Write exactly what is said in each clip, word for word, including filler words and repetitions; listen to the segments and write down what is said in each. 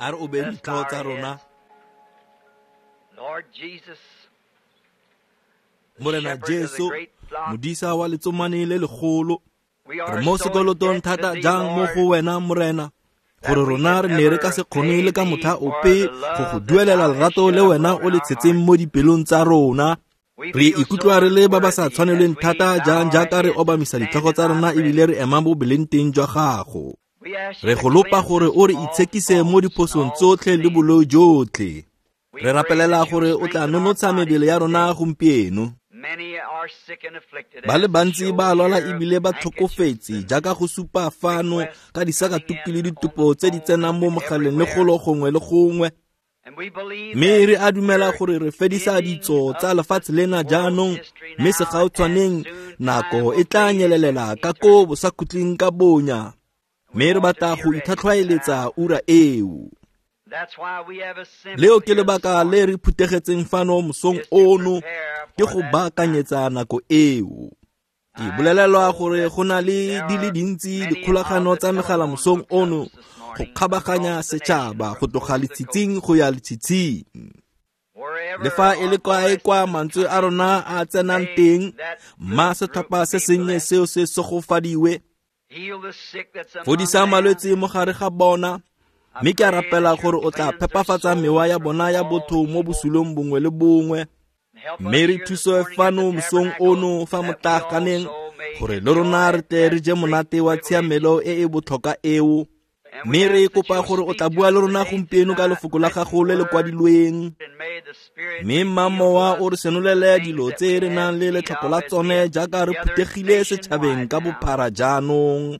A re obeng ditlhogo tsa rona. Morena Jesu, modisa wa letsomane le legolo, re mo sekolotong thata jang mo go wena Morena, gore rona re ne re ka se kgone le ka motlha ope go go duelela lerato le wena o le tshetseng mo dipelong tsa rona. Re ikutlwa re le ba ba sa tshwanelweng thata jang jaaka re obamisa ditlhogo tsa rona ebile re ema mo boleng teng jwa gago. Re go lopa gore o re itshekise mo diphosong tsotlhe le boloi jotlhe. Re rapelela gore o tla nonotsha mebele ya rona gompieno. Ba le bantsi ba lwala ebile ba tlhokofetse jaaka go supa fano ka disakatuku le ditopo tse di tsenang mo mogaleng le golo gongwe le gongwe. Mme re a dumela gore re fedisa ditso tsa lefatshe lena jaanong, mme segautshwaneng nako e tla nyelelela ka ko bosakhutleng ka bonya. Mme re batla go itlhatlhwaeletsa ura eo. Leo ke lebaka le re phuthegetseng fano mosong ono, ke go baakanyetsa nako eo. Ke bolelelwa gore go na le di le dintsi dikgolagano tsa megala mosong ono go kgabaganya setšhaba go tloga letshitsing go ya letshitsing. Le fa e le kae kwa mantswe a rona a tsenang teng, mma setlhopha se sennye seo se segofadiwe. Fodisa malwetse mo gare ga bona, mme ke a rapela gore o tla phepafatsa mewa ya bona ya botho mo bosulong bongwe le bongwe. Mme re thuse fano mosong ono fa motlaaganeng gore le rona re tle re je monate wa tshiamelo e e botlhokwa eo. Mme re kopa gore o tla bua le rona gompieno ka lefoko la gago le le kwadilweng. Mme mma mowa o re senolele dilo tse re nang le letlhoko la tsone jaaka re phuthegile setšhabeng ka bophara jaanong.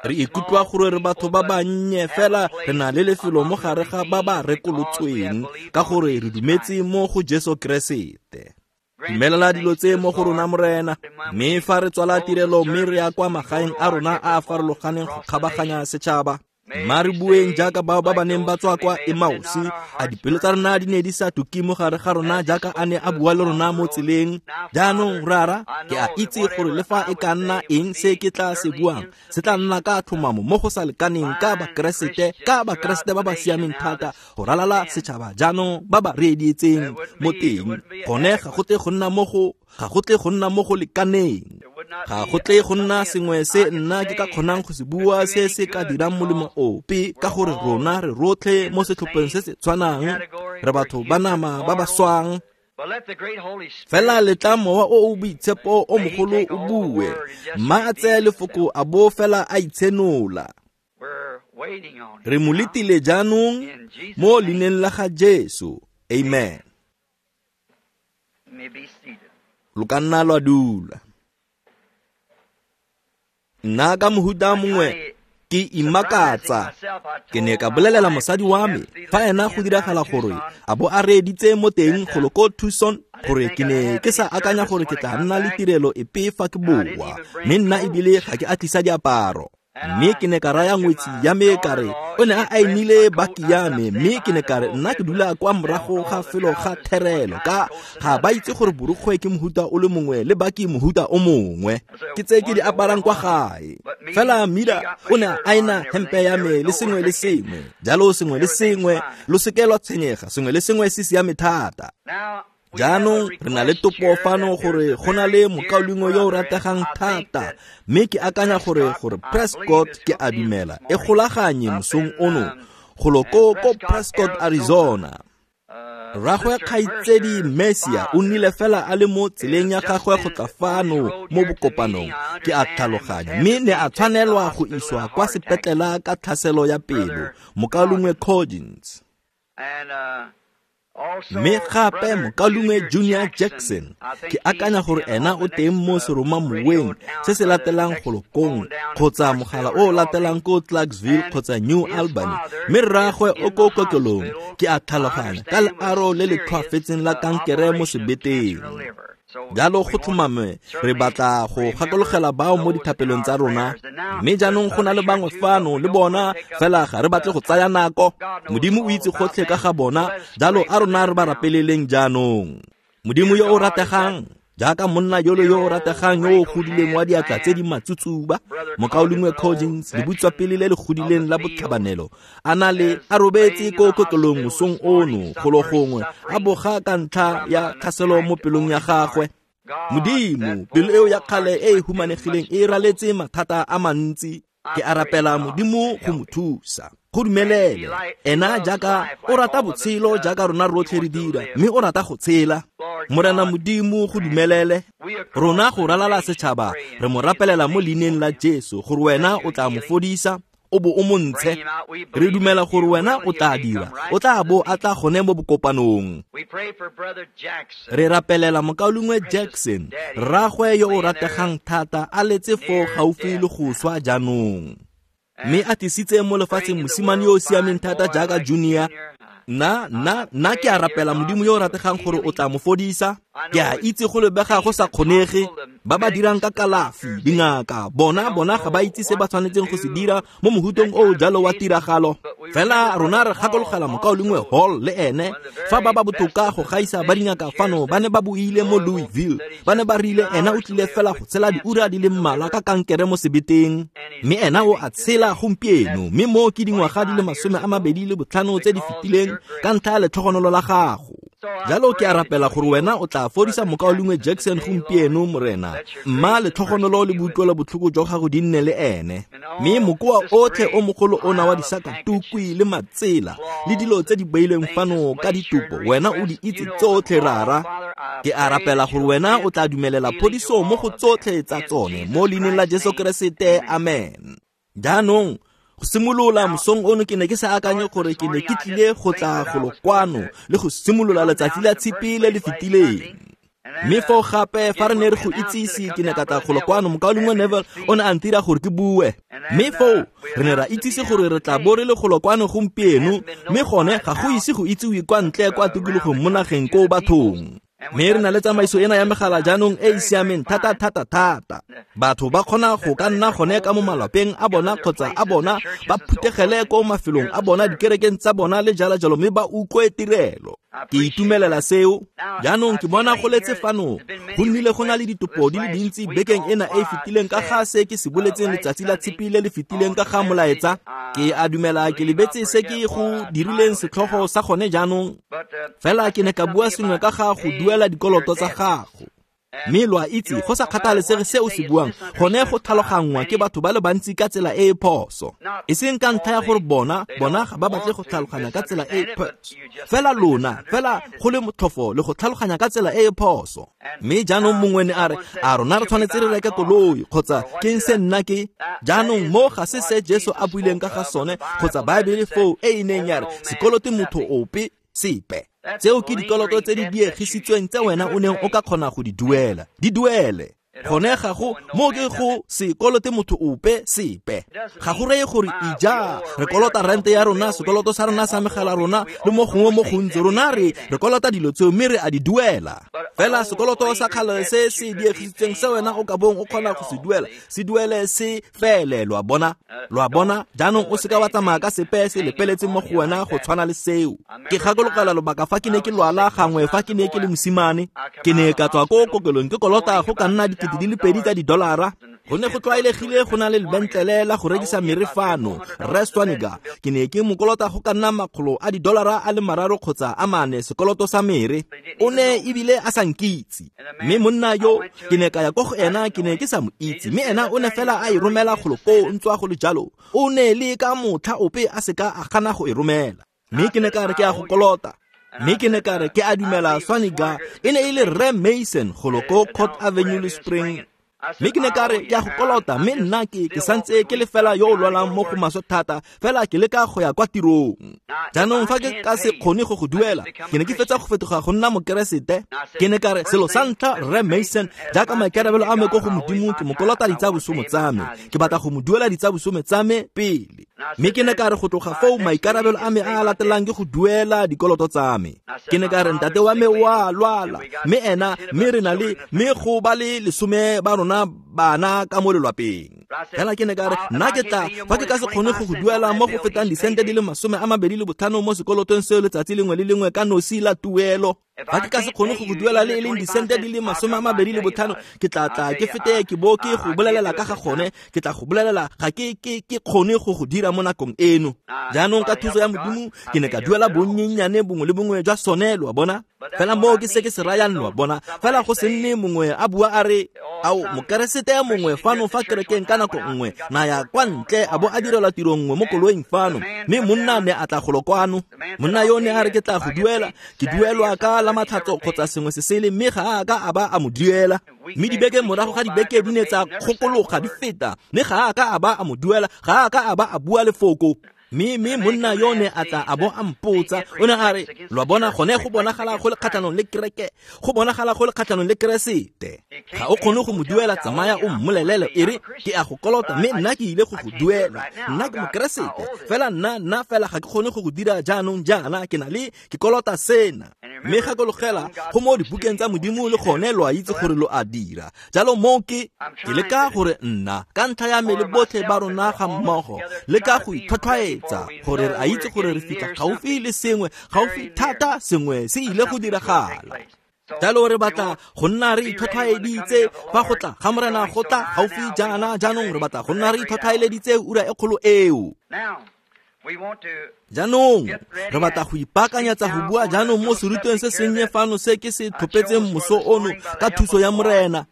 Re ikutlwa gore re batho ba bannye fela re na le lefelo mo gare ga ba ba rekolotsweng ka gore re dumetse mo go Jesu Keresete. Dumelela dilo tse mo go rona Morena, mme fa re tswala tirelo mme re ya kwa magaeng a rona a a farologaneng go kgabaganya setšhaba, mma re bueng jaaka bao ba ba neng ba tswa kwa Emausi, a dipelo tsa rona di ne di sa tuke mo gare ga rona jaaka a ne a bua le rona mo tseleng. Jaanong Rara, ke a itse gore le fa e ka nna eng se ke tla se buang, se tla nna ka tlhomamo mo go sa lekaneng ka Bakeresete, ka Bakeresete ba ba siameng thata go ralala setšhaba jaanong ba ba reeditseng mo teng. Gone ga go tle go nna mo go ga go tle go nna mo go lekaneng. Ga go tle go nna sengwe se nna ke ka kgonang go se bua se se ka dirang molemo ope, ka gore rona re rotlhe mo setlhopheng se se tshwanang, re batho ba nama ba ba swang. Fela letla mowa o o boitshepo o mogolo o bue, mma a tseye lefoko a bo fela a itshenola. Re mo letile jaanong mo leineng la ga Jesu. Amen. Lo ka nna lwa dula. Nna ka mohuta mongwe ke imakatsa. Ke ne ka bolelela mosadi wa me fa ena go diragala gore a bo a reeditse mo teng golo ko Tucson gore ke ne ke sa akanya gore ke tla nna le tirelo epe fa ke boa, mme nna ebile ga ke a tlisa diaparo. Mme ke ne ka raya ngwetsi ya me ka re o ne a ainile baki ya me, mme ke ne ka re nna ke dula kwa morago ga felo ga therelo ka ga ba itse gore borukgwe ke mohuta o le mongwe le baki mohuta o mongwe, ke tse ke di aparang kwa gae. Fela Mira o ne a aina hempe ya me le sengwe le sengwe, jalo sengwe le sengwe, lo seke lwa tshwenyega, sengwe le sengwe se siame thata. Jaanong re na le topo fano gore go na le mokaulengwe yo o rategang thata, mme ke akanya gore gore Prescott ke a dumela e golaganye mosong ono golo ko ko Prescott, Arizona. Rragwe kgaitsedi Messia o nnile fela a le mo tseleng ya gagwe go tla fano mo bokopanong, ke a tlhaloganya, mme ne a tshwanelwa go iswa kwa sepetlela ka tlhaselo ya pelo, mokaulengwe Coggins. Mme gape mokaulengwe Junior Jackson, ke akanya gore ena o teng mo seromamoweng se se latelang golo kong, kgotsa mogala o o latelang ko Clarksville kgotsa New Albany, mme rraagwe o ko kokelong, ke a tlhaloganya, ka learo le le tlhoafetseng la kankere mo sebeteng. Jalo go tlhomame re batla go gakologela bao mo dithapelong tsa rona, mme jaanong go na le bangwe fano le bona, fela ga re batle go tsaya nako. Modimo o itse gotlhe ka ga bona, jalo a rona re ba rapeleleng jaanong. Modimo yo o rategang, Jaaka monna yolo yo o rategang yo o godileng wa diatla tse di matsutsuba, mokaulengwe Coggins, lebutswapele le le godileng la botlhabanelo, a na le a robetse ko kokelong mosong ono golo gongwe, a boga ka ntlha ya tlhaselo mo pelong ya gagwe. Modimo, pelo eo ya kgale e e humanegileng e raletse mathata a mantsi. Ke a rapela Modimo go mo thusa. Go dumelele ena jaaka o rata botshelo jaaka rona rotlhe re dira, mme o rata go tshela. Morena Modimo, go dumelele rona go ralala setšhaba, re mo rapelela mo leineng la Jesu gore wena o tla mo fodisa o bo o mo ntshe. Re dumela gore wena o tla dira, o tla bo a tla gone mo bokopanong. Re rapelela mokaulengwe Jackson, rraagwe yo o rategang thata, a letse foo gaufi le go swa jaanong, mme a tlisitse mo lefatsheng mosimane yo o siameng thata jaaka Junior. Nna nna nna ke a rapela Modimo yo o rategang gore o tla mo fodisa. Ke a itse go lebega go sa kgonege. Ba ba dirang ka kalafi, dingaka, bona bona ga ba itse se ba tshwanetseng go se dira mo mohutong o o jalo wa tiragalo. Fela rona re gakologela mokaulengwe Hall le ene, fa ba ba botoka go gaisa ba dingaka fano ba ne ba buile mo Louisville, ba ne ba rile ena o tlile fela go tshela diura di le mmalwa ka kankere mo sebeteng, mme ena o a tshela gompieno, mme mo ke dingwaga di le masome a mabedi le botlhano tse di fetileng ka ntlha ya letlhogonolo la gago. Jalo ke a rapela gore wena o tla fodisa mokaulengwe Jackson gompieno, Morena. Mma letlhogonolo le boutlwelo botlhoko jwa gago di nne le ene, mme mokoa otlhe o mogolo ona wa disakatukwi le matsela le dilo tse di beilweng fano ka ditopo, wena o di itse tsotlhe, Rara. Ke a rapela gore wena o tla dumelela phodiso mo go tsotlhe tsa tsone mo leineng la Jesu Keresete, amen. Jaanong go simolola mosong ono ke ne ke sa akanye gore ke ne ke tlile go tla golo kwano le go simolola letsatsi la tshipi le le fetileng. Mme foo gape fa re ne re go itsise, ke ne ka tla golo kwano, mokaulengwe Neville o ne a ntira gore ke bue. Mme foo re ne ra itsise gore re tla bo re le golo kwano gompieno, mme gone ga go ise go itsiwe kwa ntle kwa tikologong mo nageng ko bathong. Mme re na le tsamaiso ena ya megala jaanong e e siameng thata thata thata. Batho ba kgona go ka nna gone ka mo malapeng a bona kgotsa a bona, ba phuthegele ko mafelong a bona, dikerekeng tsa bona le jalo jalo, mme ba utlwe tirelo. Ke itumelela seo. Jaanong ke bona go letse fano, go nnile go na le ditopo di le dintsi bekeng ena e e fetileng ka ga se ke se boletseng letsatsi la tshipi le le fetileng ka ga molaetsa. Ke a dumela ke lebetse se ke go dirileng setlhogo sa gone jaanong, fela ke ne ka bua sengwe ka ga go duela dikoloto tsa gago. Mme lo a itse, go sa kgathalesege se o se buang, gone go tlhaloganngwa ke batho ba le bantsi ka tsela e e phoso. E seng ka ntlha ya gore bona bona ga ba batle go tlhaloganya ka tsela e e phoso, fela lona fela go le motlhofo le go tlhaloganya ka tsela e e phoso. Mme jaanong mongwe ne a re, a rona re tshwanetse re reke koloi kgotsa ke se nna ke. Jaanong mo ga se se Jesu a buileng ka ga sone, kgotsa Baebele foo e e neng ya re sekolote motho ope sepe. Tseo ke dikoloto tse di diegisitsweng tse wena o neng o ka kgona go di duela, di duele. Gone ga go mo ke go sekolote motho ope sepe. Ga go reye gore ija re kolota rente ya rona, sekoloto sa rona sa megala rona le mo gongwe mo gontsi, rona re re kolota dilo tseo mme re a di duela. Fela sekoloto sa kgale se se diegisitsweng se wena o ka bong o kgona go se duela, se duele se fele. Lo a bona, lo a bona. Jaanong o seka wa tsamaya ka sepe se lepeletse mo go wena go tshwana le seo. Ke gakologela lobaka fa ke ne ke lwala gangwe fa ke ne ke le mosimane, ke ne ka tswa ko kokelong ke kolota go ka nna dikete di le pedi tsa didolara. Go ne go tlwaelegile go na le lebentlele la go rekisa mere fano, Rre Swaniga. Ke ne ke mokolota go ka nna makgolo a didolara a le mararo kgotsa a mane sekoloto sa mere. O ne ebile a sa nkitse. Mme monna yo ke ne ka ya ko go ena, ke ne ke sa mo itse, mme ena o ne fela a e romela golo koo ntswa go le jalo. O ne le ka motlha ope a seka a gana go e romela. Mme ke ne ka re ke a go kolota. Mme ke ne ka re ke a dumela Swaniga e ne e le Rre Mason golo ko Court Avenue le Spring. Mme ke ne ka re ke a go kolota, mme nna ke ke santse ke le fela yo o lwalang mo go maswe thata, fela ke leka go ya kwa tirong. Jaanong fa ke ka se kgone go go duela, ke ne ke fetsa go fetoga go nna mokeresete. Ke ne ka re selo sa ntlha, Rre Mason, jaaka maikarabelo a me ko go Modimo, ke mo kolota ditsa bosome tsa me, ke batla go mo duela ditsa bosome tsa me pele. Mme ke ne ka re go tloga foo maikarabelo a me a a latelang ke go duela dikoloto tsa me. Ke ne ka re ntate wa me o a lwala, mme ena mme re na le mme go ba le lesome ba rona bana ka mo lelwapeng. Fela ke ne ka re nna ke tla fa ke ka se kgone go go duela mo go fetang disente di le masome a mabedi le botlhano mo sekolotong seo letsatsi lengwe le lengwe ka nosi la tuelo. Fa ke ka se kgone go go duela le e leng disente di le masome a mabedi le botlhano, ke tla tla ke fete ke bo ke go bolelela ka ga gone, ke tla go bolelela ga ke ke ke kgone go go dira mo nakong eno. Jaanong ka thuso ya Modimo ke ne ka duela bonnyenyane bongwe le bongwe jwa sone, lo a bona. Fela moo ke se ke se rayang, lo a bona. Fela go se nne mongwe a bua a re ao mokeresete mongwe fano fa kerekeng ka nako nngwe na ya kwa ntle a bo a direlwa tiro nngwe mo koloing fano, mme monna ne a tla golo kwano. Monna yo ne a re ke tla go duela, ke duelwa ka la matlhatso kgotsa sengwe se sele, mme ga a ka a ba a mo duela. Mme dibeke morago ga dibeke di ne tsa kgokologa di feta, mme ga a ka a ba a mo duela, ga a ka a ba a bua lefoko. Mme mme monna yo ne a tla a bo a mpotsa, o ne a re lo a bona gone go bonagala go le kgatlhanong le kereke, go bonagala go le kgatlhanong le Keresete. Ga o kgone go mo duela, tsamaya o mmolelele e re ke a go kolota, mme nna ke ile go go duela, nna ke mokeresete, fela nna nna fela ga ke kgone go go dira jaanong jaana, ke na le ke kolota sena. Mme gakologela go mo dibukeng tsa Modimo le gone lo a itse gore lo a dira. Jalo moo ke ke leka gore nna ka ntlha ya me le botlhe ba rona ga mmogo le ka go itlhwatlhwaetsa gore re a itse gore re fitlha gaufi le sengwe, gaufi thata sengwe se ile go diragala. Jalo re batla go nna re itlhwatlhwaeditse fa go tla ga Morena go tla gaufi jaana, jaanong re batla go nna re itlhwatlhwaeleditse ura e kgolo eo. Jaanong re batla go ipaakanyetsa go bua jaanong mo serutweng se sennye fano se ke se tlhophetseng moso ono ka thuso ya Morena.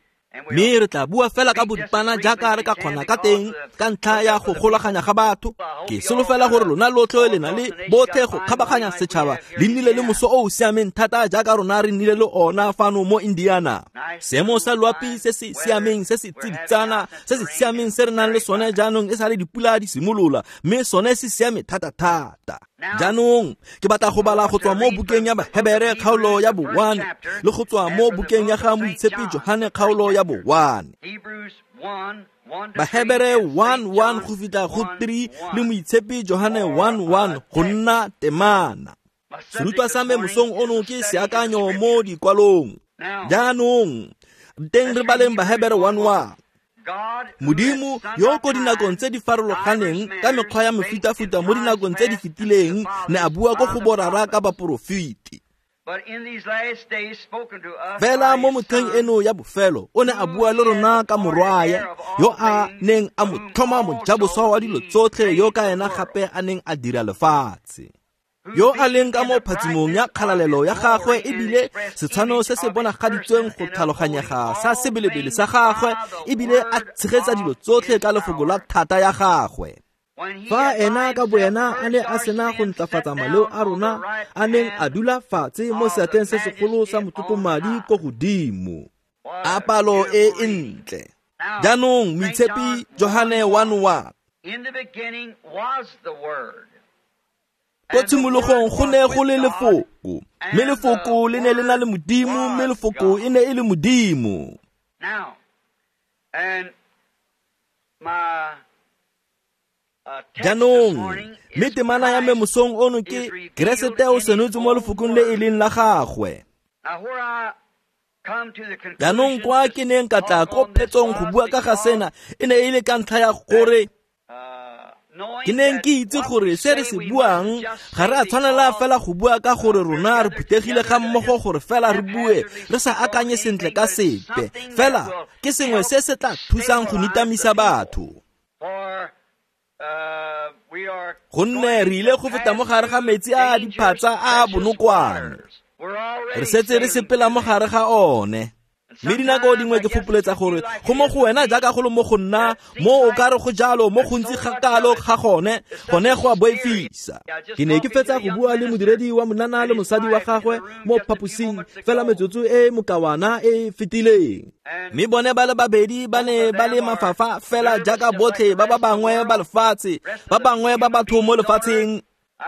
Mme re tla bua fela ka boripana jaaka re ka kgona ka teng ka ntlha ya go golaganya ga batho. Ke solofela gore lona lotlhe le na le botlhe go kgabaganya setšhaba le nnile le moso o o siameng thata jaaka rona re nnile le ona fano mo Indiana. Seemo sa loapi se se siameng se se tsiditsana se se siameng se re nang le sone jaanong e sa le dipula di simolola, mme sone se siame thata-thata. Jaanong ke batla go bala go tswa mo bukeng ya Bahebere kgaolo ya bo one le go tswa mo bukeng ya ga Moitshepi Johane kgaolo ya bo one. Bahebere one one go fitlha go three le Moitshepi Johane one one go nna temana. Serutwa sa me mosong ono ke seakanyo mo dikwalong. Jaanong teng re baleng Bahebere one one. Modimo yo ko dinakong tse di farologaneng ka mekgwa ya mefutafuta mo dinakong tse di fetileng ne a bua ko go borara ka baporofeti. Fela mo motlheng eno ya bofelo o ne a bua le rona ka morwae yo a neng a mo tlhoma mojaboswa wa dilo tsotlhe, yo ka ena gape a neng a dira lefatshe, yo a leng ka mo phatsimong ya kgalalelo ya gagwe ebile setshwano se se bonagaditsweng go tlhaloganyega sa sebelebele sa gagwe, ebile a tshegetsa dilo tsotlhe ka lefoko la thata ya gagwe. Fa ena ka boena a ne a sena go ntlafatsa maleo a rona, a neng a dula fatshe mo seatleng se segolo sa motlotlomadi ko godimo. A palo e e ntle. Jaanong Moitshepi Johane one one. Ko tshimologong go ne go le lefoko, mme lefoko le ne le na le Modimo, mme lefoko e ne e le Modimo. Jaanong mme temana ya me mosong ono ke Keresete o senotswe mo lefokong le e leng la gagwe. Jaanong kwa ke neng ka tla ko phetsong go bua ka ga sena e ne e le ka ntlha ya gore ke neng ke itse gore se re se buang ga re a tshwanela fela go bua ka gore rona re phuthegile ga mmogo gore fela re bue re sa akanye sentle ka sepe, fela ke sengwe se se tla thusang go nitamisa batho. Gonne re ile go feta mo gare ga metsi a diphatsa a bonokwane, re setse re sepela mo gare ga one. Mme dinako dingwe ke fopoletsa gore go mo go wena jaaka go le mo go nna, mo o ka re go jalo mo gontsi ga kalo ga gone, gone go a boifisa. Ke ne ke fetsa go bua le modiredi wa monana le mosadi wa gagwe mo phaposing fela metsotso e mokawana e fetileng. Mme bone ba le babedi ba ne ba le mafafa fela jaaka botlhe ba ba bangwe ba lefatshe, ba bangwe ba batho mo lefatsheng.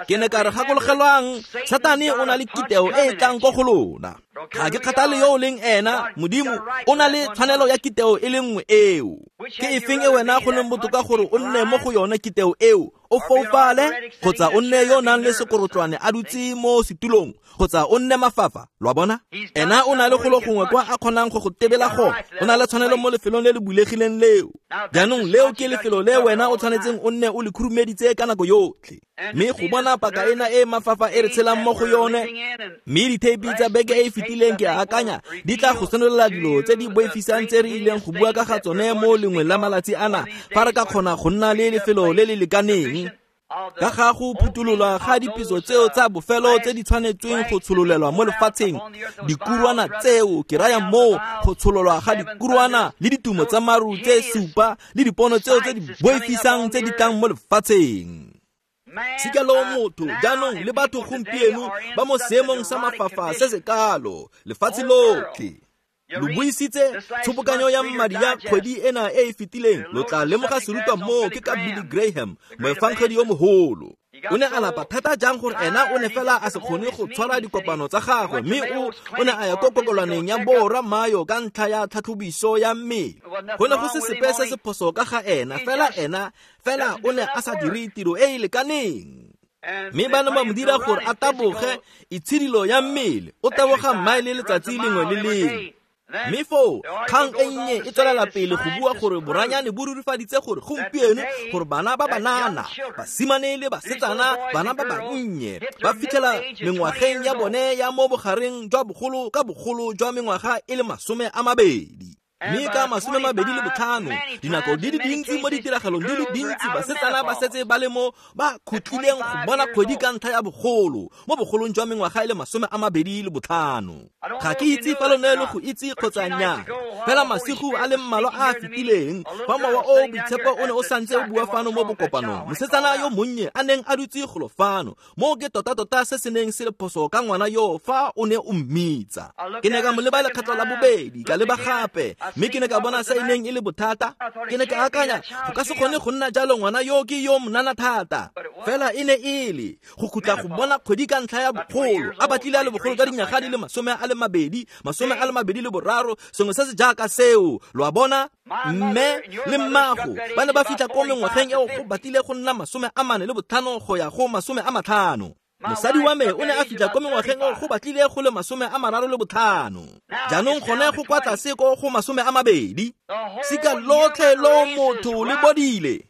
Ke ne ka re gakologelwang, Satane o na le kiteo e e tlang ko go lona. Ga ke kgathale yo o leng ena, Modimo o na le tshwanelo ya kiteo e le nngwe eo. Ke efeng e wena go leng botoka gore o nne mo go yone kiteo eo, o foufale kgotsa o nne yo o nang le sekorotlwane a dutse mo setulong kgotsa o nne mafafa, lo a bona? Ena o na le golo gongwe kwa a kgonang go go tebela gone, o na le tshwanelo mo lefelong le le bulegileng leo. Jaanong leo ke lefelo le wena o tshwanetseng o nne o le khurumeditse ka nako yotlhe. Mme go bona paka ena e mafafa e re tshelang mo go yone, mme ditheipi tsa beke e e fetileng ke a akanya di tla go senolela dilo tse di boifisang tse re ileng go bua ka ga tsone mo lengwe la malatsi ana, fa re ka kgona go nna le lefelo le le lekaneng ka ga go phuthololwa ga dipitso tseo tsa bofelo tse di tshwanetsweng go tshololelwa mo lefatsheng, dikurwana tseo ke raya moo go tshololwa ga dikurwana le ditumo tsa maru tse supa le dipono tseo tse di boifisang tse di tlang mo lefatsheng. Sika lo motho jaanong le batho gompieno ba mo seemong sa mafafa se se kalo lefatshe lotlhe. Lo buisitse tshobokanyo ya madi ya kgwedi ena e e fetileng, lo tla lemoga serutwa moo ke ka Billy Graham, moefangedi yo mogolo. O ne a lapa thata jang gore ena o ne fela a se kgone go tshwara dikopano tsa gagwe, mme o o ne a ya ko kokolwaneng ya borra Mayo ka ntlha ya tlhatlhobiso ya mmele. Go ne go se sepe se se phoso ka ga ena, fela ena fela o ne a sa dire tiro e e lekaneng. Mme ba ne ba mo dira gore a taboge itshidilo ya mmele, o taboga mmaele letsatsi lengwe le lengwe. Mme foo kgang e nnye e tswelela pele go bua gore boranyane bo rurifaditse gore gompieno gore bana ba banana, basimane le basetsana, bana ba bannye ba fitlhela mengwageng ya bone ya mo bogareng jwa bogolo ka bogolo jwa mengwaga e le masome a mabedi. Mme ka masome mabedi le botlhano, dinako di le dintsi mo ditiragalong di le dintsi basetsana ba setse ba le mo ba khutlileng go bona kgwedi ka ntlha ya bogolo, mo bogolong jwa mengwaga e le masome a mabedi le botlhano. Ga ke itse fa lo ne lo go itse kgotsa nnyaa, fela masigo a le mmalwa a a fetileng fa mowa o o boitshepo o ne o santse o bua fano mo bokopanong, mosetsana yo monnye a neng a dutse golo fano, moo ke tota-tota se se neng se le phoso ka ngwana yo fa o ne o mmitsa. Ke ne ka mo leba lekgetlo la bobedi, ka leba gape, mme ke ne ka bona se e neng e le bothata. Ke ne ka akanya go ka se kgone go nna jalo, ngwana yo ke yo monana thata. Fela e ne e le go khutla go bona kgwedi ka ntlha ya bogolo, a batlile a le bogolo jwa dinyaga di le masome a le mabedi, masome a le mabedi le boraro, sengwe se se jaaka seo, lo a bona? Mme le mmago ba ne ba fitlha ko mengwageng eo go batlile go nna masome a mane le botlhano go ya go masome a matlhano. Mosadi wa me o ne a fitlha ko mengwageng eo go batlile go le masome a mararo le botlhano. Jaanong gone go kwa tlase ko go masome a mabedi. Sika lotlhe lo motho le bodile.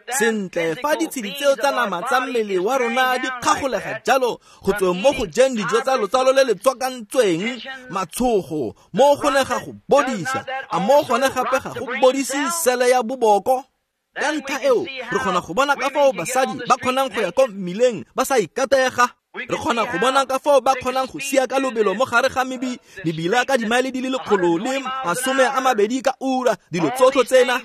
Sentle, fa ditshedi tseo tsa nama tsa mmele wa rona di kgagolega jalo go tsweng mo go jeng dijo tsa lotsalo le le tswakantsweng matshogo, mo go ne ga go bodisa, a mo gone gape ga go bodise sele ya boboko. Ka ntlha eo re kgona go bona ka fao basadi ba kgonang go ya ko mmileng ba sa ikatega. Re kgona go bona ka fao ba kgonang go sia ka lobelo mo gare ga mebi mebila ka dimaele di le lekgolo le masome a mabedi ka ura, dilo tsotlhe tsena.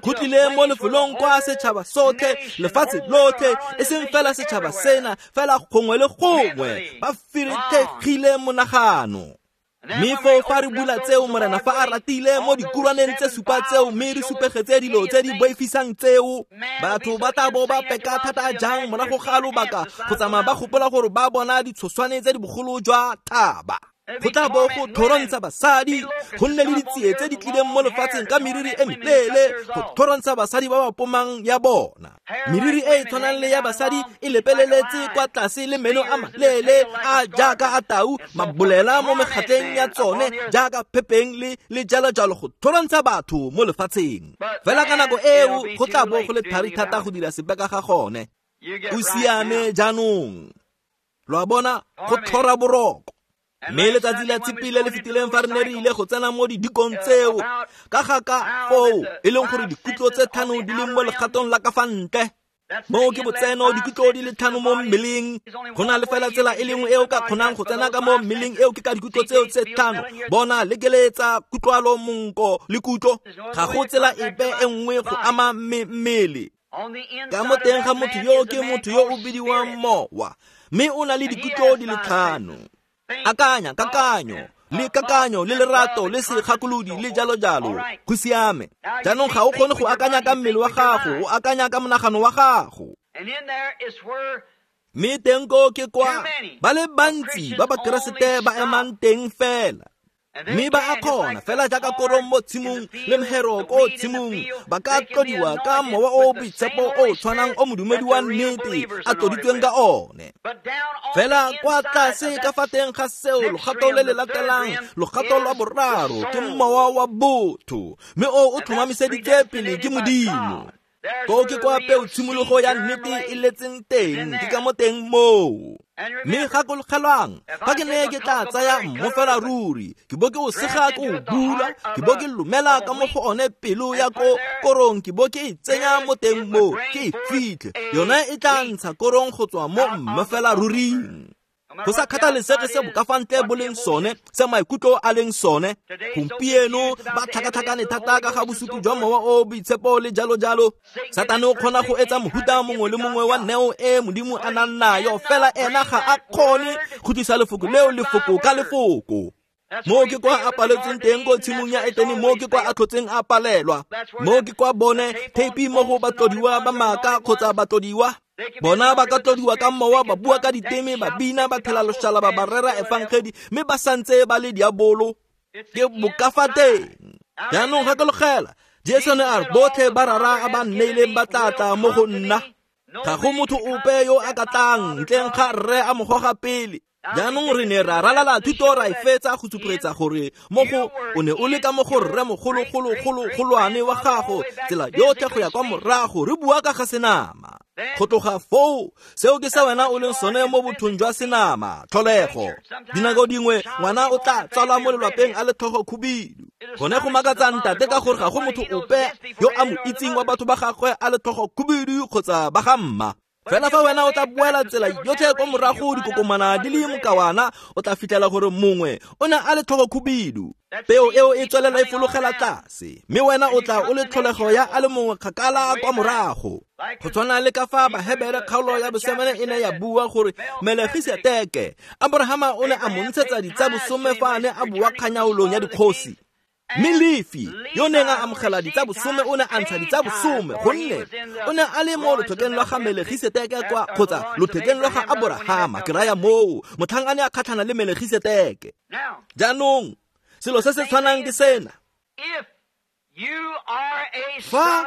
Go tlile mo lefelong kwa setšhaba sotlhe, lefatshe lotlhe, e seng fela setšhaba sena, fela gongwe le gongwe ba ferethegile monagano. Mme foo fa re bula tseo, Morena fa a ratile mo dikurwaneng tse supa tseo, mme re supegetse dilo tse di boifisang tseo, batho ba tla bo ba peka thata jang morago ga lobaka go tsamaya ba gopola gore ba bona ditshoswane tse di bogolo jwa thaba. Go tla bo go thorontsha basadi, go nne le ditsie tse di tlileng mo lefatsheng ka meriri e meleele, go thorontsha basadi ba ba pomang ya bona. Meriri e e tshwanang le ya basadi e lepeleletse kwa tlase le meno a maleele a jaaka a tau, mabolela mo megatleng ya tsone jaaka phepeng le le jalo jalo, go thorontsha batho mo lefatsheng. Fela ka nako eo go tla bo go le thari thata go dira sepe ka ga gone. O siame jaanong, lo a bona, go tlhora boroko. Mme letsatsi la tshipi le le fetileng fa re ne re ile go tsena mo didikong tseo ka ga ka foo e leng gore dikutlo tse tlhano di leng mo legatong la ka fa ntle, moo ke botseno dikutlo di le tlhano mo mmeleng. Go na le fela tsela e lengwe e o ka kgonang go tsena ka mo mmeleng eo ke ka dikutlo tseo tse tlhano. Bona, lekeletsa, kutlwalo, monko le kutlo. Ga go tsela epe e nngwe go ama mmele. Ka mo teng ga motho yo ke motho yo o bidiwang mowa, mme o na le dikutlo di le tlhano. Akanya, kakanyo, le kakanyo, le lerato, le segakolodi, le jalo jalo. Go siame. Jaanong ga o kgone go akanya ka mmele wa gago, o akanya ka monagano wa gago. Mme teng koo ke kwa ba le bantsi ba Bakeresete ba emang teng fela. Mme ba a kgona fela jaaka korong mo tshimong le mhero ko tshimong, ba ka tlodiwa ka mowa o o boitshepo o o tshwanang o modumedi wa nnete a tloditsweng ka one. Fela kwa tlase ka fa teng ga seo, logato le le latelang, logato lwa boraro ke mowa wa botho, mme o o tlhomamiseditse pele ke Modimo. Koo ke kwa peo tshimologo ya nnete e letseng teng, ke ka mo teng moo. Mme gakologelwang, fa ke ne ke tla tsaya mmu fela ruri, ke bo ke o sega ke o bula, ke bo ke lomela ka mo go one pelo ya ko korong, ke bo ke e tsenya mo teng moo, ke e fitlhe, yone e tla ntsha korong go tswa mo mmu fela ruring. Go sa kgathalesege se bokafantle bo leng sone, se maikutlo a leng sone, gompieno ba tlhakatlhakane thata ka ga bosupi jwa mowa o boitshepo le jalo jalo. Satane o kgona go etsa mohuta mongwe le mongwe wa neo e Modimo a nang nayo, fela ena ga a kgone go tlisa lefoko leo lefoko ka lefoko. Mo ke kwa a paletsweng teng ko tshimong ya Etene, mo ke kwa a tlhotseng a palelwa, mo ke kwa bone theipi mo go batlodiwa ba maaka kgotsa batlodiwa. Bona ba ka tlodiwa ka mowa, ba bua ka diteme, ba bina, ba thela loshalaba, ba rera efangedi, mme ba santse ba le diabolo. Ke bokafateng. Jaanong gakologela, Jesu ne a re botlhe ba rara a ba nneileng ba tla tla mo go nna. Ga go motho ope yo a ka tlang ntleng ga rre a mo goga pele. Jaanong re ne ra ralala thuto ra e fetsa go supegetsa gore mo go o ne o le ka mo go rre mogologologologolwane wa gago tsela yotlhe go ya kwa morago, re bua ka ga senama. Go tloga foo, seo ke se wena o leng sone mo bothong jwa senama, tlholego. Dinako dingwe ngwana o tla tsalwa mo lelwapeng a le tlhogo khubidu. Gone go makatsa ntate ka gore ga go motho ope yo a mo itseng wa batho ba gagwe a le tlhogo khubidu kgotsa ba ga mma. Fela fa wena o tla boela tsela yotlhe kwa morago dikokomana di le mokawana, o tla fitlhela gore mongwe o ne a le tlhogo khubidu. Peo eo e tswelela e fologela tlase, mme wena o tla o le tlholego ya a le mongwe kgakala kwa morago. Go tshwana le ka fa Bahebere kgaolo ya bosemane e ne ya bua gore Melegiseteke, Abrahama o ne a mo ntshetsa ditsabosome fa a ne a bua kganyaolong ya dikgosi. Mme Lefi yo neng a amogela ditsabosome o ne a ntsha ditsabosome, gonne o ne a le mo lothekeng lwa ga Melegiseteke kwa kgotsa lothekeng lwa ga Aborahama, ke raya moo motlhang a ne a kgatlhana le Melegiseteke. Jaanong selo se se tshwanang ke sena. Fa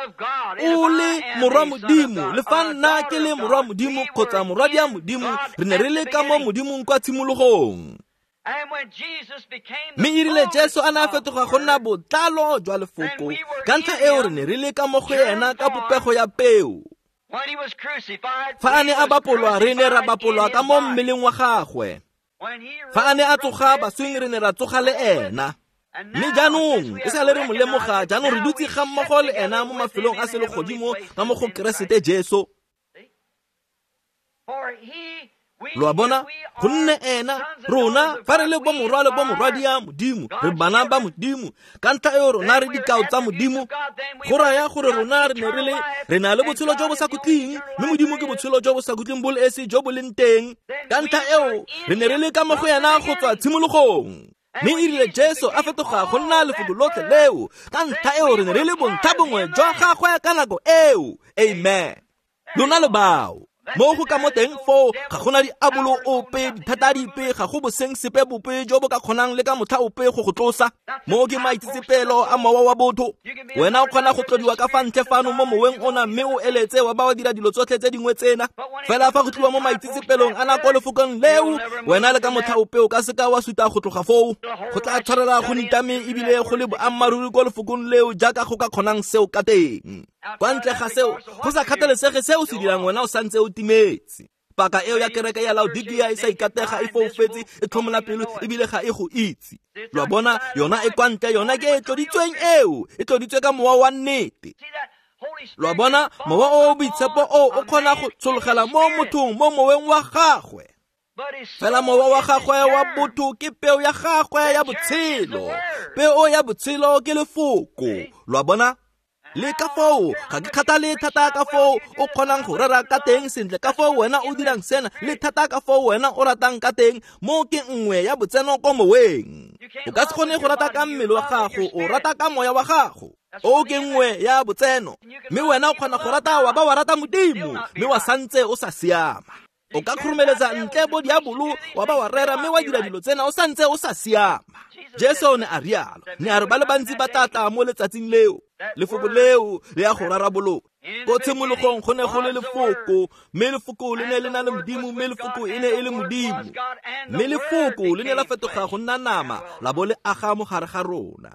o le morwa Modimo, le fa nna ke le morwa Modimo kgotsa morwadia Modimo, re ne re le ka mo Modimong kwa tshimologong. Mme e rile Jesu a ne a fetoga go nna botlalo jwa lefoko, ka ntlha eo re ne re le ka mo go ena ka popego ya peo. Fa a ne a bapolwa, re ne ra bapolwa ka mo mmeleng wa gagwe. Fa a ne a tsoga baswing, re ne ra tsoga le ena. Mme jaanong e sale re mo lemoga, jaanong re dutse ga mmogo le ena mo mafelong a selegodimo ka mo go Keresete Jesu. Lo a bona, gonne ena rona fa re le bomorwa le bomorwadia Modimo, re bana ba Modimo. Ka ntlha eo rona re dikao tsa Modimo. Go raya gore rona re ne re le re na le botshelo jo bo sa khutleng, mme Modimo ke botshelo jo bo sa khutleng bo le esi jo bo leng teng. Ka ntlha eo re ne re le ka mo go ena go tswa tshimologong. Mme e rile Jesu a fetoga go nna lefoko lotlhe leo, ka ntlha eo re ne re le bontlha bongwe jwa gagwe ka nako eo. Amen. Lona le bao mo go ka mo teng foo ga gona diabolo ope, dithata dipe, ga go boseng sepe bope jo bo ka kgonang le ka motlha ope go go tlosa. Mo ke maitsetsepelo a mowa wa botho. Wena o kgona go tlodiwa ka fa ntle fano mo moweng ona, mme o eletse wa ba wa dira dilo tsotlhe tse dingwe tsena. Fela fa go tliwa mo maitsetsepelong a nako lefokong leo, wena le ka motlha ope o ka seka wa suta go tloga foo. Go tla tshwarela go nitame ebile go le boammaaruri ko lefokong leo jaaka go ka kgonang seo ka teng. Kwa ntle ga seo, go sa kgathalesege seo se dirang, wena o santse o timetse. Paka eo ya kereke ya Laodikia e sa ikatega, e foufetse, e tlhomola pelo ebile ga e go itse. Lo a bona, yona e kwa ntle, yona ke e tloditsweng eo, e tloditswe ka mowa wa nnete. Lo a bona, mowa o o boitshepo o o kgona go tshologela mo mothong, mo moweng wa gagwe. Fela mowa wa gagwe wa botho ke peo ya gagwe ya botshelo. Peo ya botshelo ke lefoko. Lo a bona? Le ka foo, ga ke kgathale thata ka foo o kgonang go rera ka teng sentle, ka foo wena o dirang sena, le thata ka foo wena o ratang ka teng, mo ke nngwe ya botseno ko moweng. O ka se kgone go rata ka mmele wa gago, o rata ka moya wa gago. O ke nngwe ya botseno. Mme wena o kgona go rata wa ba wa rata Modimo, mme wa santse o sa siama. O ka khurumeletsa ntle bo diabolo wa ba wa rera mme wa dira dilo tsena o santse o sa siama. Jesu o ne a rialo, ne a re ba le bantsi ba tla tla mo letsatsing leo. Lefoko leo le ya go rarabolola. Ko tshimologong go ne go le lefoko, mme lefoko le ne le na le Modimo, mme lefoko e ne e le Modimo. Mme lefoko le ne la fetoga go nna nama, la bo le aga mo gare ga rona.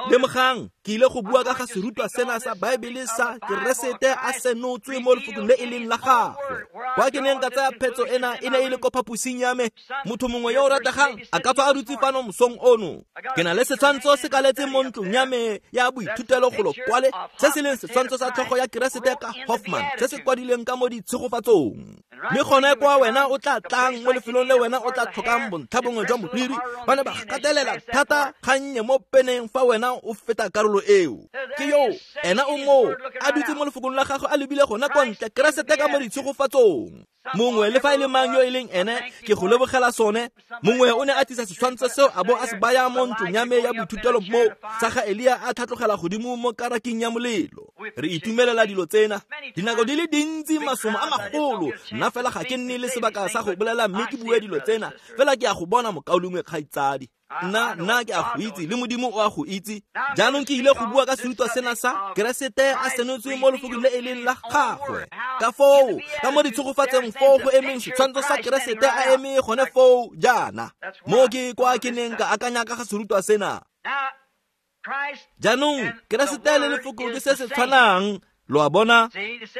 Lemogang, ke ile go bua ka ga serutwa sena sa Baebele sa Keresete a senotswe mo lefokong le e leng la gagwe. Kwa ke neng ka tsaya phetso ena e ne e le ko phaposing ya me. Motho mongwe yo o rategang a ka tswa a dutse fano mosong ono. Ke na le setshwantsho se kaletseng mo ntlong ya me ya boithutelo golo kwale, se se leng setshwantsho sa tlhogo ya Keresete ka Hoffman, se se kwadilweng ka mo ditshegofatsong. Mme gone kwa wena o tla tlang mo lefelong le wena o tla tlhokang bontlha bongwe jwa moriri, ba ne ba gatelela thata gannye mo peneng fa wena o feta karolo eo. Ke yo, ena o moo, a dutse mo lefokong la gagwe a lebile gona kwa ntle, Keresete ka mo ditshegofatsong. Mongwe le fa e le mang yo e leng ene, ke go lebogela sone. Mongwe o ne a tlisa setshwantsho seo a bo a se baya mo ntlong ya me ya boithutelo mo, sa ga Elia a tlhatlogela godimo mo karaking ya molelo. Re itumelela dilo tsena. Dinako di le dintsi, masomo a magolo, nna fela ga ke nne le sebaka sa go bolela mme ke bue dilo tsena. Fela ke a go bona mokaulengwe kgaitsadi. Nna nna ke a go itse, le Modimo o a go itse. Jaanong ke ile go bua ka serutwa sena sa Keresete a senotswe mo lefokong le e leng la gagwe. Ka foo, ka mo ditshegofatseng foo go emeng setshwantsho sa Keresete a eme gone foo jaana. Mo ke kwa ke neng ka akanya ka ga serutwa sena. Jaanong Keresete le lefoko ke se se tshwanang. Lo a bona?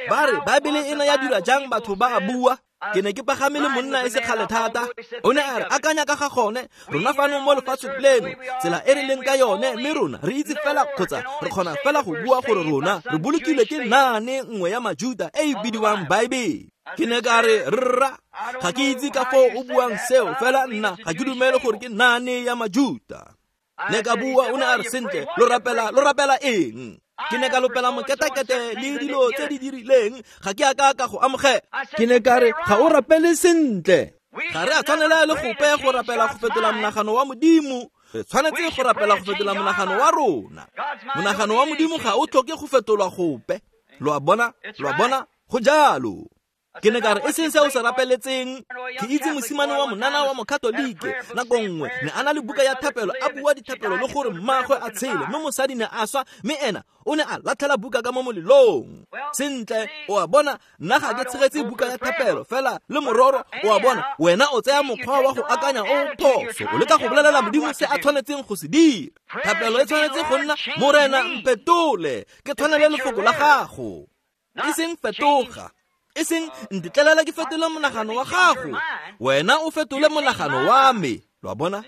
Ba re Baebele ena ya dira jang batho ba a bua? Ke ne ke pagame le monna e se kgale thata. O ne a re akanya ka ga gone, rona fano mo lefatsheng leno, tsela e re leng ka yone, mme rona re itse fela kgotsa re kgona fela go bua gore rona re bolokilwe ke naane nngwe ya Majuda e e bidiwang Baebele. Ke ne ka re, rra, ga ke itse ka foo o buang seo, fela nna ga ke dumele gore ke naane ya Majuda. Ne ka bua, o ne a re sentle, lo rapela, lo rapela eng? Ke ne ka lopela moketakete le dilo tse di dirileng, ga ke a ka ka go amogela. Ke ne ka re, ga o rapele sentle. Ga re a tshwanela le gope go rapela go fetola monagano wa Modimo. Re tshwanetse go rapela go fetola monagano wa rona. Monagano wa Modimo ga o tlhoke go fetolwa gope. Lo a bona? Lo a bona? Go jalo. Ke ne ka re, e seng se o se rapeletseng. Ke itse mosimane wa monana wa Mokatolike nako nngwe ne a na le buka ya thapelo, a bua dithapelo le gore mmaagwe a tshele, mme mosadi ne a swa, mme ena o ne a latlhela buka ka mo molelong. Sentle, o a bona, nna ga ke tshegetse buka ya thapelo fela le mororo, o a bona, wena o tsaya mokgwa wa go akanya o phoso, o leka go bolelela Modimo se a tshwanetseng go se dira. Thapelo e tshwanetse go nna, Morena mpetole, ke tshwanele lefoko la gago. E seng fetoga, e seng ntetlelela ke fetole monagano wa gago. Wena o fetole monagano wa me. Lo a bona?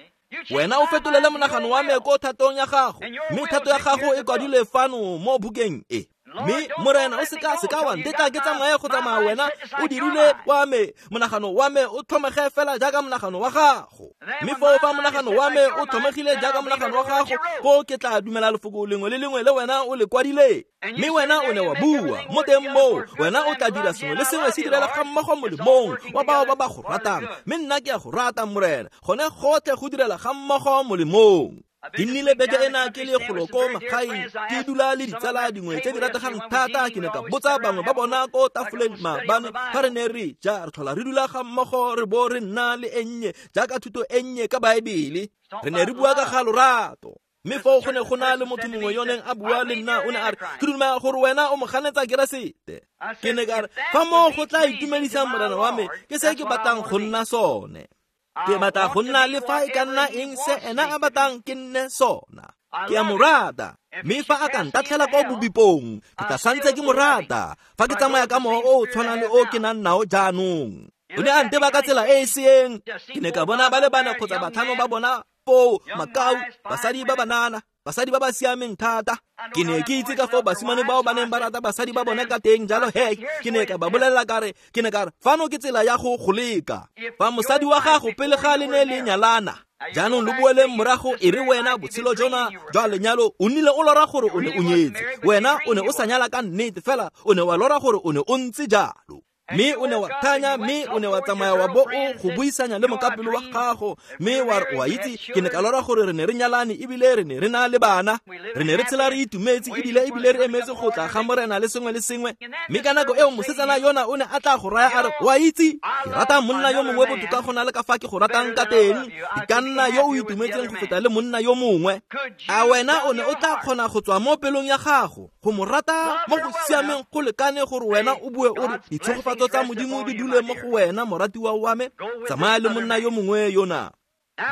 Wena o fetolele monagano wa me ko thatong ya gago, mme thato ya gago e kwadilwe fano mo bukeng e. Mme Morena o seka seka wa ntetla ke tsamaye go tsamaya wena o dirile wa me monagano wa me o tlhomege fela jaaka monagano wa gago. Mme foo fa monagano wa me o tlhomegile jaaka monagano wa gago, foo ke tla dumela lefoko lengwe le lengwe le wena o le kwadileng. Mme wena o ne wa bua mo teng moo, wena o tla dira sengwe le sengwe se direla ga mmogo molemong wa bao ba ba go ratang. Mme nna ke a go rata Morena, gone gotlhe go direla ga mmogo molemong. Ke nnile beke ena ke le golo ko magaeng, ke dula le ditsala dingwe tse di rategang thata. Ke ne ka botsa bangwe ba bona ko tafoleng maabane fa re ne re ja, re tlhola re dula ga mmogo re bo re nna le e nnye jaaka thuto e nnye ka Baebele. Re ne re bua ka ga lorato. Mme foo go ne go na le motho mongwe yo neng a bua le nna, o ne a re, ke dumela gore wena o mo ganetsa Keresete. Ke ne ka re, fa moo go tla itumedisang Morena wa me, ke se ke batlang go nna sone. Ke batla go nna le fa e ka nna eng se ena a batlang ke nne sona. Ke a mo rata, mme fa a ka ntatlhela kwa bobipong, ke tla santse ke mo rata. Fa ke tsamaya ka mowa o o tshwanang le o ke nang nao jaanong. O ne a nteba ka tsela e e seeng. Ke ne ka bona ba le bane kgotsa batlhano ba bona foo, makau, basadi ba banana, basadi ba ba siameng thata. Ke ne ke itse ka foo basimane bao ba neng ba rata basadi ba bone ka teng, jalo he ke ne ka ba bolelela ka re, ke ne ka re, fano ke tsela ya go go leka. Fa mosadi wa gago pele ga le ne le nyalana, jaanong lo boeleng morago, e re wena botshelo jona jwa lenyalo o nnile o lora gore o ne o nyetse. Wena o ne o sa nyala ka nnete, fela o ne wa lora gore o ne o ntse jalo. Mme o ne wa thanya, mme o ne wa tsamaya wa bo o go buisanya le mokapelo wa gago, mme wa re o a itse ke ne ka lora gore re ne re nyalane ebile re ne re na le bana, re ne re tshela re itumetse ebile ebile re emetse go tla ga morena le sengwe le sengwe. Mme ka nako eo mosetsana yona o ne a tla go raya a re o a itse ke rata monna yo mongwe botoka go na le ka fa ke go ratang ka teng, ke ka nna yo o itumetseng go feta le monna yo mongwe. A wena o ne o tla kgona go tswa mo pelong ya gago go mo rata mo go siameng go lekane gore wena o bue o re ditshegofatso tsa Modimo di dule mo go wena moratiwa wa me, tsamaya le monna yo mongwe yona.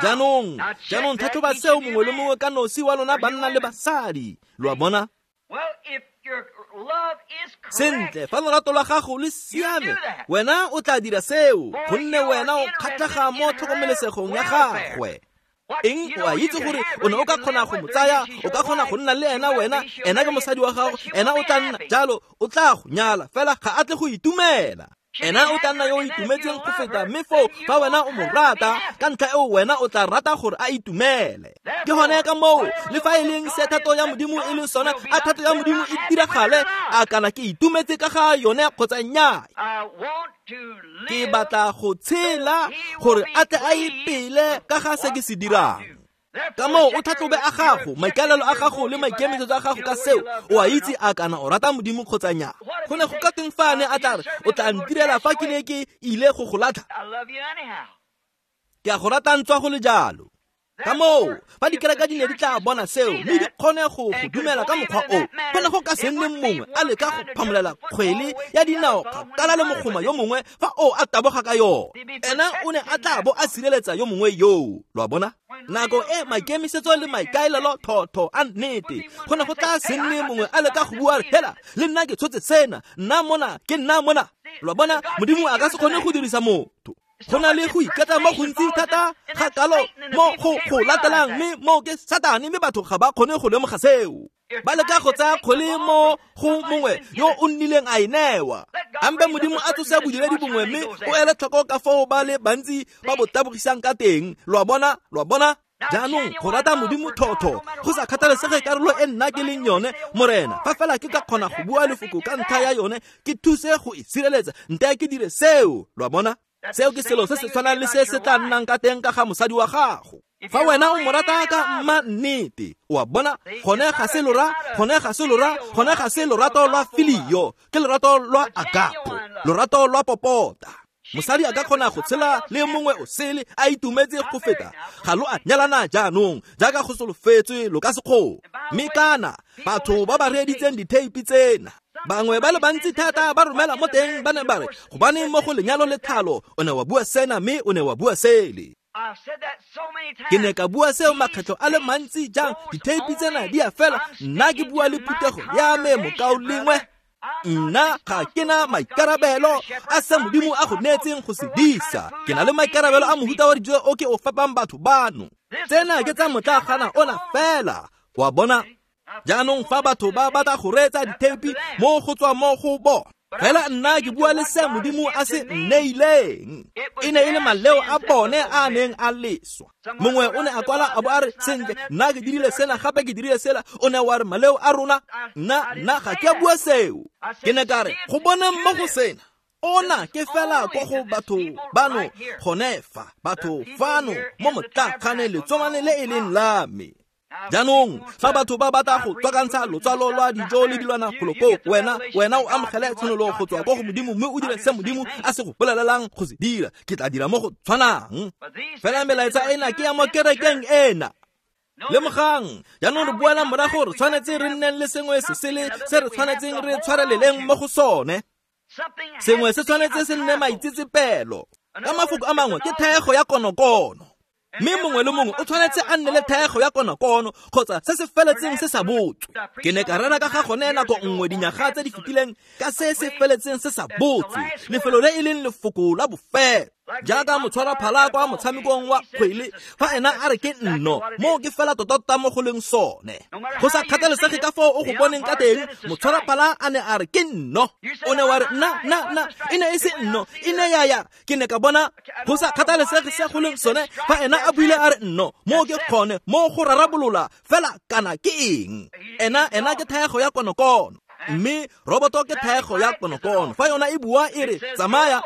Jaanong jaanong tlhatlhoba seo mongwe le mongwe ka nosi wa lona banna le basadi, lo a bona? Sentle, fa lorato la gago le siame, wena o tla dira seo, gonne wena o kgatlhega mo tlhokomelesegong ya gagwe. Eng o a itse gore o ne o ka kgona go mo tsaya, o ka kgona go nna le ena wena, ena ke mosadi wa gago, ena o tla nna jalo, o tla go nyala, fela ga a tle go itumela. Ena o tla nna yo o itumetseng go feta, mme foo fa wena o mo rata, ka ntlha eo wena o tla rata gore a itumele. Ke gone ka moo le fa e leng se thato ya Modimo e leng sone, a thato ya Modimo e diragale, a kana ke itumetse ka ga yone kgotsa nnyaa. Ke batla go tshela gore a tle a ipele ka ga se ke se dirang. Ka moo o tlhatlhobe a gago, maikaelelo a gago le maikemisetso a gago ka seo, o a itse a kana o rata Modimo kgotsa nnyaa. Go ne go ka teng fa a ne a tla re o tla ntirela fa ke ne ke ile go go latlha, ke a go rata ntswa go le jalo. Ka moo fa dikereke di ne di tla bona seo mme di kgone go go dumela ka mokgwa o, go ne go ka se nne mongwe a leka go phamolela kgwele ya dinao kgakala le mogoma yo mongwe fa o a taboga ka yone. Ena o ne a tla bo a sireletsa yo mongwe yoo, lo a bona? Nako e maikemisetso le maikaelelo thotho a nnete, go ne go tla se nne mongwe a leka go bua hela le nna ke tshotse sena, nna mona ke nna mona, lo a bona? Modimo a ka se kgone go dirisa motho. Go na le go iketla mo gontsi thata ga kalo mo go go latelang, mme mo ke Satane, mme batho ga ba kgone go lemoga seo. Ba leka go tsaya kgwele mo go mongwe yo o nnileng a e newa. Ambe Modimo a tsose bodiredi bongwe, mme o ele tlhoko ka foo ba le bantsi ba bo tabogisang ka teng, lo a bona? Lo a bona? Jaanong go rata Modimo thotho go sa kgathalesege karolo e nna ke leng yone, morena, fa fela ke ka kgona go bua lefoko ka ntlha ya yone, ke thuse go e sireletsa, nte ke dire seo, lo a bona? Seo ke selo se se tshwanang le se se tla nnang ka teng ka ga mosadi wa gago. Fa wena o mo rata ka mma nnete, o a bona, gone ga se lora, gone ga se lora, gone ga se lorato lwa filio, ke lorato lwa agapo, lorato lwa popota. Mosadi a ka kgona go tshela le mongwe o sele a itumetse go feta, ga lo a nyalana jaanong jaaka go solofetswe lo ka se kgone. Mme kana batho ba ba reeditseng ditheipi tsena, bangwe ba le bantsi thata ba romela mo teng ba ne ba re gobaneng mo go lenyalo le tlhalo o ne wa bua sena mme o ne wa bua sele. Ke ne ka bua seo makgetlho a le mantsi jang, ditheipi tsena di a fela, nna ke bua le phuthego ya me mokaulengwe. Nna ga ke na maikarabelo a se Modimo a go neetseng go se disa, ke na le maikarabelo a mohuta wa dijo o ke o fapang batho bano. Tsena ke tsa motlagana ona fela, wa bona? Jaanong fa batho ba batla go reetsa ditheipi mo go tswa mo go bona, fela nna ke bua le se Modimo a se nneileng. E ne e le maleo a bone a neng a leswa. Mongwe o ne a kwala a bo a re sentle, nna ke dirile sena gape ke dirile sela, o ne wa re maleo a rona, nna nna ga ke a bua seo. Ke ne ka re go boneng mo go sena, ona ke fela ko go batho bano gone fa, batho fano mo motlakgane letsomane le e leng la me. Jaanong fa batho ba batla go tswakantsha lotswalo lwa dijo le dilwana golo koo, wena wena o amogele tshenolo go tswa ko go Modimo mme o dire se Modimo a se go bolelelang go se dira, ke tla dira mo go tshwanang. Fela melaetsa ena ke ya mo kerekeng ena. Lemogang, jaanong re boela morago, re tshwanetse re nneng le sengwe se sele se re tshwanetseng re tshwareleleng mo go sone. Sengwe se tshwanetse se nne maitsetsepelo. Ka mafoko a mangwe ke thego ya konokono. Mme mongwe le mongwe o tshwanetse a nne le thego ya konokono kgotsa se se feletseng se sa botswe. Ke ne ka rera ka ga gone nako nngwe dinyaga tse di fetileng ka se se feletseng se sa botswe, lefelo le e leng lefoko la bofelo. Jaaka motshwara phala kwa motshamekong wa kgwele, fa ena a re ke nno, moo ke fela tota mo go leng sone. Go sa kgathalesege ka foo o go boneng ka teng, motshwara phala a ne a re ke nno. O ne wa re nna nna nna, e ne e se nno, e ne ya ya, ke ne ka bona. Go sa kgathalesege se go leng sone, fa ena a buile a re nno, moo ke kgone, moo go rarabolola fela kana ke eng. Ena ena ke thaego ya konokono. Mme roboto ke thaego ya konokono. Fa yona e bua e re tsamaya,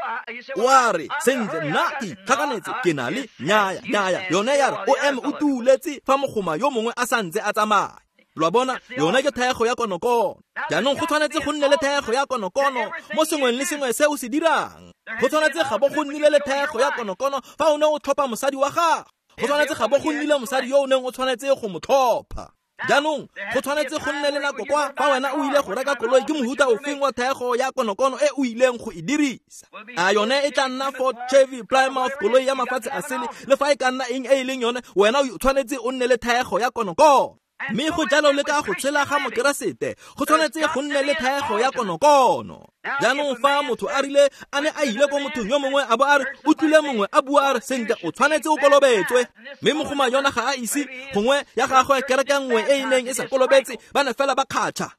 o a re sentle nna ke itlhakanetse ke na le nyaya nyaya. Yone ya re o eme o tuuletse fa mogoma yo mongwe a santse a tsamaya. Lo a bona, yone ke thaego ya konokono. Jaanong go tshwanetse go nne le thaego ya konokono mo sengweng le sengwe se o se dirang. Go tshwanetse ga bo go nnile le thaego ya konokono fa o ne o tlhopha mosadi wa gago. Go tshwanetse ga bo go nnile mosadi yo o neng o tshwanetse go mo tlhopha. Jaanong go tshwanetse go nne le nako kwa fa wena o ile go reka koloi ke mohuta ofeng wa thaego ya konokono e o ileng go e dirisa. A yone e tla nna Ford, Chevy, Plymouth, koloi ya mafatshe a sele, le fa e ka nna eng e e leng yone, wena o tshwanetse o nne le thaego ya konokono. Mme go jalo le ka go tshela ga mokeresete, go tshwanetse go nne le thaego ya konokono. Jaanong fa motho a rile a ne a ile ko mothong yo mongwe a bo a re o tlile mongwe a bua a re sentle o tshwanetse o kolobetswe, mme mogoma yona ga a ise gongwe ya gagwe kereke nngwe e e neng e sa kolobetse, ba ne fela ba kgatšha.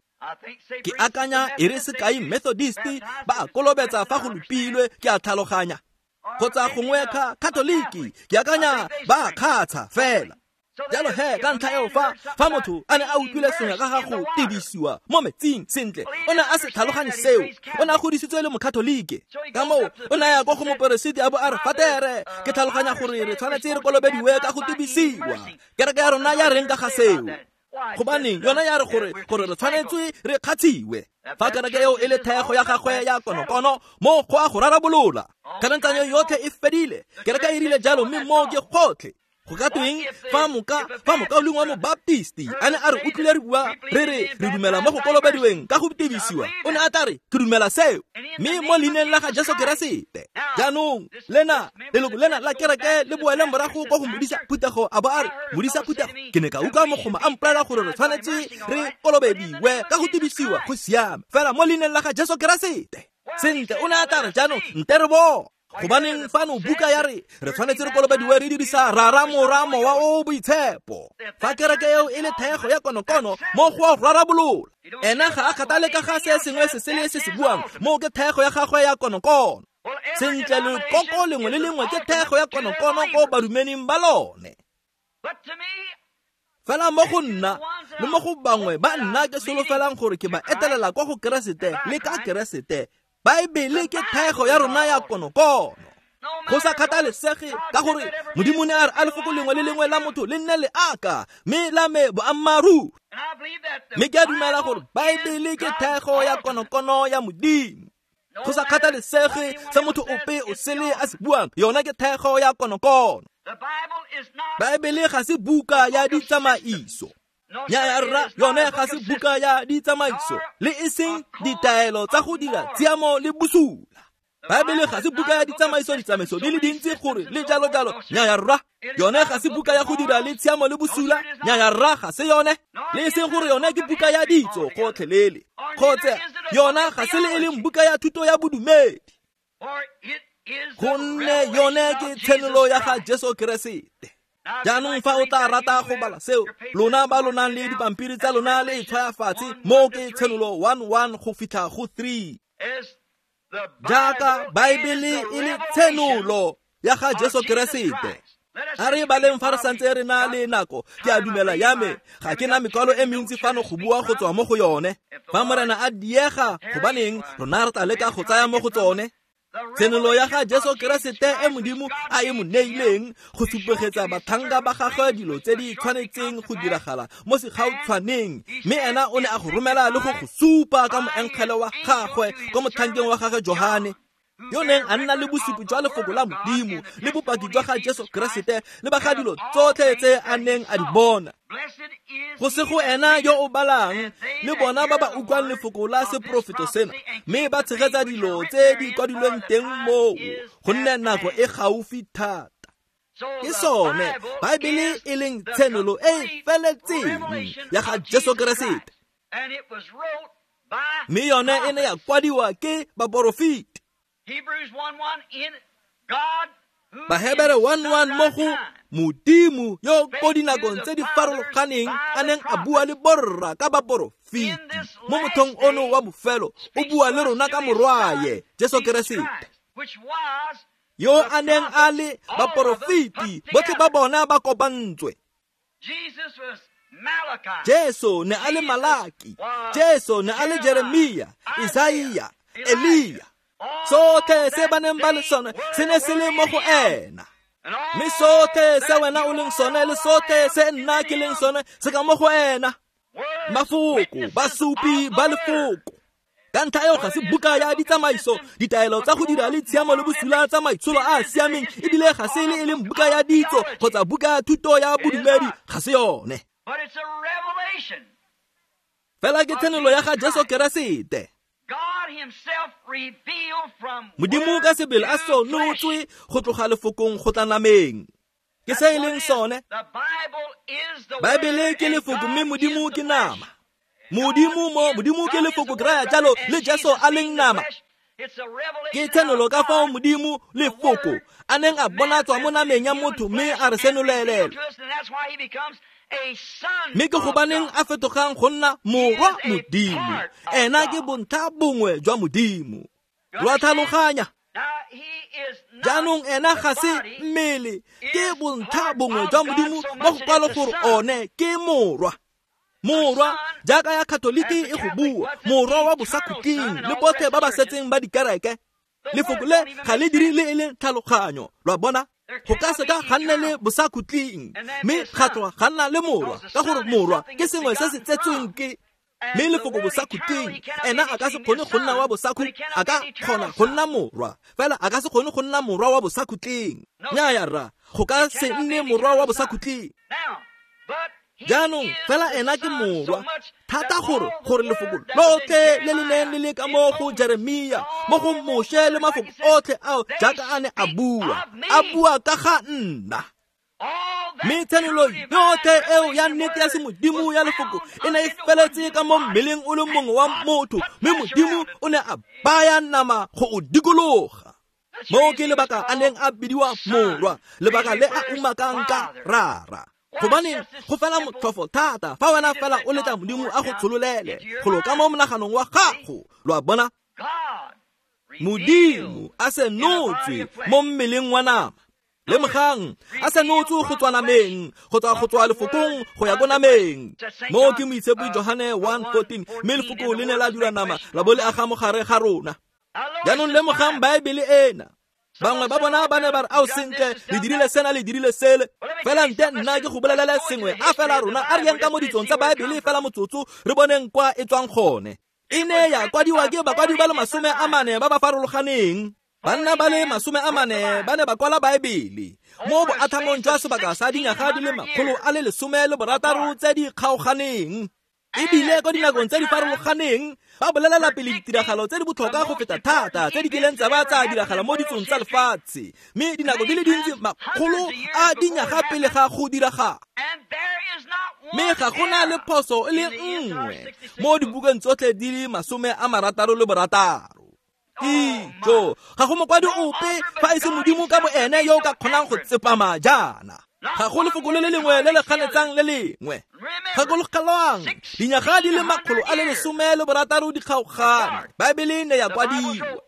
Ke akanya e re sekai Methodist ba a kolobetsa fa go lopilwe, ke a tlhaloganya, kgotsa gongwe ka Katoliki ke akanya ba a kgatsha fela. Jalo he ka ntlha eo fa fa motho a ne a utlwile sengwe ka ga go tebisiwa mo metsing, sentle o ne a se tlhaloganye seo, o ne a godisitswe le mokatolike. Ka moo o ne a ya kwa go moperesiti a bo a re fatere ke tlhaloganya gore re tshwanetse re kolobediwe ka go tebisiwa. Kereke ya rona ya reng ka ga seo? Gobaneng yona ya re gore gore re tshwanetse re kgatshiwe. Fa kereke eo e le thaego ya gagwe ya konokono, mo go a go rarabolola. Kganetsanyo yotlhe e fedile, kereke e rile jalo, mme moo ke gotlhe. Go ka tweng fa moka fa mokaulengwe wa mobaptisti a ne a re utlwile re bua re re re dumela mo go kolobediweng ka go tebisiwa, o ne a tla re ke dumela seo, mme mo leineng la ga Jesu Keresete. Jaanong lena leloko lena la kereke le boele morago kwa go modisa phuthego a bo a re modisa phuthego ke ne ka utlwa mogoma a mpolelela gore re tshwanetse re kolobediwe ka go tebisiwa, go siame fela mo leineng la ga Jesu Keresete. Sentle o ne a tla re jaanong nte re bo gobaneng fano buka ya re re tshwanetse re kolobediwe re dirisa rara mora mowa o boitshepo. Fa kereke eo e le thaego ya konokono, mo go a rarabolola. Ena ga a kgathale ka ga se sengwe se sele se se buang, mo ke thaego ya gagwe ya konokono. Sentle lekoko lengwe le lengwe ke thaego ya konokono ko badumeding ba lone. Fela mo go nna le mo go bangwe ba nna ke solofelang gore ke ba etelela kwa go Keresete le ka Keresete, Baebele ke thaego ya rona ya konokono. Go sa kgathalesege ka gore Modimo ne a re a lefoko lengwe le lengwe la motho le nne le aka, mme la me boammaaruri. Mme ke a dumela gore Baebele ke thaego ya konokono ya Modimo. Go sa kgathalesege se motho ope o sele a se buang, yona ke thaego ya konokono. Baebele ga se buka ya ditsamaiso. Nyaya rra, yone ga se buka ya ditsamaiso le e seng ditaelo tsa go dira tshiamo le bosula. Baebele ga se buka ya ditsamaiso, ditsamaiso di le dintsi gore le jalo jalo. Nyaya rra, yone ga se buka ya go dira le tshiamo le bosula. Nyaya rra, ga se yone, le e seng gore yone ke buka ya ditso gotlhelele, kgotsa yona ga se le e leng buka ya thuto ya bodumedi, gonne yone ke tshenolo ya ga Jesu Keresete. Jaanong fa o tla rata go bala seo, lona ba lo nang le dipampiri tsa lona le e tshwaya fatshe, mo ke tshenolo one one go fitlha go three. Jaaka Baebele e le tshenolo ya ga Jesu Keresete. A re baleng fa re santse re na le nako, ke a dumela ya me ga ke na mekwalo e mentsi fano go bua go tswa mo go yone. Fa Morena a diega, gobaneng rona re tla leka go tsaya mo go tsone. Tshenolo ya ga Jesu Keresete e Modimo a e mo neileng go supegetsa batlhanka ba gagwe dilo tse di tshwanetseng go diragala mo segautshwaneng, mme ena o ne a go romela le go go supa ka moengele wa gagwe ko motlhankeng wa gagwe Johane, yo neng a nna le bosupi jwa lefoko la Modimo le bopaki jwa ga Jesu Keresete le ba ga dilo tsotlhe tse a neng a di bona. Go se go ena yo o balang le bona ba ba utlwang lefoko la seporofeto sena, mme ba tshegetsa dilo tse di kwadilweng teng moo, gonne nako e gaufi thata. Ke sone Baebele e leng tshenolo e e feletseng ya ga Jesu Keresete, mme yone e ne ya kwadiwa ke baporofeti. Bahebere one one mo go Modimo yo ko dinakong tse di farologaneng a neng a bua le borra ka baporofeti, mo mothong ono wa bofelo o bua le rona ka morwaye Jesu Keresete, yo a neng a le baporofeti botlhe ba bona ba kopantswe. Jesu ne a le Malaki, Jesu ne a le Jeremia, Isaia, Elia. Sotlhe se ba neng ba le sone se ne se le mo go ena. Mme sotlhe se wena o leng sone le sotlhe se nna ke leng sone se ka mo go ena. Mafoko, basupi ba lefoko. Ka ntlha eo ga se buka ya ditsamaiso, ditaelo tsa go dira le tshiamo le bosula tsa maitsholo a a siameng, ebile ga se le e leng buka ya ditso kgotsa buka ya thuto ya bodumedi, ga se yone. Fela ke tshenolo ya ga Jesu Keresete. Modimo ka sebele a senotswe go tloga lefokong go tla nameng. Ke se e leng sone. Baebele ke lefoko mme Modimo ke nama. Modimo mo Modimo ke lefoko ke raya jalo le Jesu a leng nama. Ke tshenolo ka fao Modimo lefoko a neng a bonatswa mo nameng ya motho mme a re senolelele. Mme ke gobaneng a fetogang go nna morwa Modimo. Ena ke bontlha bongwe jwa Modimo. Lo a tlhaloganya? Jaanong ena ga se mmele, ke bontlha bongwe jwa Modimo mo go kwalo gore one ke morwa. Morwa, jaaka ya Katoliki e go bua, morwa wa bosakhutleng le botlhe ba ba setseng ba dikereke. Lefoko le ga le dire le e leng tlhaloganyo, lo a bona? Go ka seka ga nna le bosakhutleng, mme ga tloga ga nna le morwa, ka gore morwa ke sengwe se se tsetsweng ke. Mme lefoko bosakhutleng, ena a ka se kgone go nna wa bosakhu, a ka kgona go nna morwa, fela a ka se kgone go nna morwa wa bosakhutleng. Nnyaya rra, go ka se nne morwa wa bosakhutleng. Jaanong fela ena ke morwa thata gore gore lefoko lotlhe le le neng le le ka mo go Jeremia, mo go Moshe le mafoko otlhe ao jaaka a ne a bua, a bua ka ga nna. Mme tshenolo yotlhe eo ya nnete ya semodimo ya lefoko e ne e feletse ka mo mmeleng o le mongwe wa motho, mme Modimo o ne a baya nama go o dikologa. Moo ke lebaka a neng a bidiwa morwa, lebaka le a umakang ka rara. Gobaneng go fela motlhofo thata fa wena fela o letla Modimo a go tshololele go lo ka mo monaganong wa gago, lo a bona? Modimo a senotswe mo mmeleng wa nama. Lemogang, a senotswe go tswa nameng, go tswa go tswa lefokong go ya ko nameng. Moo ke Moitshepi Johane one fourteen, mme lefoko le ne la dira nama la bo le aga mo gare ga rona. Jaanong lemogang Baebele ena. Bangwe ba bona ba ne ba re, ao sentle, le dirile sena, le dirile sele. Fela nte nna ke go bolelele sengwe, a fela rona a re yeng ka mo ditsong tsa Baebele fela motsotso, re boneng kwa e tswang gone. E ne ya kwadiwa ke bakwadi ba le masome a mane ba ba farologaneng. Banna ba le masome a mane ba ne ba kwala Baebele mo boathamong jwa sebaka sa dinyaga di le makgolo a le lesome le borataro tse di kgaoganeng. Ebile ko dinakong tse di farologaneng ba bolelela pele ditiragalo tse di botlhokwa go feta thata tse di kileng tsa ba tsa diragala mo ditsong tsa lefatshe, mme dinako di le dintsi makgolo a dinyaga pele ga go diragala. Mme ga go na le phoso e le nngwe mo dibukeng tsotlhe di le masome a marataro le borataro. Ijo, ga go mokwadi ope fa e se Modimo ka bo ene yo o ka kgonang go tsepama jaana. Ga go lefoko le le lengwe le le ganetsang le lengwe. Gakologelwang, dinyaga di le makgolo a le lesome le borataro di kgaogane. Baebele ne ya kwadiwa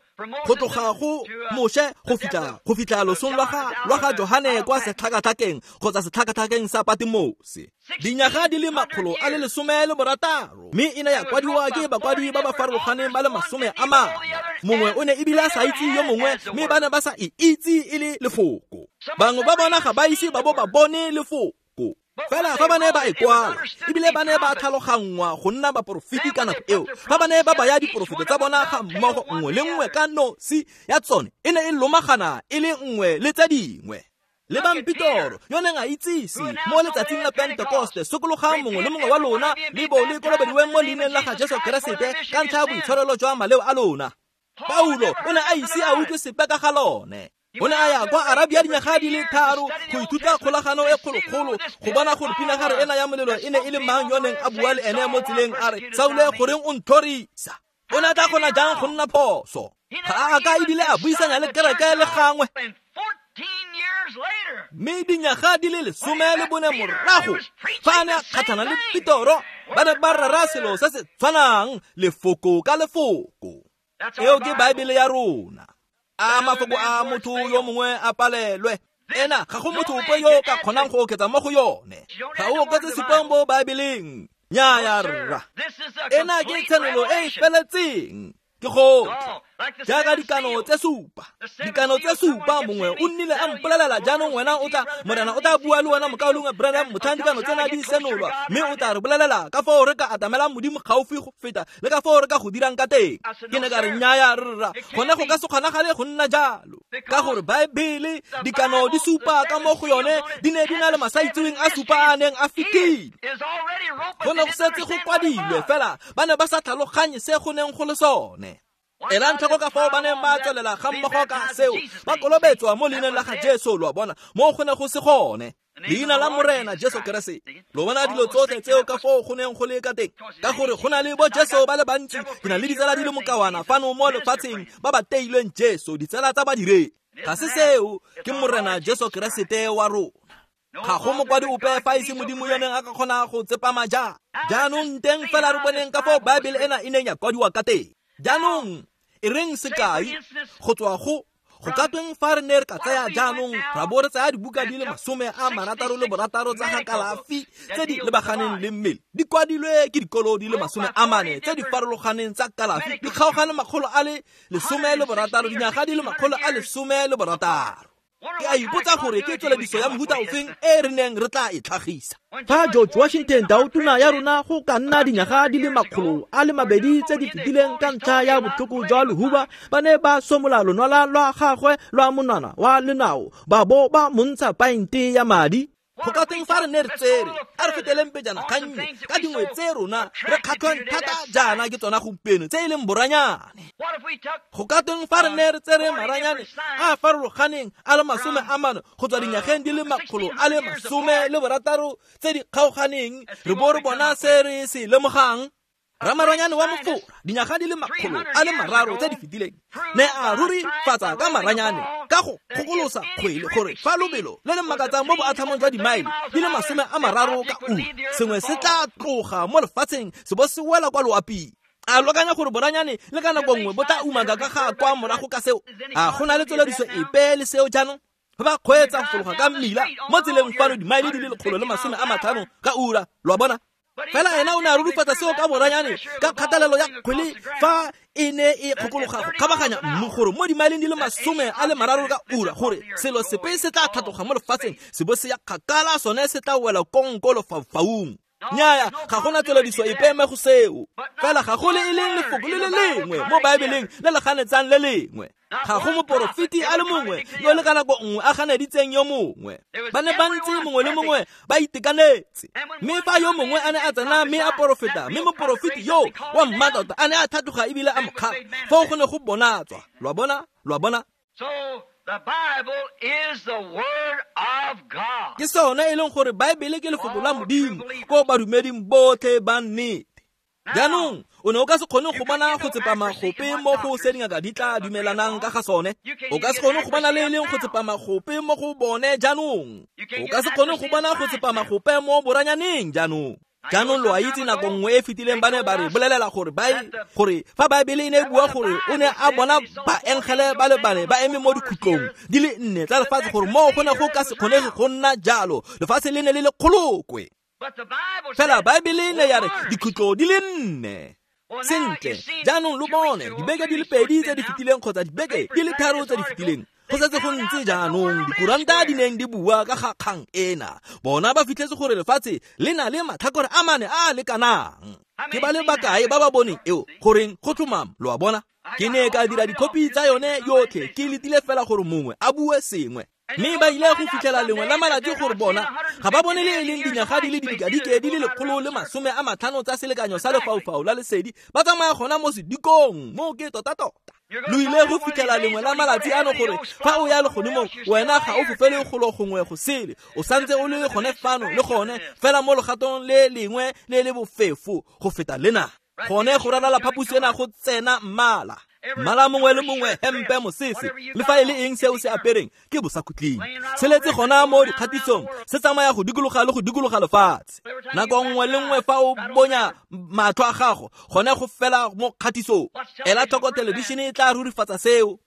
go tloga go Moshe go fitlha go fitlha losong lwa ga lwa ga Johane kwa setlhakatlhakeng kgotsa setlhakatlhakeng sa Patimose. Dinyaga di le makgolo a le lesome le borataro, mme e ne ya kwadiwa ke bakwadi ba ba farologaneng ba le masome a mane. Mongwe o ne ebile a sa itse yo mongwe, mme ba ne ba sa e itse e le lefoko. Bangwe ba bona ga ba ise ba bo ba bone lefoko. Fela fa ba ne ba e kwala, ebile ba ne ba tlhaloganngwa go nna baporofeti ka nako eo. Fa ba ne ba baya diporofeto tsa bona ga mmogo nngwe le nngwe ka nosi ya tsone e ne e lomagana e le nngwe le tse dingwe. Lebang Petoro yo neng a itsise mo letsatsing la Pentekoste, sokologang mongwe le mongwe wa lona le bo le kolobediweng mo leineng la ga Jesu Keresete ka ntlha ya boitshwarelo jwa maleo a lona. Paulo o ne a ise a utlwe sepe ka ga lone. O ne a ya kwa Arabia dinyaga di le tharo go ithuta kgolagano e kgolokgolo go bona gore pinagare ena ya molelo e ne e le mang yo neng a bua le ene mo tseleng a re, Saule, goreng o ntlhorisa? O ne a tla kgona jang go nna phoso? Ga a ka ebile a buisanya le kereke le gangwe. Mme dinyaga di le lesome le bone morago fa a ne a kgatlhana le Petoro, ba ne ba rera selo se se tshwanang, lefoko ka lefoko. Eo ke Baebele ya rona. A mafoko a motho yo mongwe a palelwe. Ena ga go motho ope yo o ka kgonang go oketsa mo go yone. Ga o oketse sepe mo Baebeleng. Nnyaya rra. Ena ke tshenolo e e feletseng. Ke gotlhe. Jaaka dikano tse supa. Dikano tse supa mongwe o nnile a mpolelela jaanong wena o tla Morena o tla bua le wena mokaulengwe Branham motlhang dikano tsena di senolwa mme o tla re bolelela ka foo re ka atamelang Modimo gaufi go feta le ka foo re ka go dirang ka teng. Ke ne ka re nnyaya rra, gone go ka se kgonagale go nna jalo. Ka gore Baebele dikano di supa ka mo go yone di ne di na le masaitseweng a supa a neng a fetile. Go ne go setse go kwadilwe fela ba ne ba sa tlhaloganye se go neng go le sone. Elang tlhoko ka fao ba neng ba tswelela ga mmogo ka seo ba kolobetswa mo leineng la ga Jesu, lo a bona, mo go ne go se gone. Leina la Morena Jesu Keresete. Lo bona dilo tsotlhe tseo ka foo go neng go le ka teng. Ka gore go na le bo Jesu ba le bantsi, ke na le ditsala di le mokawana fano mo lefatsheng ba ba teilweng Jesu, ditsala tsa badiredi. Ga se seo, ke Morena Jesu Keresete wa rona. Ga go mokwadi ope fa e se Modimo yo neng a ka kgona go tsepama jang. Jaanong teng fela re boneng ka foo Baebele ena e neng ya kwadiwa ka teng. Jaanong e reng sekai go tswa go go ka tweng fa re ne re ka tsaya jaanong ra bo re tsaya dibuka di le masome a marataro le borataro tsa ga kalafi tse di lebaganeng le mmele di kwadilwe ke dikolo di le masome a mane tse di farologaneng tsa kalafi di kgaogane makgolo a le lesome le borataro dinyaga di le makgolo a lesome le borataro. Ke a ipotsa gore ke tswelediso ya mohuta ofeng e re neng re tla e tlhagisa. Fa George Washington tautona ya rona go ka nna dinyaga di le makgolo a le mabedi tse di fetileng ka ntlha ya botlhoko jwa lehuba ba ne ba somola lonwala lwa gagwe lwa monwana wa lenao ba bo ba montsha paente ya madi. Go ka teng fa re ne re tsere a re feteleng pejana gannye ka dingwe tse rona re kgatlhwang thata jaana ke tsona gompieno tse e leng boranyane. Go ka teng fa re ne re tsere maranyane a a farologaneng a le masome a mane go tswa dinyageng di le makgolo a le masome le borataro tse di kgaoganeng re bo re bona se re se lemogang. Ramaranyane wa mofora dinyaga di le makgolo a le mararo tse di fetileng ne a rurifatsa ka maranyane ka go kgokolosa kgwele gore fa lobelo le le makatsang mo boatlhamong jwa dimaele di le masome a mararo ka ura sengwe se tla tloga mo lefatsheng se bo se wela kwa loaping. A lo akanya gore boranyane le ka nako nngwe bo tla umaka ka ga kwa morago ka seo? A go na le tswelediso epe le seo jaanong? Fa ba kgweetsa go fologa ka mmila mo tseleng fano dimaele di le lekgolo le masome a matlhano ka ura, lo a bona? Fela ena o ne a rurifatsa seo ka boranyane ka kgatelelo ya kgwele fa e ne e kgokologa go kgabaganya mmu gore mo dimaeleng di le masome a le mararo ka ura gore selo sepe se tla tlhatloga mo lefatsheng se bo se ya kgakala sone se tla wela kong ko lefaufaung. Nnyaya, ga gona tswelediso epe mo go seo. Fela ga go le e leng lefoko le le lengwe mo Baebeleng le le ganetsang le lengwe. Ga go moporofeti a le mongwe yo le ka nako nngwe a ganeditseng yo mongwe. Ba ne ba ntse mongwe le mongwe ba itekanetse. Mme fa yo mongwe a ne a tsena mme a porofeta, mme moporofeti yo wa mmatota a ne a tlhatloga ebile a mo kgala, foo go ne go bonatswa. Lo a bona? Lo a bona? The Bible is the Word of God. Ke sone e leng gore Baebele ke lefoko la Modimo ko badumeding botlhe ba nnete. Jaanong o ne o ka se kgone go bona go tsepama gope mo go se dingaka di tla dumelanang ka ga sone. O ka se kgone go bona le e leng go tsepama gope mo go bone jaanong. O ka se kgone go bona go tsepama gope mo boranyaneng jaanong. Jaanong lo a itse nako nngwe e fetileng ba ne ba re bolelela gore gore fa Baebele e ne e bua gore o ne a bona baengele ba le bane ba eme mo dikhutlong di le nne tsa lefatshe gore moo go ne go ka se kgonege go nna jalo, lefatshe le ne le le kgolokwe. Fela Baebele e ne ya re dikhutlo di le nne. Sentle, jaanong lo bone dibeke di le pedi tse di fetileng kgotsa dibeke di le tharo tse di fetileng. Go setse go ntse jaanong dikuranta di neng di bua ka ga kgang ena. Bona ba fitlhetse gore lefatshe le na le matlhakore a mane a a lekanang. Ke ba le bakae ba ba boneng eo goreng go tlhomama, lo a bona? Ke ne ka dira dikhopi tsa yone yotlhe ke letile fela gore mongwe a bue sengwe. Mme ba ile go fitlhela lengwe la malatsi gore bona ga ba bone le e leng dinyaga di le didikadike di le lekgolo le masome a matlhano tsa selekanyo sa lefaufau la lesedi ba tsamaya gona mo sedikong mo ke tota-tota. Lo ile go fitlhela lengwe la malatsi ano gore fa o ya legodimong wena ga o fofele golo gongwe go sele, o santse o le gone fano le gone fela mo legatong le lengwe le le bofefo go feta lena. Gone go ralala phaposi ena go tsena mmala. Mmala mongwe le mongwe hempe mosese le fa e le eng seo se apereng ke bosakhutleng. Se letse gona mo dikgatisong se tsamaya go dikologa le go dikologa lefatshe. Nako nngwe le nngwe fa o bonya matlho a gago gone go fela mo kgatisong. Ela tlhoko thelebišene e tla rurifatsa seo.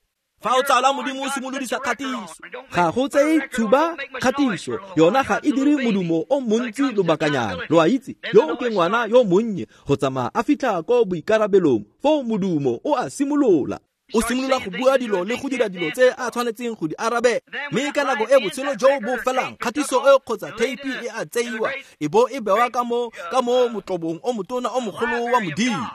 Fa o tsala Modimo o simolodisa kgatiso. Ga go tseye tshuba kgatiso, yona ga e dire modumo o montsi lobakanyana. Lo a itse, yo ke ngwana yo monnye go tsamaya a fitlha ko boikarabelong, foo modumo o a simolola. O simolola go bua dilo le go dira dilo tse a tshwanetseng go di arabe. Mme ka nako e botshelo jo bo felang, kgatiso e kgotsa theipi e a tseiwa, e bo e bewa ka mo ka mo motlobong o motona o mogolo wa Modimo.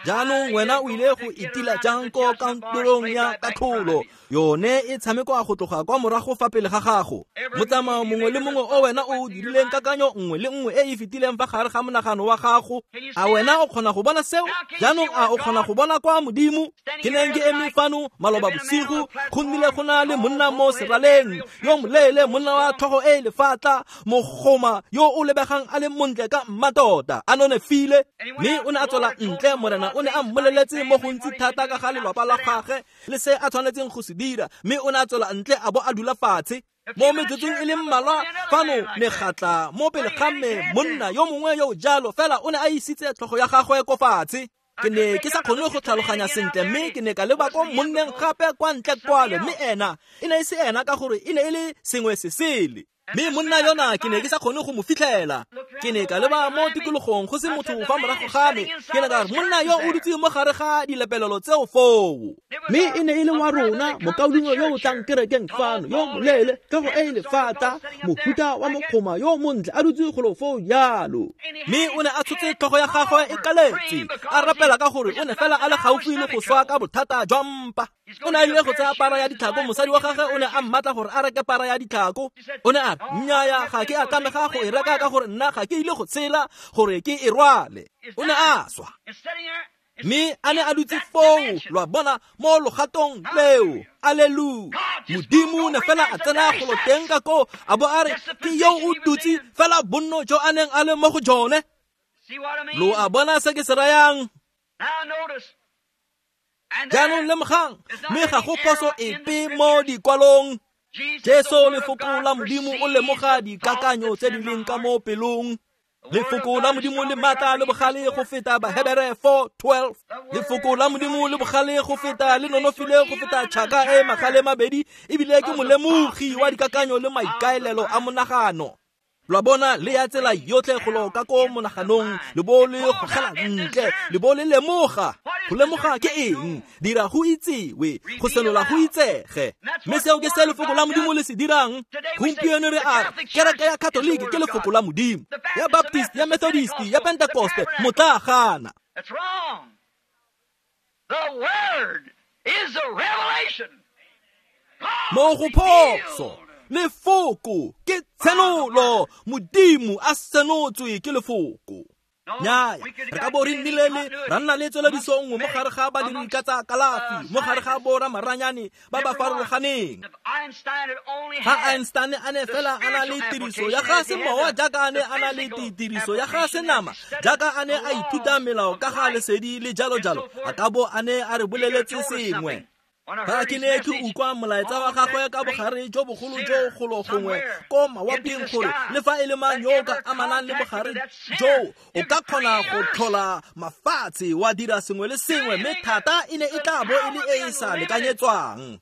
Jaanong wena o ile go itila jang ko kantorong ya katlholo? Yone e tshamekwa go tloga kwa morago fa pele ga gago. Motsamao mongwe le mongwe o wena o dirileng, kakanyo nngwe le nngwe e e fetileng fa gare ga monagano wa gago. A wena o kgona go bona seo? Jaanong a o kgona go bona kwa Modimo? Ke neng ke eme fano maloba bosigo, go nnile go na le monna mo seraleng, yo moleele, monna wa tlhogo e lefatla, mogoma yo o lebegang a le montle ka mmatota, a nonofile. Mme o ne a tswela ntle, Morena o ne a mmoleletse mo gontsi thata ka ga lelapa la gagwe le se a tshwanetseng go se dira, mme o ne a tswela ntle a bo a dula fatshe. Mo metsotsong e le mmalwa fano megatla mo pele ga me monna yo mongwe yo jalo, fela o ne a isitse tlhogo ya gagwe ko fatshe. Ke ne ke sa kgone go tlhaloganya sentle, mme ke ne ka leba ko monneng gape kwa ntle kwale, mme ena e ne e se ena ka gore e ne e le sengwe se sele. Mme monna yona ke ne ke sa kgone go mo fitlhela. Ke ne ka leba mo tikologong go se motho fa morago ga me. Ke ne ka re monna yo o dutse mo gare ga dilepelelo tseo foo. Mme e ne e le wa rona, mokaulengwe yo o tlang kerekeng fano, yo moleele, tlhogo e e lefata, mohuta wa mokgoma yo montle, a dutse golo foo jalo. Mme o ne a tshotse tlhogo ya gagwe e kaletse, a rapela ka gore o ne fela a le gaufi le go swa ka bothata jwa mpa. O ne a ile go tsaya para ya ditlhako, mosadi wa gagwe o ne a mmatla gore a reke para ya ditlhako. O ne a re, nnyaa, ga ke a tlamega go e reka ka gore nna ga ke ile go tshela gore ke e rwale. O ne a swa. Mme a ne a dutse foo, lo a bona, mo logatong leo. Alleluia. Modimo ne fela a tsena golo teng ka koo, a bo a re, ke yo o dutse fela bonno jo a neng a le mo go jone. Lo a bona se ke se rayang? Jaanong lemogang, mme ga go phoso epe mo dikwalong. Jesu lefoko la Modimo o lemoga dikakanyo tse di leng ka mo pelong. Lefoko la Modimo le maatla le bogale go feta Bahebere four twelve. Lefoko la Modimo le bogale go feta, le nonofile go feta tšhaka e magale mabedi, ebile ke molemogi wa dikakanyo le maikaelelo a monagano. Lo bona, le ya tsela yotlhe go lo ka ko monaganong, le bo le gogela ntle, le bo le lemoga. Go lemoga ke eng? Dira go itsewe, go senola go itsege. Mme seo ke se lefoko la Modimo le se dirang. Gompieno re a re kereke ya Katoliki ke lefoko la Modimo, ya Baptist, ya Methodist, ya Pentecoste, motlagana. That's wrong. The word is a revelation. Mo go phoso. Lefoko ke tshenolo, Modimo a senotswe ke lefoko. Nnyaya, re ka bo re nnile le ra nna le tswelediso nngwe mo gare ga badiri ka tsa kalafi, mo gare ga bo ramaranyane ba ba farologaneng. Ga Einstein a ne fela a na le tiriso ya ga semowa jaaka a ne a na le tiriso ya ga senama, jaaka a ne a ithuta melao ka ga lesedi le jalo jalo, a ka bo a ne a re boleletse sengwe. Fa ke ne ke utlwa molaetsa wa gagwe ka bogare jo bogolo jo golo gongwe ko mawaping gore le fa e le mang yo o ka amanang le bogare jo o ka kgona go tlhola mafatshe wa dira sengwe le sengwe, mme thata e ne e tla bo e le e e sa lekanyetswang.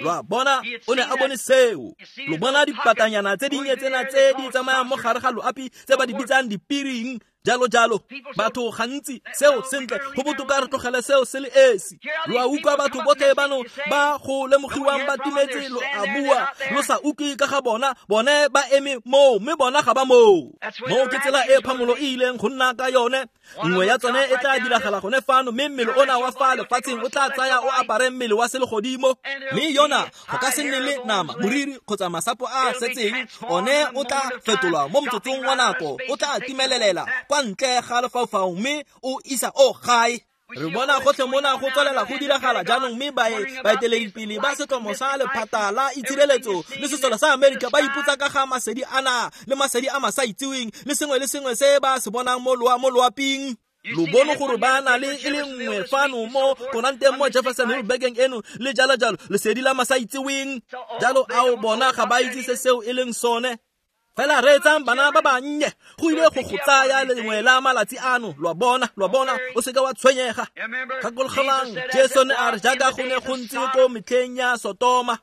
Lo a bona, o ne a bone seo. Lo bona dipatanyana tse dinnye tsena tse di tsamayang mo gare ga loapi tse ba di bitsang dipiring, jalo jalo. Batho gantsi seo sentle go botoka re tlogele seo se le esi. Lo a utlwa batho botlhe bano ba go lemogiwang ba timetse, lo a bua lo sa utlwe ka ga bona, bone ba eme moo mme bona ga ba moo. Moo ke tsela e phamolo e ileng go nna ka yone. Nngwe ya tsone e tla diragala gone fano, mme mmele ona wa fa lefatsheng o tla tsaya o apare mmele wa selegodimo. Mme yona go ka se nne le nama, moriri kgotsa masapo a a setseng, one o tla fetolwa mo motsotsong wa nako, o tla timelelela kwa ntle ga lefaufau mme o isa o gae. Re bona gotlhe mona go tswelela go diragala jaanong, mme baeteledipele ba setlomo sa lephata la itshireletso le sesole sa Amerika ba ipotsa ka ga masedi ana le masedi a masa itseweng le sengwe le sengwe se ba se bonang mo mo loaping. Lo bone gore ba na le e le nngwe fano mo koranteng mo Jefferson Hill bekeng eno le jalo jalo, lesedi la masa itseweng jalo. Ao bona ga ba itse se seo e leng sone. Fela reetsang bana ba bannye, go ile go go tsaya lengwe la malatsi ano, lo a bona, lo a bona, o seka wa tshwenyega. Gakologelang, Jesu ne a re jaaka go ne go ntse ko metlheng ya Sotoma.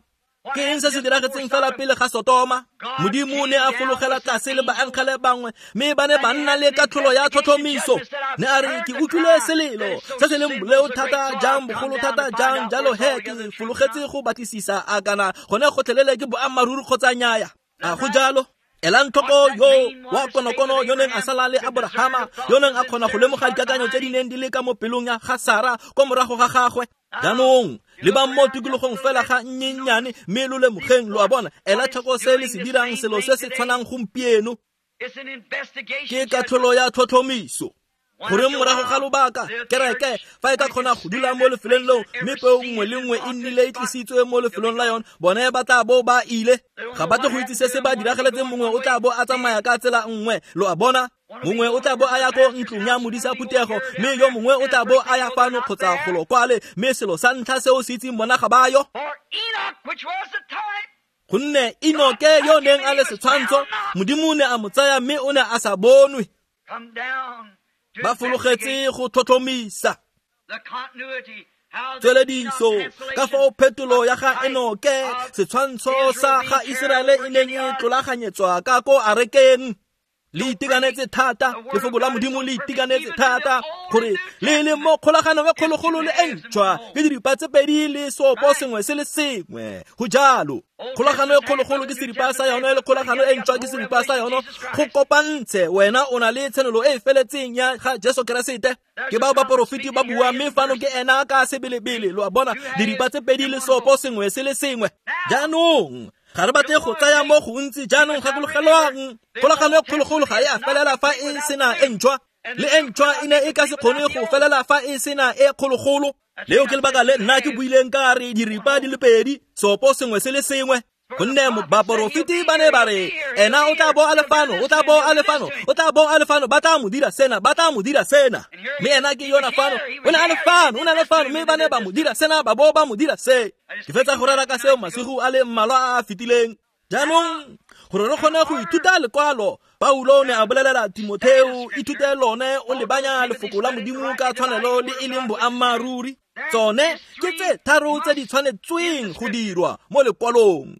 Ke eng se se diragetseng fela pele ga Sotoma? Modimo ne a fologela tlase le baengele bangwe, mme ba ne ba nna le katlholo ya tlhotlhomiso. Ne a re ke utlwile selelo se se leng boleo thata jang, bogolo thata jang, jalo he ke fologetse go batlisisa a kana gone gotlhelele ke boammaaruri kgotsa nnyaya. A go jalo? Elang tlhoko yo wa konokono yo neng a sala le Abrahama, yo neng a kgona go lemoga dikakanyo tse di neng di le ka mo pelong ya ga Sara kwa morago ga gagwe. Jaanong lebang mo tikologong fela ga nnyennyane mme lo lemogeng, lo a bona, ela tlhoko se le se dirang, selo se se tshwanang gompieno. Ke katlholo ya tlhotlhomiso. Goreng morago ga lobaka kereke fa e ka kgona go dula mo lefelong leo, mme peo nngwe le nngwe e nnile e tlisitswe mo lefelong la yone, bone ba tla bo ba ile. Ga ba tle go itse se se ba diragaletseng, mongwe o tla bo a tsamaya ka tsela nngwe, lo a bona. Mongwe o tla bo a ya ko ntlong ya modisa phuthego, mme yo mongwe o tla bo a ya fano kgotsa golo kwale, mme selo sa ntlha seo se itseng bona ga ba yo. Gonne Enoke yo neng a le setshwantsho, Modimo o ne a mo tsaya mme o ne a sa bonwe. Ba fologetse go tlhotlhomisa tswelediso ka fao phetolo ya ga Enoke, setshwantsho sa ga Iseraele e neng e tlolaganyetswa ka ko arekeng. Le itekanetse thata, lefoko la Modimo le itekanetse thata, gore le le mo kgolaganong e kgologolo le e ntšhwa, ke diripa tse pedi le seopo sengwe se le sengwe. Go jalo. Kgolagano e kgologolo ke seripa sa yone, le kgolagano e ntšhwa ke seripa sa yone. Go kopantshe, wena o na le tshenolo e e feletseng ya ga Jesu Keresete. Ke bao baporofeti ba bua, mme fano ke ena ka sebelebele, lo a bona, diripa tse pedi le seopo sengwe se le sengwe. Jaanong ga re batle go tsaya mo gontsi. Jaanong gakologelwang, kgolagano e kgologolo ga e a felela fa e sena e ntšhwa, le e ntšhwa e ne e ka se kgone go felela fa e sena e kgologolo. Leo ke lebaka le nna ke buileng ka re diripa di le pedi, seopo sengwe se le sengwe. Gonne baporofeti ba ne ba re ena o tla bo a le fano, o tla bo a le fano, o tla bo a le fano, ba tla mo dira sena, ba tla mo dira sena. Mme ena ke yona fano, o ne a le fano, o ne a le fano, mme ba ne ba mo dira sena, ba bo ba mo dira se. Ke fetsa go rera ka seo masigo a le mmalwa a a fetileng. Jaanong gore re kgone go ithuta lekwalo, Paulo ne a bolelela Timotheo, ithute lone o lebanya lefoko la Modimo ka tshwanelo le e leng boammaaruri. Tsone ke tse tharo tse di tshwanetsweng go dirwa mo lekwalong.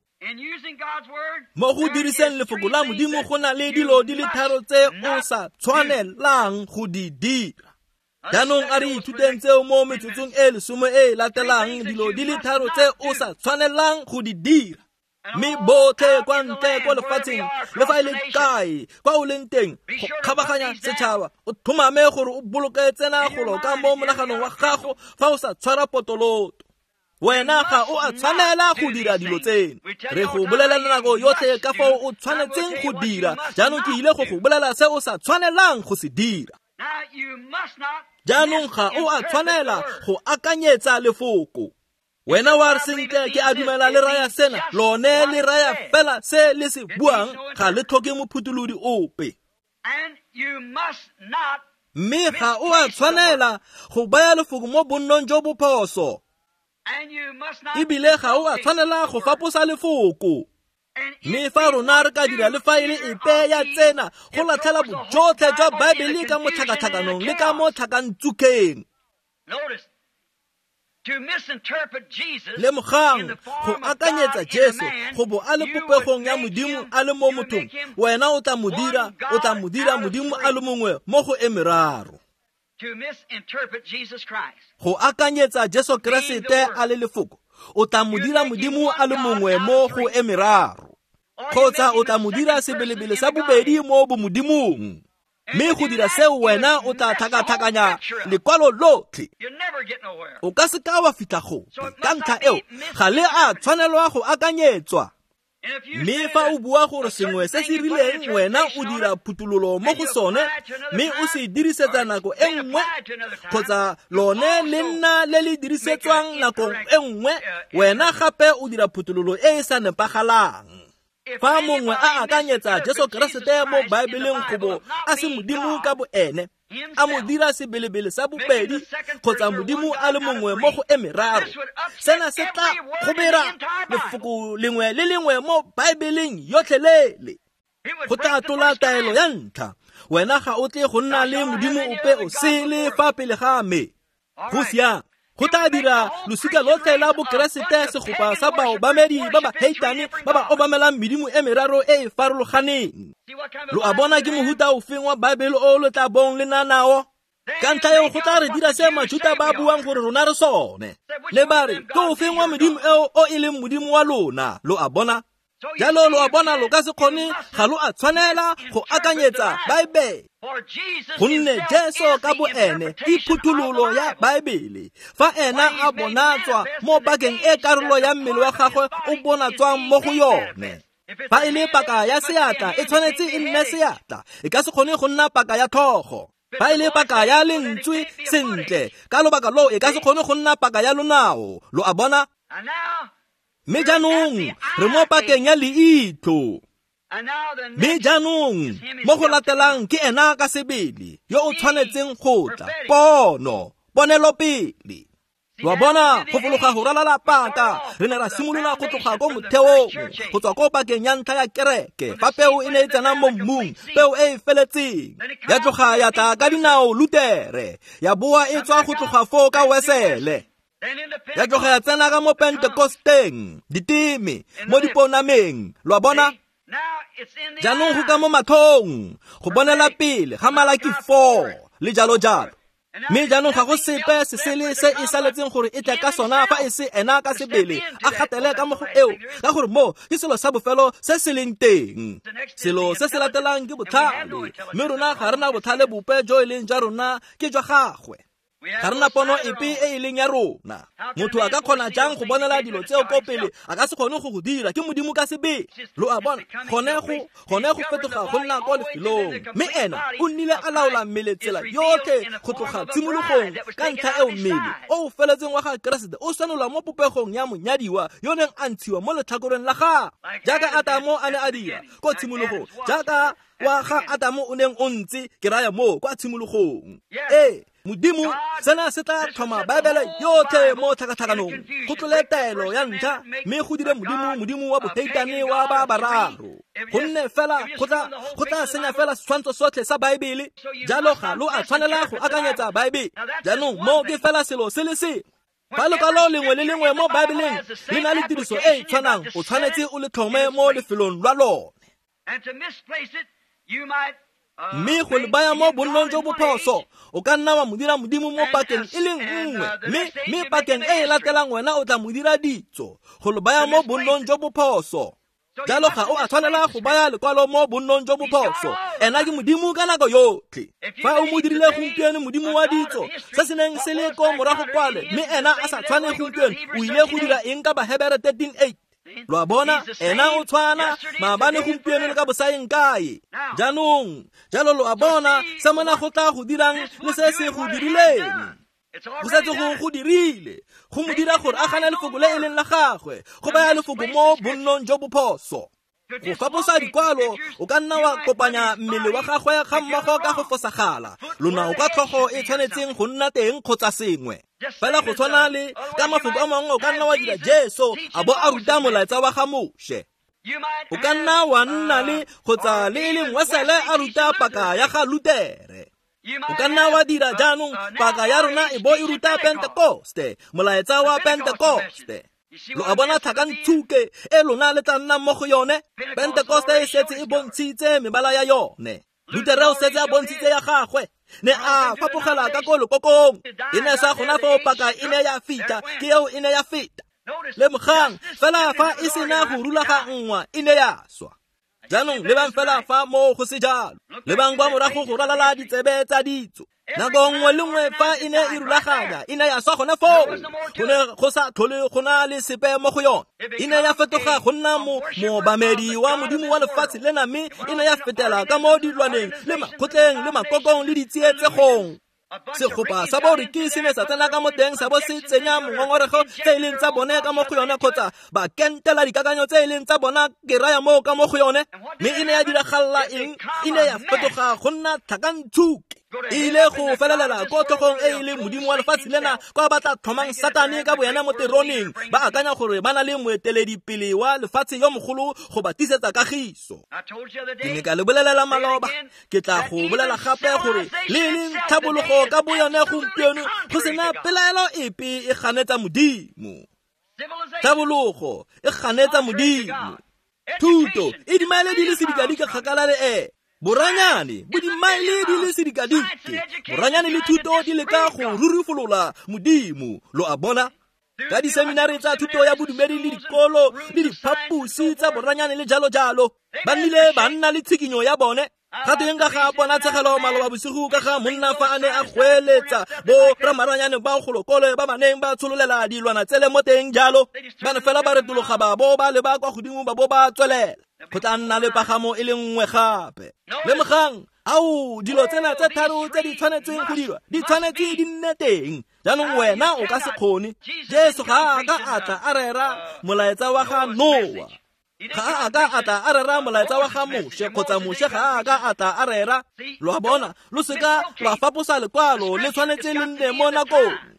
Mo go diriseng lefoko la Modimo go na le dilo di le tharo tse o sa tshwanelang go di dira. Jaanong a re ithuteng tseo mo metsotsong e lesome e e latelang, dilo di le tharo tse o sa tshwanelang go di dira. Mme botlhe kwa ntle ko lefatsheng, le fa e le kae kwa o leng teng, go kgabaganya setšhaba, o tlhomame gore o boloke tsena golo ka mo monaganong wa gago fa o sa tshwara potoloto. Wena ga o a tshwanela go dira dilo tseno. Re go bolelela nako yotlhe ka fao o tshwanetseng go dira. Jaanong ke ile go go bolela se o sa tshwanelang go se dira. Jaanong ga o a tshwanela go akanyetsa lefoko. Wena wa re sentle, ke a dumela le raya sena, lone le raya fela se le se buang, ga le tlhoke mophutholodi ope. Mme ga o a tshwanela go baya lefoko mo bonnong jo bo phoso. Ebile ga o a tshwanela go faposa lefoko. Mme fa rona re ka dira le fa e le epe ya tsena, go latlhela bojotlhe jwa Baebele ka mo tlhakatlhakanong le ka mo tlhakantsukeng. Lemogang, go akanyetsa Jesu go bo a le popegong ya Modimo a le mo mothong, wena o tla mo dira, o tla mo dira Modimo a le mongwe mo go e meraro. Go akanyetsa Jesu Keresete a le lefoko, o tla mo dira Modimo a le mongwe mo go e meraro, kgotsa o tla mo dira sebelebele sa bobedi mo bomodimong. Mme go dira seo wena o tla tlhakatlhakanya lekwalo lotlhe. O ka se ka wa fitlha gope. Ka ntlha eo ga le a tshwanelwa go akanyetswa. Mme fa o bua gore sengwe se se rileng wena o dira phuthololo mo go sone, mme o se dirisetsa nako e nngwe, kgotsa lone le nna le le dirisetswang nako e nngwe, wena gape o dira phuthololo e e sa nepagalang. Fa mongwe a akanyetsa Jesu Keresete mo Baebeleng go bo a se Modimo ka boene, a mo dira sebelebele sa bobedi kgotsa Modimo a le mongwe mo go e meraro, sena se tla kgobera lefoko lengwe le lengwe mo Baebeleng yotlhelele. Go tla tlola taelo ya ntlha. Wena ga o tle go nna le modimo ope o sele fa pele ga me. Go siame. Go tla dira losika lotlhe la bokeresete segopa sa baobamedi ba ba heitane ba ba obamelang medimo e meraro e e farologaneng. Lo a bona ke mohuta ofeng wa Baebele o lo tla bong le na nao? Ka ntlha eo go tla re dira se Majuta ba buang gore rona re sone. Le ba re ke ofeng wa modimo eo o e leng modimo wa lona? Lo a bona? Jalo lo a bona lo ka se kgone, ga lo a tshwanela go akanyetsa Baebele. Gonne Jesu ka bo ene ke phuthololo ya Baebele. Fa ena a bonatswa mo pakeng e karolo ya mmele wa gagwe o bonatswang mo go yone. Fa e le paka ya seatla e tshwanetse e nne seatla, e ka se kgone go nna paka ya tlhogo. Fa e le paka ya lentswe sentle, ka lobaka loo e ka se kgone go nna paka ya lonao. Lo a bona? Mme jaanong re mo pakeng ya leitlho. Mme jaanong mo go latelang ke ena ka sebele yo o tshwanetseng go tla. Pono, ponelopele. Lo a bona go fologa go ralala paka. Re ne ra simolola go tloga ko motheong, go tswa ko pakeng ya ntlha ya kereke, fa peo e ne e tsena mo mmung, peo e e feletseng. Ya tloga ya tla ka dinao Lutere, ya boa e tswa go tloga foo ka Wesele. Ya tloga ya tsena ka mo Pentekosteng, diteme, mo diponameng. Lo a bona? Jaanong go ka mo matlhong, go bonela pele ga Malaki four le jalo jalo. Mme jaanong ga go sepe se sele se e saletseng gore e tle ka sona fa e se ena ka sebele a gatele ka mo go eo, ka gore mo ke selo sa bofelo se se leng teng. Selo se se latelang ke botlhale, mme rona ga re na botlhale bope jo e leng jwa rona, ke jwa gagwe. Ga re na pono epe e e leng ya rona. Motho a ka kgona jang go bonela dilo tseo ko pele? A ka se kgone go go dira, ke modimo ka sebele. Lo a bona? Gone go gone go fetoga go nna ko lefelong. Mme ena o nnile a laola mmele tsela yotlhe go tloga tshimologong. Ka ntlha eo mmele o o feletseng wa ga Keresete o senola mo popegong ya monyadiwa yo neng a ntshiwa mo letlhakoreng la gagwe, jaaka Atamo a ne a dira ko tshimologong, jaaka wa ga Atamo o neng o ntse, ke raya moo kwa tshimologong. Ee, Modimo sena se tla tlhoma Baebele yotlhe mo tlhakatlhakanong, go tlole taelo ya ntlha, mme go dire modimo modimo wa boheitane wa ba bararo. Gonne fela go tla go tla senya fela setshwantsho sotlhe sa Baebele. Jalo ga lo a tshwanela go akanyetsa Baebele. Jaanong mo ke fela selo se le sengwe. Fa lekwalo lengwe le lengwe mo Baebeleng le na le tiriso e e tshwanang, o tshwanetse o le tlhome mo lefelong lwa lone. Mme go le baya mo bonnong jo bophoso, o ka nna wa mo dira modimo mo pakeng e le nngwe, mme mme pakeng e e latelang wena o tla mo dira ditso. Go le baya mo bonnong jo bophoso. Jalo ga o a tshwanela go baya lekwalo mo bonnong jo bophoso. Ena ke modimo ka nako yotlhe. Fa o mo dirile gompieno modimo wa ditso, se se neng se le ko morago kwale, mme ena a sa tshwane gompieno, o ile go dira eng ka Bahebere thirteen eight? Lo a bona? Ena o tshwana maabane gompieno le ka bosaeng kae. Jaanong jalo lo a bona se mona go tla go dirang le se se go dirileng. Go setse go go dirile, go mo dira gore a gane lefoko le e leng la gagwe, go baya lefoko mo bonnong jo bophoso. Go faposa dikwalo, o ka nna wa kopanya mmele wa gagwe ga mmogo ka go fosagala. Lonao ka tlhogo e tshwanetseng go nna teng kgotsa sengwe. Fela go tshwana le ka mafoko a mangwe, o ka nna wa dira Jesu a bo a ruta molaetsa wa ga Moshe. O ka nna wa nna le kgotsa le e leng Wesele a ruta paka ya ga Lutere. O ka nna wa dira jaanong paka ya rona e bo e ruta Pentekoste, molaetsa wa Pentekoste. Lo a bona tlhakantshuke e lona le tla nnang mo go yone? Pentekoste e setse e bontshitse mebala ya yone. Lutere o setse a bontshitse ya gagwe. Ne a fapogela ka ko lekokong. E ne sa gona foo paka e ne ya feta, ke eo e ne ya feta. Lemogang fela fa e sena go rulaganngwa e ne ya swa. Jaanong lebang fela fa moo go se jalo. Lebang kwa morago go ralala ditsebe tsa ditso. Nako nngwe le nngwe fa e ne e rulaganya, e ne ya swa gona foo. Go ne go sa tlhole go na le sepe mo go yone. E ne ya fetoga go nna mo moobamedi wa modimo wa lefatshe lena, mme e ne ya fetela ka mo dilwaneng le makgotleng le makokong le ditsietsegong. Segopa sa boriki se ne sa tsena ka mo teng sa bo se tsenya mongongorego tse e leng tsa bone ka mo go yone, kgotsa ba kentela dikakanyo tse e leng tsa bona, ke raya moo ka mo go yone. Mme e ne ya diragalla eng? E ne ya fetoga go nna tlhakantshuke. E ile go felelela ko tlhogong e e leng modimo wa lefatshe lena kwa ba tla tlhomang Satane ka boena mo teroneng, ba akanya gore ba na le moeteledipele wa lefatshe yo mogolo go ba tisetsa kagiso. Ke ne ka le bolelela maloba, ke tla go bolela gape gore le e leng tlhabologo ka boyone gompieno go sena pelaelo epe e ganetsa modimo. Tlhabologo e ganetsa modimo. Thuto e dimaele di le sedikadike kgakala le e boranyane bo dimaele di le sedikadike. Boranyane le thuto di leka go rurifolola modimo, lo a bona, ka diseminari tsa thuto ya bodumedi le dikolo le diphaposi tsa boranyane le jalo jalo. Ba nnile ba nna le tshikinyo ya bone. Ga teng ka ga ponatshegelo maloba bosigo ka ga monna fa a ne a goeletsa bo ramaranyane ba golokole ba ba neng ba tshololela dilwana tsele mo teng jalo. Ba ne fela ba retologa ba bo ba leba kwa godimo ba bo ba tswelela. Go tla nna le pagamo e le nngwe gape. Lemogang, ao dilo tsena tse tharo tse di tshwanetseng go dirwa di tshwanetse di nne teng. Jaanong wena o ka se kgone. Jesu ga a ka a tla a rera molaetsa wa ga Noa, ga a ka a tla a rera molaetsa wa ga Moshe, kgotsa Moshe ga a ka a tla a rera. Lo a bona, lo seka lwa faposa lekwalo, le tshwanetse le nne mo nakong.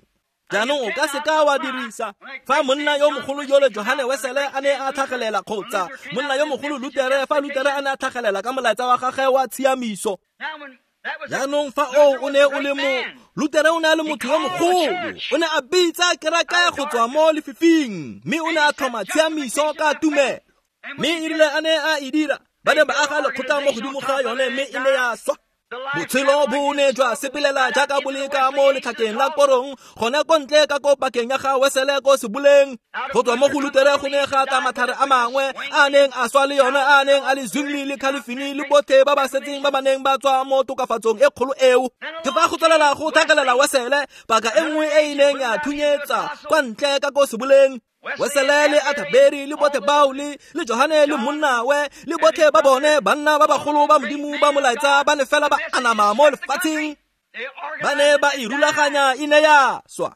Jaanong o ka seka wa dirisa fa monna yo mogolo yole Johane Wesele a ne a tlhagelela, kgotsa monna yo mogolo Lutere fa Lutere a ne a tlhagelela ka molaetsa wa gagwe wa tshiamiso. Jaanong fa o o ne o le mo Lutere o ne a le motho yo mogolo, o ne a bitsa kereke go tswa mo lefifing, mme o ne a tlhoma tshiamiso ka tumelo. Mme e rile a ne a e dira, ba ne ba aga lekgotla mo godimo ga yone, mme e ne ya swa. Botshelo bo ne jwa sepelela jaaka bo le ka mo letlhakeng la korong, gone ko ntle ka ko pakeng ya ga Wesele ko seboleng. Go tswa mo go Lutere go ne ga tla matlhare a mangwe a neng a swa le yone, a neng a le Zwingli le Calvin le botlhe ba ba setseng ba ba neng ba tswa mo tokafatsong e kgolo eo. Ke fa go tswelela go tlhagelela Wesele, paka e nngwe e e neng ya thunyetsa kwa ntle ka ko seboleng. Wesele le Athaberi le botlhe bao le le Johane le monnawe le botlhe ba bone banna ba bagolo ba modimo ba molaetsa ba ne fela ba anama mo lefatsheng. Ba ne ba e rulaganya, e ne ya swa.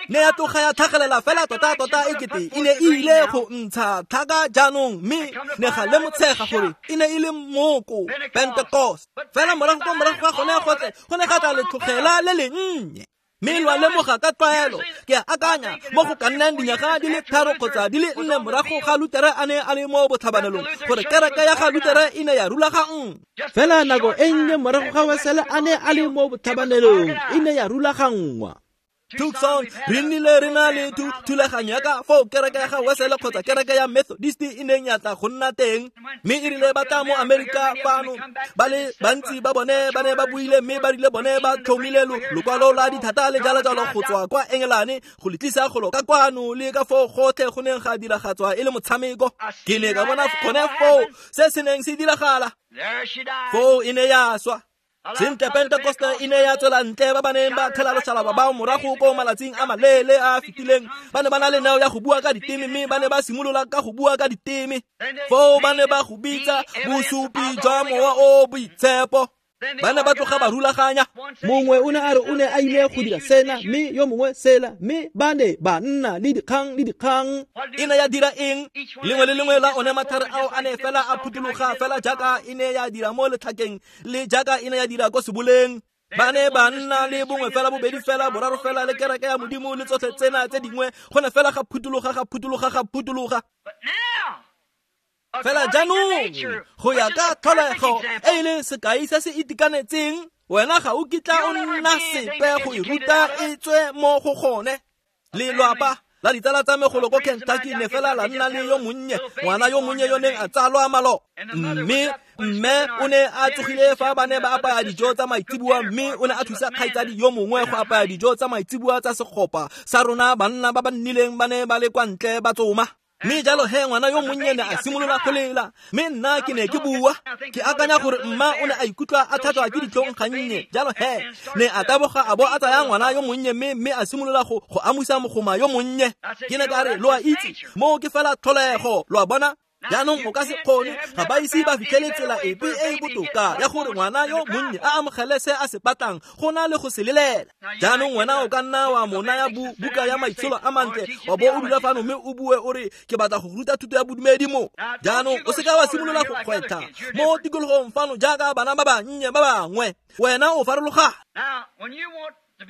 Ne ya tloga ya tlhagelela fela tota tota e kete e ne e ile go ntsha tlhaka jaanong, mme ne ga lemotshega gore e ne e le moko Pentecost. Fela morago ko morago ga gone gotlhe go ne ga tla letlhogela le lennye. Mme lwa lemoga ka tlwaelo, ke a akanya mo go ka nnang dinyaga di le tharo kgotsa di le nne morago ga Lutere a ne a le mo botlhabanelong, gore kereke ya ga Lutere e ne ya rulaganngwa. Fela nako e nnye morago ga Wesele a ne a le mo botlhabanelong, e ne ya rulaganngwa. Tucson re nnile re na le thulaganyo ya ka foo kereke ya ga Wesele kgotsa kereke ya Methodist e neng ya tla go nna teng. Mme e rile ba tla mo Amerika fano, ba le bantsi ba bone ba ne ba buile, mme ba rile bone ba tlhomile lokwalo la dithata le jalo jalo go tswa kwa Engelane go le tlisa golo ka kwano, le ka foo gotlhe go neng ga diragatswa e le motshameko. Ke ne ka bona gone foo se se neng se diragala. Foo e ne ya swa. Sentle Pentecoste e ne ya tswela ntle, ba ba neng ba thela loshalaba bao morago ko malatsing a maleele a fetileng ba ne ba na le neo ya go bua ka diteme, mme ba ne ba simolola ka go bua ka diteme. Foo ba ne ba go bitsa bosupi jwa mowa o boitshepo. Ba ne ba tloga ba rulaganya. Mongwe o ne a re o ne a ile go dira sena, mme yo mongwe sela, mme ba ne ba nna le dikgang le dikgang. E ne ya dira eng? Lengwe le lengwe la one matlhare ao a ne fela a phuthuloga fela jaaka e ne ya dira mo letlhakeng le jaaka e ne ya dira ko seboleng. Ba ne ba nna le bongwe fela, bobedi fela, boraro fela, le kereke ya modimo le tsotlhe tsena tse dingwe. Go ne fela ga phuthuloga, ga phuthuloga, ga phuthuloga. Fela jaanong go ya ka tlholego e e leng sekai se se itekanetseng, wena ga o kitla o nna sepe go e ruta e tswe mo go gone. Lelwapa la ditsala tsa me golo ko Kentucky ne fela la nna le yo monnye, ngwana yo monnye yo neng a tsalwa malo. Mme mme o ne a tsogile fa ba ne ba apaya dijo tsa maitseboa, mme o ne a thusa kgaitsadi yo mongwe go apaya dijo tsa maitseboa tsa segopa sa rona banna ba ba nnileng ba ne ba le kwa ntle ba tsoma. Mme jalo he ngwana yo monnye ne a simolola go lela, mme nna ke ne ke bua. Ke akanya gore mma o ne a ikutlwa a thatswa ke ditlhong gannye. Jalo he ne a taboga a bo a tsaya ngwana yo monnye, mme mme a simolola go go amusa mogoma yo monnye. Ke ne ka re, lo a itse, moo ke fela tlholego, lo a bona. Jaanong o ka se kgone, ga ba ise ba fitlhele tsela epe e e botoka ya gore ngwana yo monnye a amogele se a se batlang go na le go se lelela. Jaanong wena o ka nna wa mo naya buka ya maitsholo a mantle, wa bo o dula fano mme o bue o re ke batla go ruta thuto ya bodumedi mo. Jaanong o seka wa simolola go kgwetlha mo tikologong fano jaaka bana ba bannye ba bangwe, wena o farologana.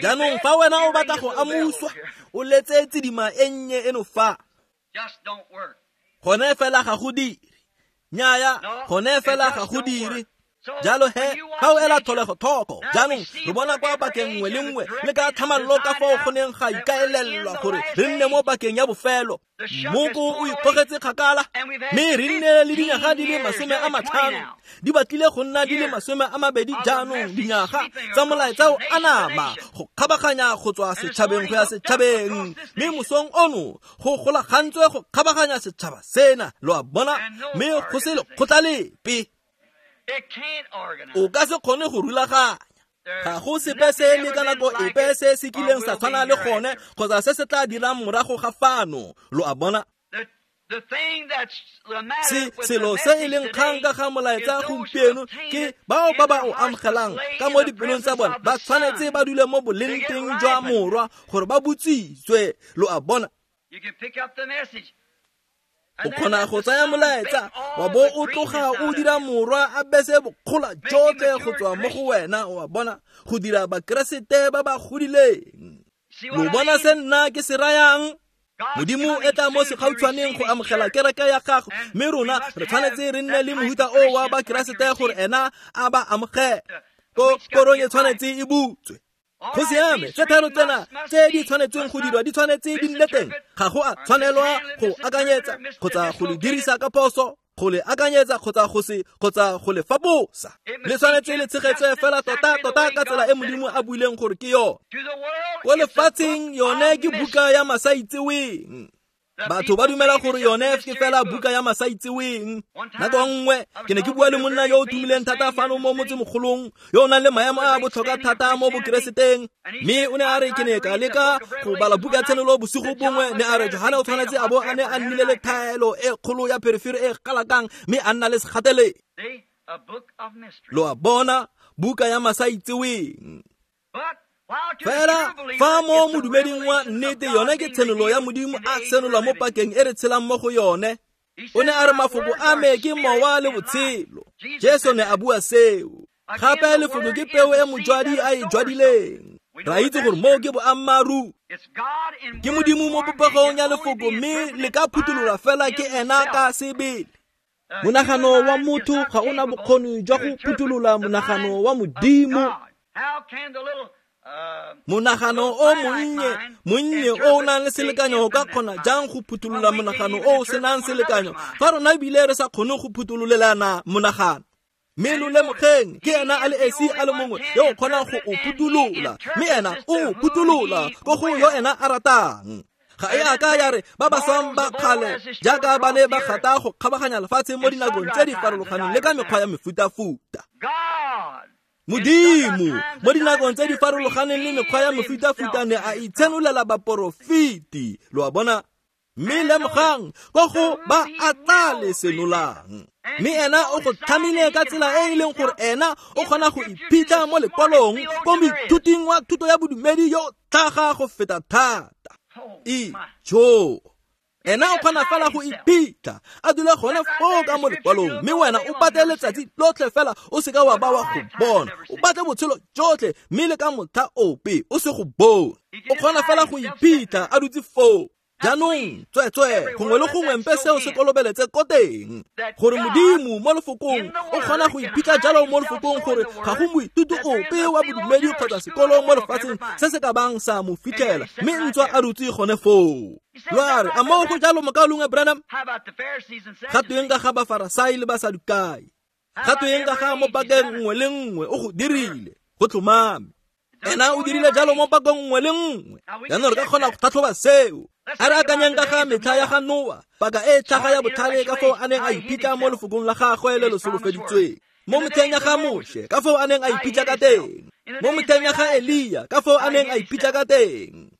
Jaanong fa wena o batla go amuswa, o letse tsidima e nnye eno fa. Gone fela ga go dire. Nnyaya, gone fela ga go dire. Jalo he, ga o ela tlholego thoko. Jaanong re bona kwa pakeng nngwe le nngwe le ka tlhamallo ka fao go neng ga ikaelelwa gore re nne mo pakeng ya bofelo. Mmoko o ikgogetse kgakala, mme re nne le dinyaga di le masome a matlhano, di batlile go nna di le masome a mabedi jaanong, dinyaga tsa molaetsa o anama go kgabaganya go tswa setšhabeng go ya setšhabeng, mme mosong ono go golagantswe go kgabaganya setšhaba sena, lo a bona, mme go se lekgotla lepe. O ka se kgone go rulaganya. Ga go sepe se le ka nako epe se se kileng sa tshwana le gone kgotsa se se tla dirang morago ga fano, lo a bona. Se selo se e leng kgang ka ga molaetsa gompieno ke bao ba ba o amogelang ka mo dipelong tsa bona ba tshwanetse ba dule mo boleng teng jwa morwa gore ba botsitswe, lo a bona. O kgona go tsaya molaetsa wa bo o tloga o dira morwa a bese bokgola jotlhe go tswa mo go wena, o a bona, go dira bakeresete ba ba godileng. Lo bona se nna ke se rayang? Modimo e tla mo segautshwaneng go amogela kereke ya gago, mme rona re tshwanetse re nne le mohuta o wa bakeresete gore ena a ba amogele. Ko korong e tshwanetse e butswe. Go siame, tse tharo tsena tse di tshwanetseng go dirwa di tshwanetse di nne teng. Ga go a tshwanelwa go akanyetsa kgotsa go le dirisa ka phoso, go le akanyetsa kgotsa go se kgotsa go le faposa. Le tshwanetse le tshegetswe fela tota tota ka tsela e Modimo a buileng gore ke yone. Ko lefatsheng yone ke buka ya masaitseweng. Batho ba dumela gore yone ke fela buka ya masaitseweng. Nako nngwe ke ne ke bua le monna yo o tumileng thata fano mo motsemogolong, yo o nang le maemo a botlhokwa thata mo bokereseteng, mme o ne a re ke ne ka leka go bala buka ya Tshenolo bosigo bongwe, ne a re Johane o tshwanetse a bo a ne a nnile le thaelo e kgolo ya pherefere e galakang, mme a nna le segatele. Lo a bona, buka ya masaitseweng. Fela fa mo modumeding wa nnete yone ke tshenolo ya Modimo a senola mo pakeng e re tshelang mo go yone. O ne a re mafoko a me ke mowa le botshelo. Jesu ne a bua seo. Gape lefoko ke peo e mojwadi a e jwadileng. Ra itse gore moo ke boammaaruri. Ke Modimo mo popegong ya lefoko, mme le ka phuthololwa fela ke ena ka sebele. Monagano wa motho ga o na bokgoni jwa go phutholola monagano wa Modimo. Monagano o monnye, monnye o o nang le selekanyo o ka kgona jang go phutholola monagano o o senang selekanyo, fa rona ebile re sa kgone go phuthololelana monagano. Mme lo lemogeng, ke ena a le esi a le mongwe yo o kgonang go o phutholola, mme ena o phutholola ko go yo ena a ratang. Ga e a ka ya re ba ba swang ba kgale jaaka ba ne ba gata go kgabaganya lefatshe mo dinakong tse di farologaneng le ka mekgwa ya mefutafuta. Modimo mo dinakong tse di farologaneng le mekgwa ya mefutafuta ne a itshenolela baporofeti, lo a bona. Mme lemogang ko go ba a tla le senolang. Mme ena o go tlhamile ka tsela e e leng gore ena o kgona go iphitlha mo lekwalong ko moithuting wa thuto ya bodumedi yo tlhaga go feta thata. Ijo, ena o kgona fela go iphitlha a dula gone foo ka mo lekwalong, mme wena o batle letsatsi lotlhe fela o seka wa ba wa go bona, o batle botshelo jotlhe mme le ka motlha ope o se go bone. O kgona fela go iphitlha a dutse foo. Jaanong tsweetswee gongwe le gongwe mpe seo se kolobeletse ko teng, gore Modimo mo lefokong o kgona go iphitlha jalo mo lefokong gore ga go moithuti ope wa bodumedi kgotsa sekolo mo lefatsheng se se ka bang sa mo fitlhela, mme ntswa a dutse gone foo. Lo a re, a moo go jalo mokaulengwe Branham? Ga tweng ka ga Bafarasai le Basadukai? Ga tweng ka ga mo pakeng nngwe le nngwe o go dirile, go tlhomame. Ena o dirile jalo mo pakong nngwe le nngwe. Jaanong re ka kgona go tlhatlhoba seo. A re akanyeng ka ga metlha ya ga Noa, paka e tlhaga ya botlhale ka foo a neng a iphitlha mo lefokong la gagwe le le solofeditsweng. Mo metlheng ya ga Moshe, ka foo a neng a iphitlha ka teng. Mo metlheng ya ga Elia, ka foo a neng a iphitlha ka teng.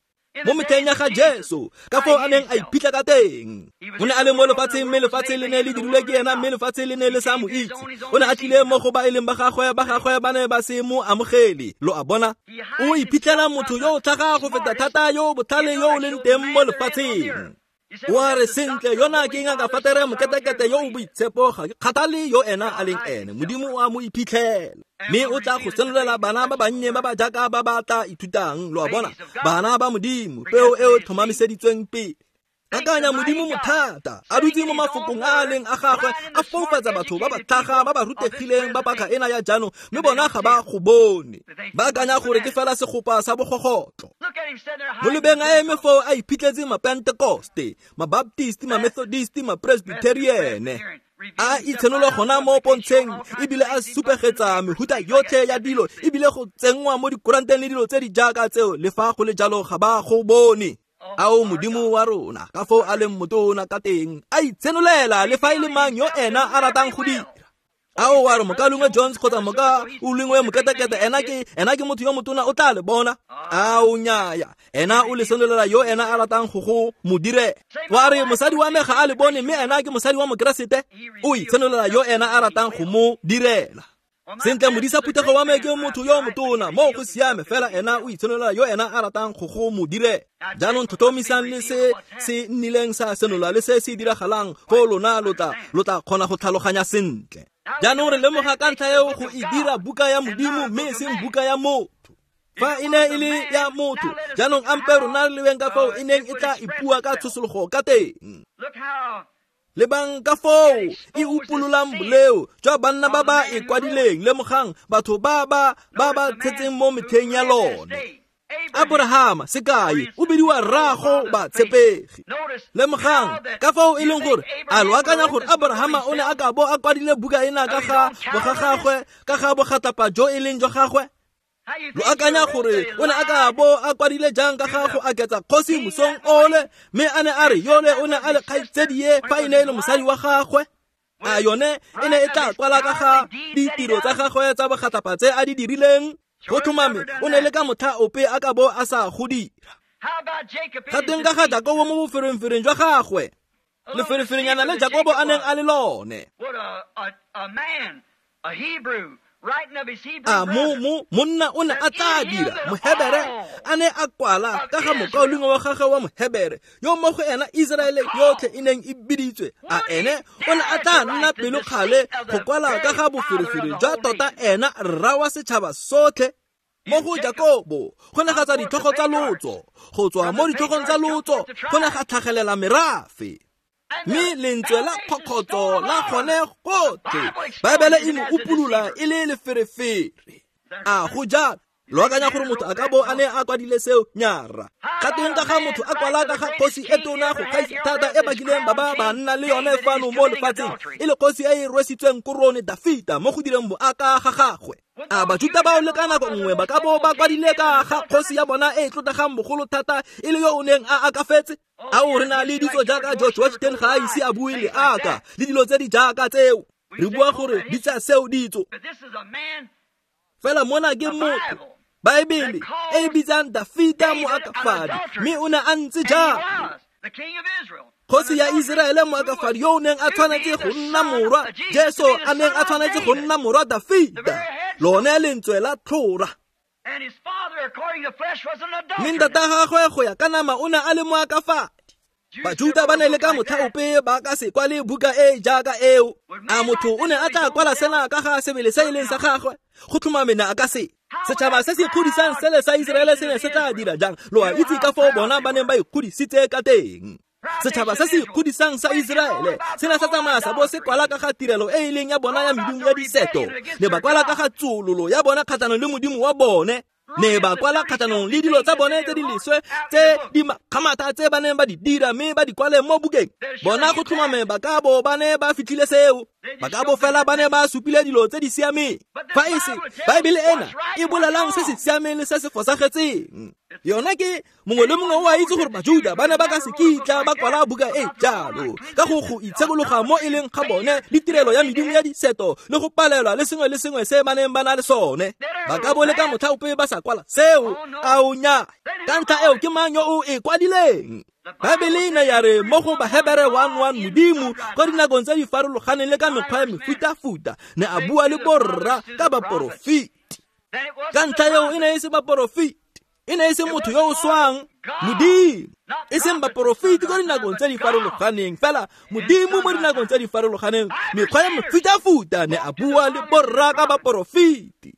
Mo metlheng ya ga Jesu, ka foo a neng a iphitlha ka teng. O ne a le mo lefatsheng, mme lefatshe le ne le dirilwe ke ena, mme lefatshe le ne le sa mo itse. O ne a tlile mo go ba e leng ba gagwe, ba gagwe ba ne ba se mo amogele. Lo a bona? O iphitlhela motho yo o tlhaga go feta thata, yo o botlhale, yo o leng teng mo lefatsheng. O a re sentle, yona ke ngaka fatere moketekete yo o boitshepo, ga ke kgathale yo ena a leng ene. Modimo o a mo iphitlhela, mme o tla go senolela bana ba bannye ba ba jaaka ba ba tla ithutang. Lo a bona? Bana ba Modimo, peo e o tlhomamiseditsweng pele. Akanya Modimo mothata, a dutse mo mafokong a a leng a gagwe, a foufatsa batho ba ba tlhaga, ba ba rutegileng ba paka ena ya jaanong, mme bona ga ba go bone. Ba akanya gore ke fela segopa sa bogogotlo. Mo lebeng a eme foo a iphitlhetse mapentekoste, mabaptisti, mamethodist, mapresbyteriene. A itshenola gona mo pontsheng, ebile a supegetsa mehuta yotlhe ya dilo, ebile go tsenngwa mo dikuranteng le dilo tse di jaaka tseo, le fa go le jalo ga ba go bone. Ao Modimo wa rona, ka foo a leng motona ka teng, a itshenolela le fa e le mang yo ena a ratang go dira. Ao wa re mokalengwe Jones kgotsa moka o lengwe moketekete, ena ke ena ke motho yo motona, o tla le bona. Ao nnyaya, ena o le senolela yo ena a ratang go go mo direla. Wa re mosadi wa me ga a le bone, mme ena ke mosadi wa mokeresete, o itshenolela yo ena a ratang go mo direla. Sentle, modisa phuthego wa me ke motho yo motona, mo go siame, fela ena o itshenolela yo ena a ratang go go mo direla. Jaanong tlhotlhomisang le se se nnileng sa senola le se se diragalang, foo lona lo tla lo tla kgona go tlhaloganya sentle. Jaanong re lemoga ka ntlha eo go e dira buka ya Modimo, mme e seng buka ya motho. Fa e ne e le ya motho, jaanong ampe rona re lebeng ka foo e neng e tla ipua ka tshosologo ka teng. Lebang ka foo e upololang boleo jwa banna ba ba e kwadileng, lemogang batho ba ba ba ba tshetseng mo metlheng ya lone. Abrahama, sekai, o bidiwa rraago batshepegi. Lemogang ka foo e leng gore a lo akanya gore Abrahama o ne a ka bo a kwadile buka ena ka ga bogagagwe, ka ga bogatlapa jo e leng jwa gagwe? Lo akanya gore o ne a ka bo a kwadile jang ka ga go aketsa kgosi mosong ole, mme a ne a re yole o ne a le kgaitsedie fa e ne e le mosadi wa gagwe? A yone e ne e tla kwala ka ga ditiro tsa gagwe tsa bogatlapa tse a di dirileng? Go tlhomame o ne le ka motlha ope a ka bo a sa go dira. Ga teng ka ga Jakobo mo boferenfereng jwa gagwe, lefereferenyana le Jakobo a neng a le lone. A mo mo monna o ne a tla dira Mohebere a ne a kwala ka ga mokaulengwe wa gagwe wa Mohebere, yo mo go ena Iseraele yotlhe e neng e biditswe. A ene o ne a tla nna pelokgale go kwala ka ga boferefere jwa tota ena rra wa setšhaba sotlhe? Mo go Jakobo go ne ga tswa ditlhogo tsa lotso, go tswa mo ditlhogong tsa lotso go ne ga tlhagelela merafe, mme lentswe la kgokgotso la gone gotlhe. Baebele e mo upolola e le leferefere. A go jalo? Lo akanya gore motho a ka bo a ne a kwadile seo? Nyara. Ga teng ka ga motho a kwala ka ga kgosi e tona go gaisa thata e bakileng ba ba ba nna le yone fano mo lefatsheng, e le kgosi e e rwesitsweng korone Dafita mo go direng boaka ga gagwe. A Bajuta bao le ka nako nngwe ba ka bo ba kwadile ka ga kgosi ya bona e e tlotlegang bogolo thata e le yo o neng a akafetse? Ao re na le ditso jaaka George Washington ga a ise a bue le aka, le dilo tse di jaaka tseo. Re bua gore di tsa seo ditso. Fela mona ke motho, Baebele e e bitsang Dafita moakafadi, mme o ne a ntse jalo. Kgosi ya Iseraele moakafadi yo o neng a tshwanetse go nna morwa Jesu, a neng a tshwanetse go nna morwa Dafita, lone lentswe la tlhora. Mme ntata gagwe go ya ka nama o ne a le moakafadi. Bajuta ba ne le ka motlha ope ba ka se kwale buka e jaaka eo. A motho o ne a tla kwala sena ka ga sebele se e leng sa gagwe? Go tlhomame ne a ka se. Setšhaba se se ikgodisang sele sa Iseraele se ne se tla dira jang? Lo a itse ka foo bona ba neng ba ikgodisitse ka teng. Setšhaba se se ikgodisang sa Iseraele se ne sa tsamaya sa bo se kwala ka ga tirelo e e leng ya bona ya medimo ya diseto. Ne ba kwala ka ga tsololo ya bona kgatlhanong le modimo wa bone. Ne ba kwala kgatlhanong le dilo tsa bone tse di leswe tse di makgamatha tse ba neng ba di dira, mme ba di kwale mo bukeng. Bona go tlhomame ba ka bo ba ne ba fitlhile seo. Ba ka bo fela ba ne ba supile dilo tse di siameng. Fa e se Baebele ena e bolelang se se siameng le se se fosagetseng. Yona ke mongwe le mongwe o a itse gore Bajuda ba ne ba ka se kitla ba kwala buka e jalo ka go go itshekologa mo e leng ga bone le tirelo ya medimo ya diseto le go palelwa le sengwe le sengwe se ba neng ba na le sone. Ba ka bo le ka motlha ope ba sa kwala seo. Ao nya, ka ntlha eo ke mang yo o e kwadileng? Baebele e ne ya re mo go Bahebere one one Modimo kwa dinakong tse di farologaneng le ka mekgwa ya mefutafuta ne a bua le borra ka baporofeti. Ka ntlha eo e ne e se baporofeti, e ne e se motho yo o swang, Modimo, e seng baporofeti kwa dinakong tse di farologaneng, fela Modimo mo dinakong tse di farologaneng mekgwa ya mefutafuta ne a bua le borra ka baporofeti.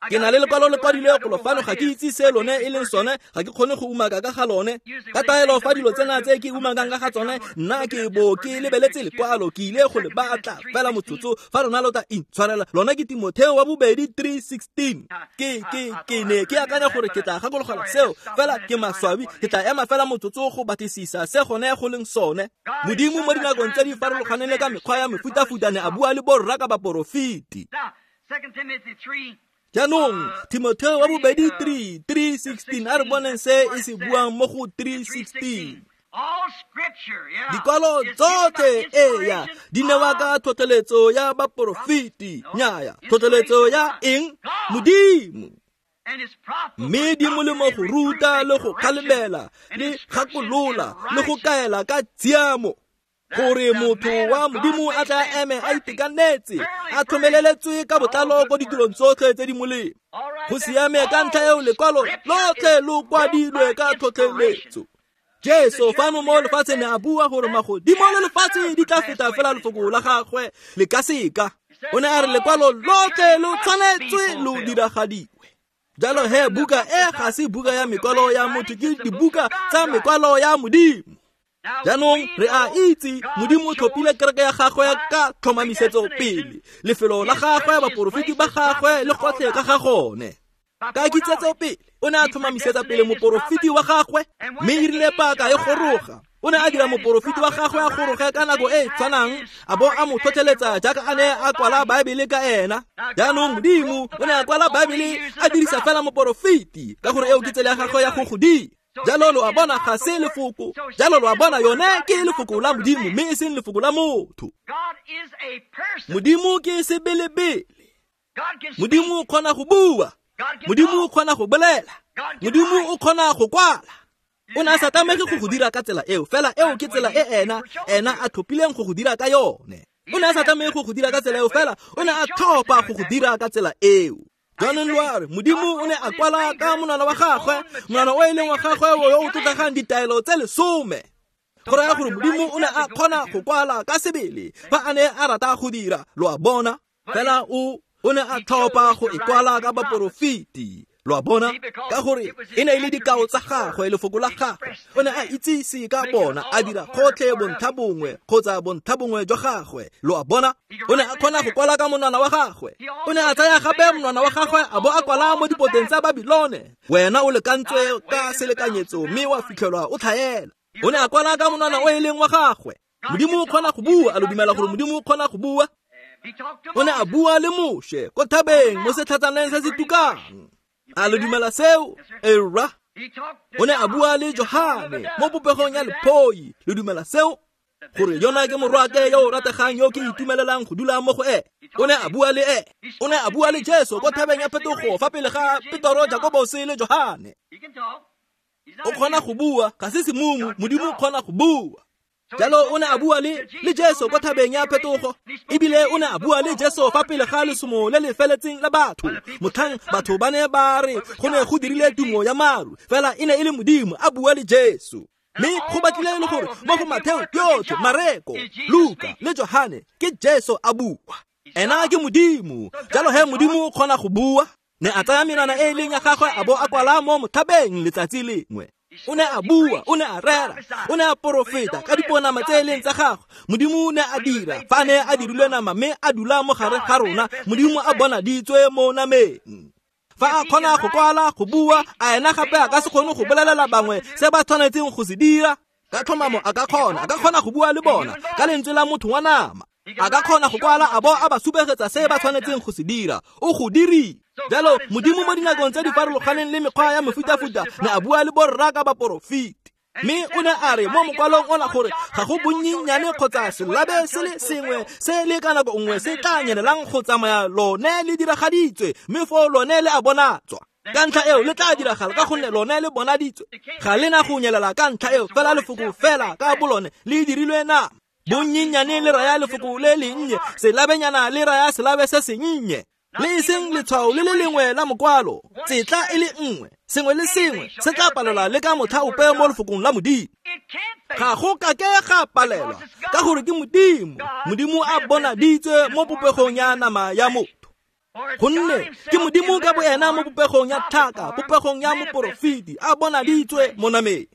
Ke na le lekwalo le kwadilwe golo fano, ga ke itse se lone e leng sone, ga ke kgone go umaka ka ga lone. Ka taelo fa dilo tsena tse ke umakang ka ga tsone, nna ke bo ke lebeletse lekwalo, ke ile go le batla fela motsotso fa lona lo tla intshwarela. Lona ke Timotheo wa bobedi three sixteen. Ke ke ke ne ke akanya gore ke tla gakologelwa seo, fela ke maswabi, ke tla ema fela motsotso go batlisisa se gone go leng sone. Modimo mo dinakong tse di farologaneng le ka mekgwa ya mefutafuta ne a bua le borra ka baporofeti. Jaanong Timotheo wa bobedi three three sixteen, a re boneng se e se buang mo go three sixteen. Dikwalo tsotlhe eya di newa ka tlhotlheletso ya baporofeti, nnyaya tlhotlheletso ya eng? Modimo. Mme di molemo go ruta le go kgalemela le gakolola le go kaela ka tshiamo, gore motho wa Modimo a tla eme a itekanetse, a tlhomeleletswe ka botlalo ko ditirong tsotlhe tse di molemo. Go siame ka ntlha eo lekwalo lotlhe lo kwadilwe ka tlhotlheletso. Jesu fano mo lefatsheng ne a bua gore magodimo le lefatshe di tla feta fela lefoko la gagwe le ka seka. O ne a re lekwalo lotlhe lo tshwanetswe lo diragadiwe. Jalo he buka e ga se buka ya mekwalo ya motho, ke dibuka tsa mekwalo ya Modimo. Jaanong re a itse Modimo o tlhophile kereke ya gagwe ka tlhomamisetso pele, lefelo la gagwe, baporofeti ba gagwe le gotlhe ka ga gone. Ka kitsetso pele o ne a tlhomamisetsa pele moporofeti wa gagwe, mme e rile paka e goroga o ne a dira moporofeti wa gagwe a goroge ka nako e e tshwanang, a bo a mo tlhotlheletsa jaaka a ne a kwala Baebele ka ena. Jaanong Modimo o ne a kwala Baebele a dirisa fela moporofeti, ka gore eo ke tsela ya gagwe ya go go dira. Jalo lo a bona ga se lefoko, jalo lo a bona yone ke lefoko la Modimo mme e seng lefoko la motho. Modimo ke sebelebele. Modimo o kgona go bua, Modimo o kgona go bolela, Modimo o kgona go kwala. O ne a sa tlamege go go dira ka tsela eo, fela eo ke tsela e ena ena a tlhophileng go go dira ka yone. O ne a sa tlamege go go dira ka tsela eo, fela o ne a tlhopha go go dira ka tsela eo. Jaanong lo a re Modimo o ne a kwala ka monwana wa gagwe, monwana o e leng wa gagwe yo o tlotlegang ditaelo tse lesome. Go raya gore Modimo o ne a kgona go kwala ka sebele fa a ne a rata go dira, lo a bona. Fela o o ne a tlhopha go e kwala ka baporofeti, lo a bona, ka gore e ne e le dikao tsa gagwe, lefoko la gagwe. O ne a itsise ka bona, a dira gotlhe bontlha bongwe kgotsa bontlha bongwe jwa gagwe, lo a bona. O ne a kgona go kwala ka monwana wa gagwe. O ne a tsaya gape monwana wa gagwe a bo a kwala mo dipoteng tsa Babilone. Wena o lekantswe ka selekanyetso mme wa fitlhelwa o tlhaela. O ne a kwala ka monwana o e leng wa gagwe. Modimo o kgona go bua, a lo dumela gore Modimo o kgona go bua? O ne a bua le Moshe ko thabeng mo setlhatsaneng se se tukang. A lo dumela seo? Era. O ne a bua le Johane mo popegong ya lephoi. Lo dumela seo? Gore yona ke morwake yo o rategang yo ke itumelelang go dula mo go e. O ne a bua le e. O ne a bua le Jesu ko thabeng ya phetogo fa pele ga Petoro, Jakobose le Johane. O kgona go bua, ga se semumu, Modimo o kgona go bua. Jalo o ne a bua le le Jesu ko thabeng ya phetogo, ebile o ne a bua le Jesu fa pele ga lesomo le le feletseng la batho. Motlhang batho ba ne ba re go ne go dirile tumo ya maru, fela e ne e le Modimo a bua le Jesu. Mme go batlile le gore mo go Matheo yotlhe, Mareko, Luka le Johane ke Jesu a bua. Ena ke Modimo, jalo he Modimo o kgona go bua. Ne a tsaya menwana e e leng ya gagwe a bo a kwala mo mothabeng letsatsi lengwe. O ne a bua, o ne a rera, o ne a porofeta ka diponama tse e leng tsa gagwe. Modimo o ne a dira fa ne a dirilwe nama mme a dula mo gare ga rona. Modimo a bonaditswe mo nameng. Fa a kgona go kwala, go bua, a ena gape a ka se kgone go bolelela bangwe se ba tshwanetseng go se dira. Ka tlhomamo a ka kgona, a ka kgona go bua le bona ka lentswe la motho wa nama. A ka kgona go kwala a bo a ba supegetsa se ba tshwanetseng go se dira. O go dirile. Jalo Modimo mo dinakong tse di farologaneng le mekgwa ya mefutafuta ne a bua le borra ka baporofeti. Mme o ne a re mo mokwalong ona gore ga go bonnyenyane kgotsa selabe se le sengwe se le ka nako nngwe se tla nyelelang go tsamaya lone le diragaditswe, mme foo lone le a bonatswa. Ka ntlha eo le tla diragala ka gonne lone le bonaditswe. Ga le na go nyelela ka ntlha eo, fela lefoko fela ka bolone le dirilwe nama. Bonnyenyane le raya lefoko le lennye, selabenyana le raya selabe se sennye. Le e seng letshwao le le lengwe la mokwalo, tsetla e le nngwe, sengwe le sengwe se tla palelwa le ka motlha ope mo lefokong la Modimo. Ga go ka ke ga palelwa ka gore ke Modimo. Modimo a bonaditswe mo popegong ya nama ya motho. Gonne ke Modimo ka boena mo popegong ya tlhaka, popegong ya moporofeti, a bonaditswe mo nameng.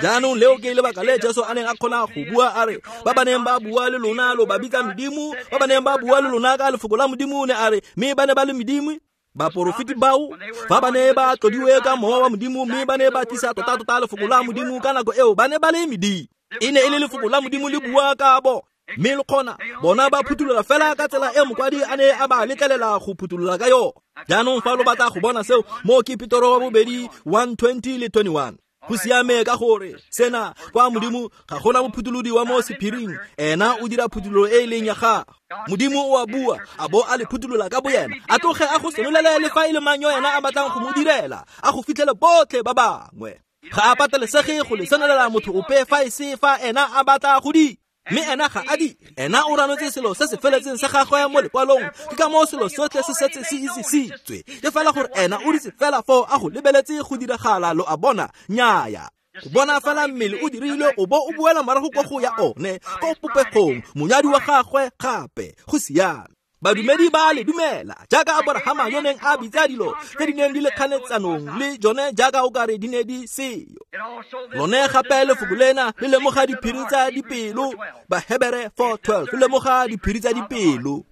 Jaanong leo ke lebaka le Jesu a neng a kgona go bua a re, ba ba neng ba bua le lona lo ba bitsa medimo, ba ba neng ba bua le lona ka lefoko la Modimo, ne a re, mme ba ne ba le medimo. Baporofeti bao fa ba ne ba tlodiwe ka mowa wa Modimo, mme ba ne ba tlisa tota-tota lefoko la Modimo ka nako eo, ba ne ba le medimo. E ne e le lefoko la Modimo le bua ka bo, mme le kgona bona ba phuthulola fela ka tsela e mokwadi a ne a ba letlelela go phuthulola ka yone. Jaanong fa lo batla go bona seo, mo ke Petoro wa bobedi one twenty le twenty-one. Go siame ka gore sena kwa Modimo ga gona mophutholodi wa mo sephiring, ena o dira phuthololo e e leng ya gagwe. Modimo o a bua a bo a le phutholola ka boyena, a tloge a go senolele le fa e le mang yo ena a batlang go mo direla, a go fitlhele botlhe ba bangwe. Ga a patelesege go le senolela motho ope fa e se fa ena a batla go di. Mme ena ga a di, ena o ranotse selo se se feletseng sa gagwe mo lekwalong. Ke ka moo selo sotlhe se setse se isisitswe. Ke fela gore ena o ditse fela foo a go lebeletse go diragala, lo a bona. Nnyaya, go bona fela mmele o dirilwe o bo o boela morago kwa go ya one, ko popegong, monyadi wa gagwe gape. Go siame. Badumedi ba le dumela jaaka Aborahama yo neng a bitsa dilo tse di neng di le kganetsanong le jone jaaka o kare di ne di seyo. Lone gape lefoko lena le lemoga diphiri tsa dipelo, Bahebere four twelve le lemoga diphiri tsa dipelo.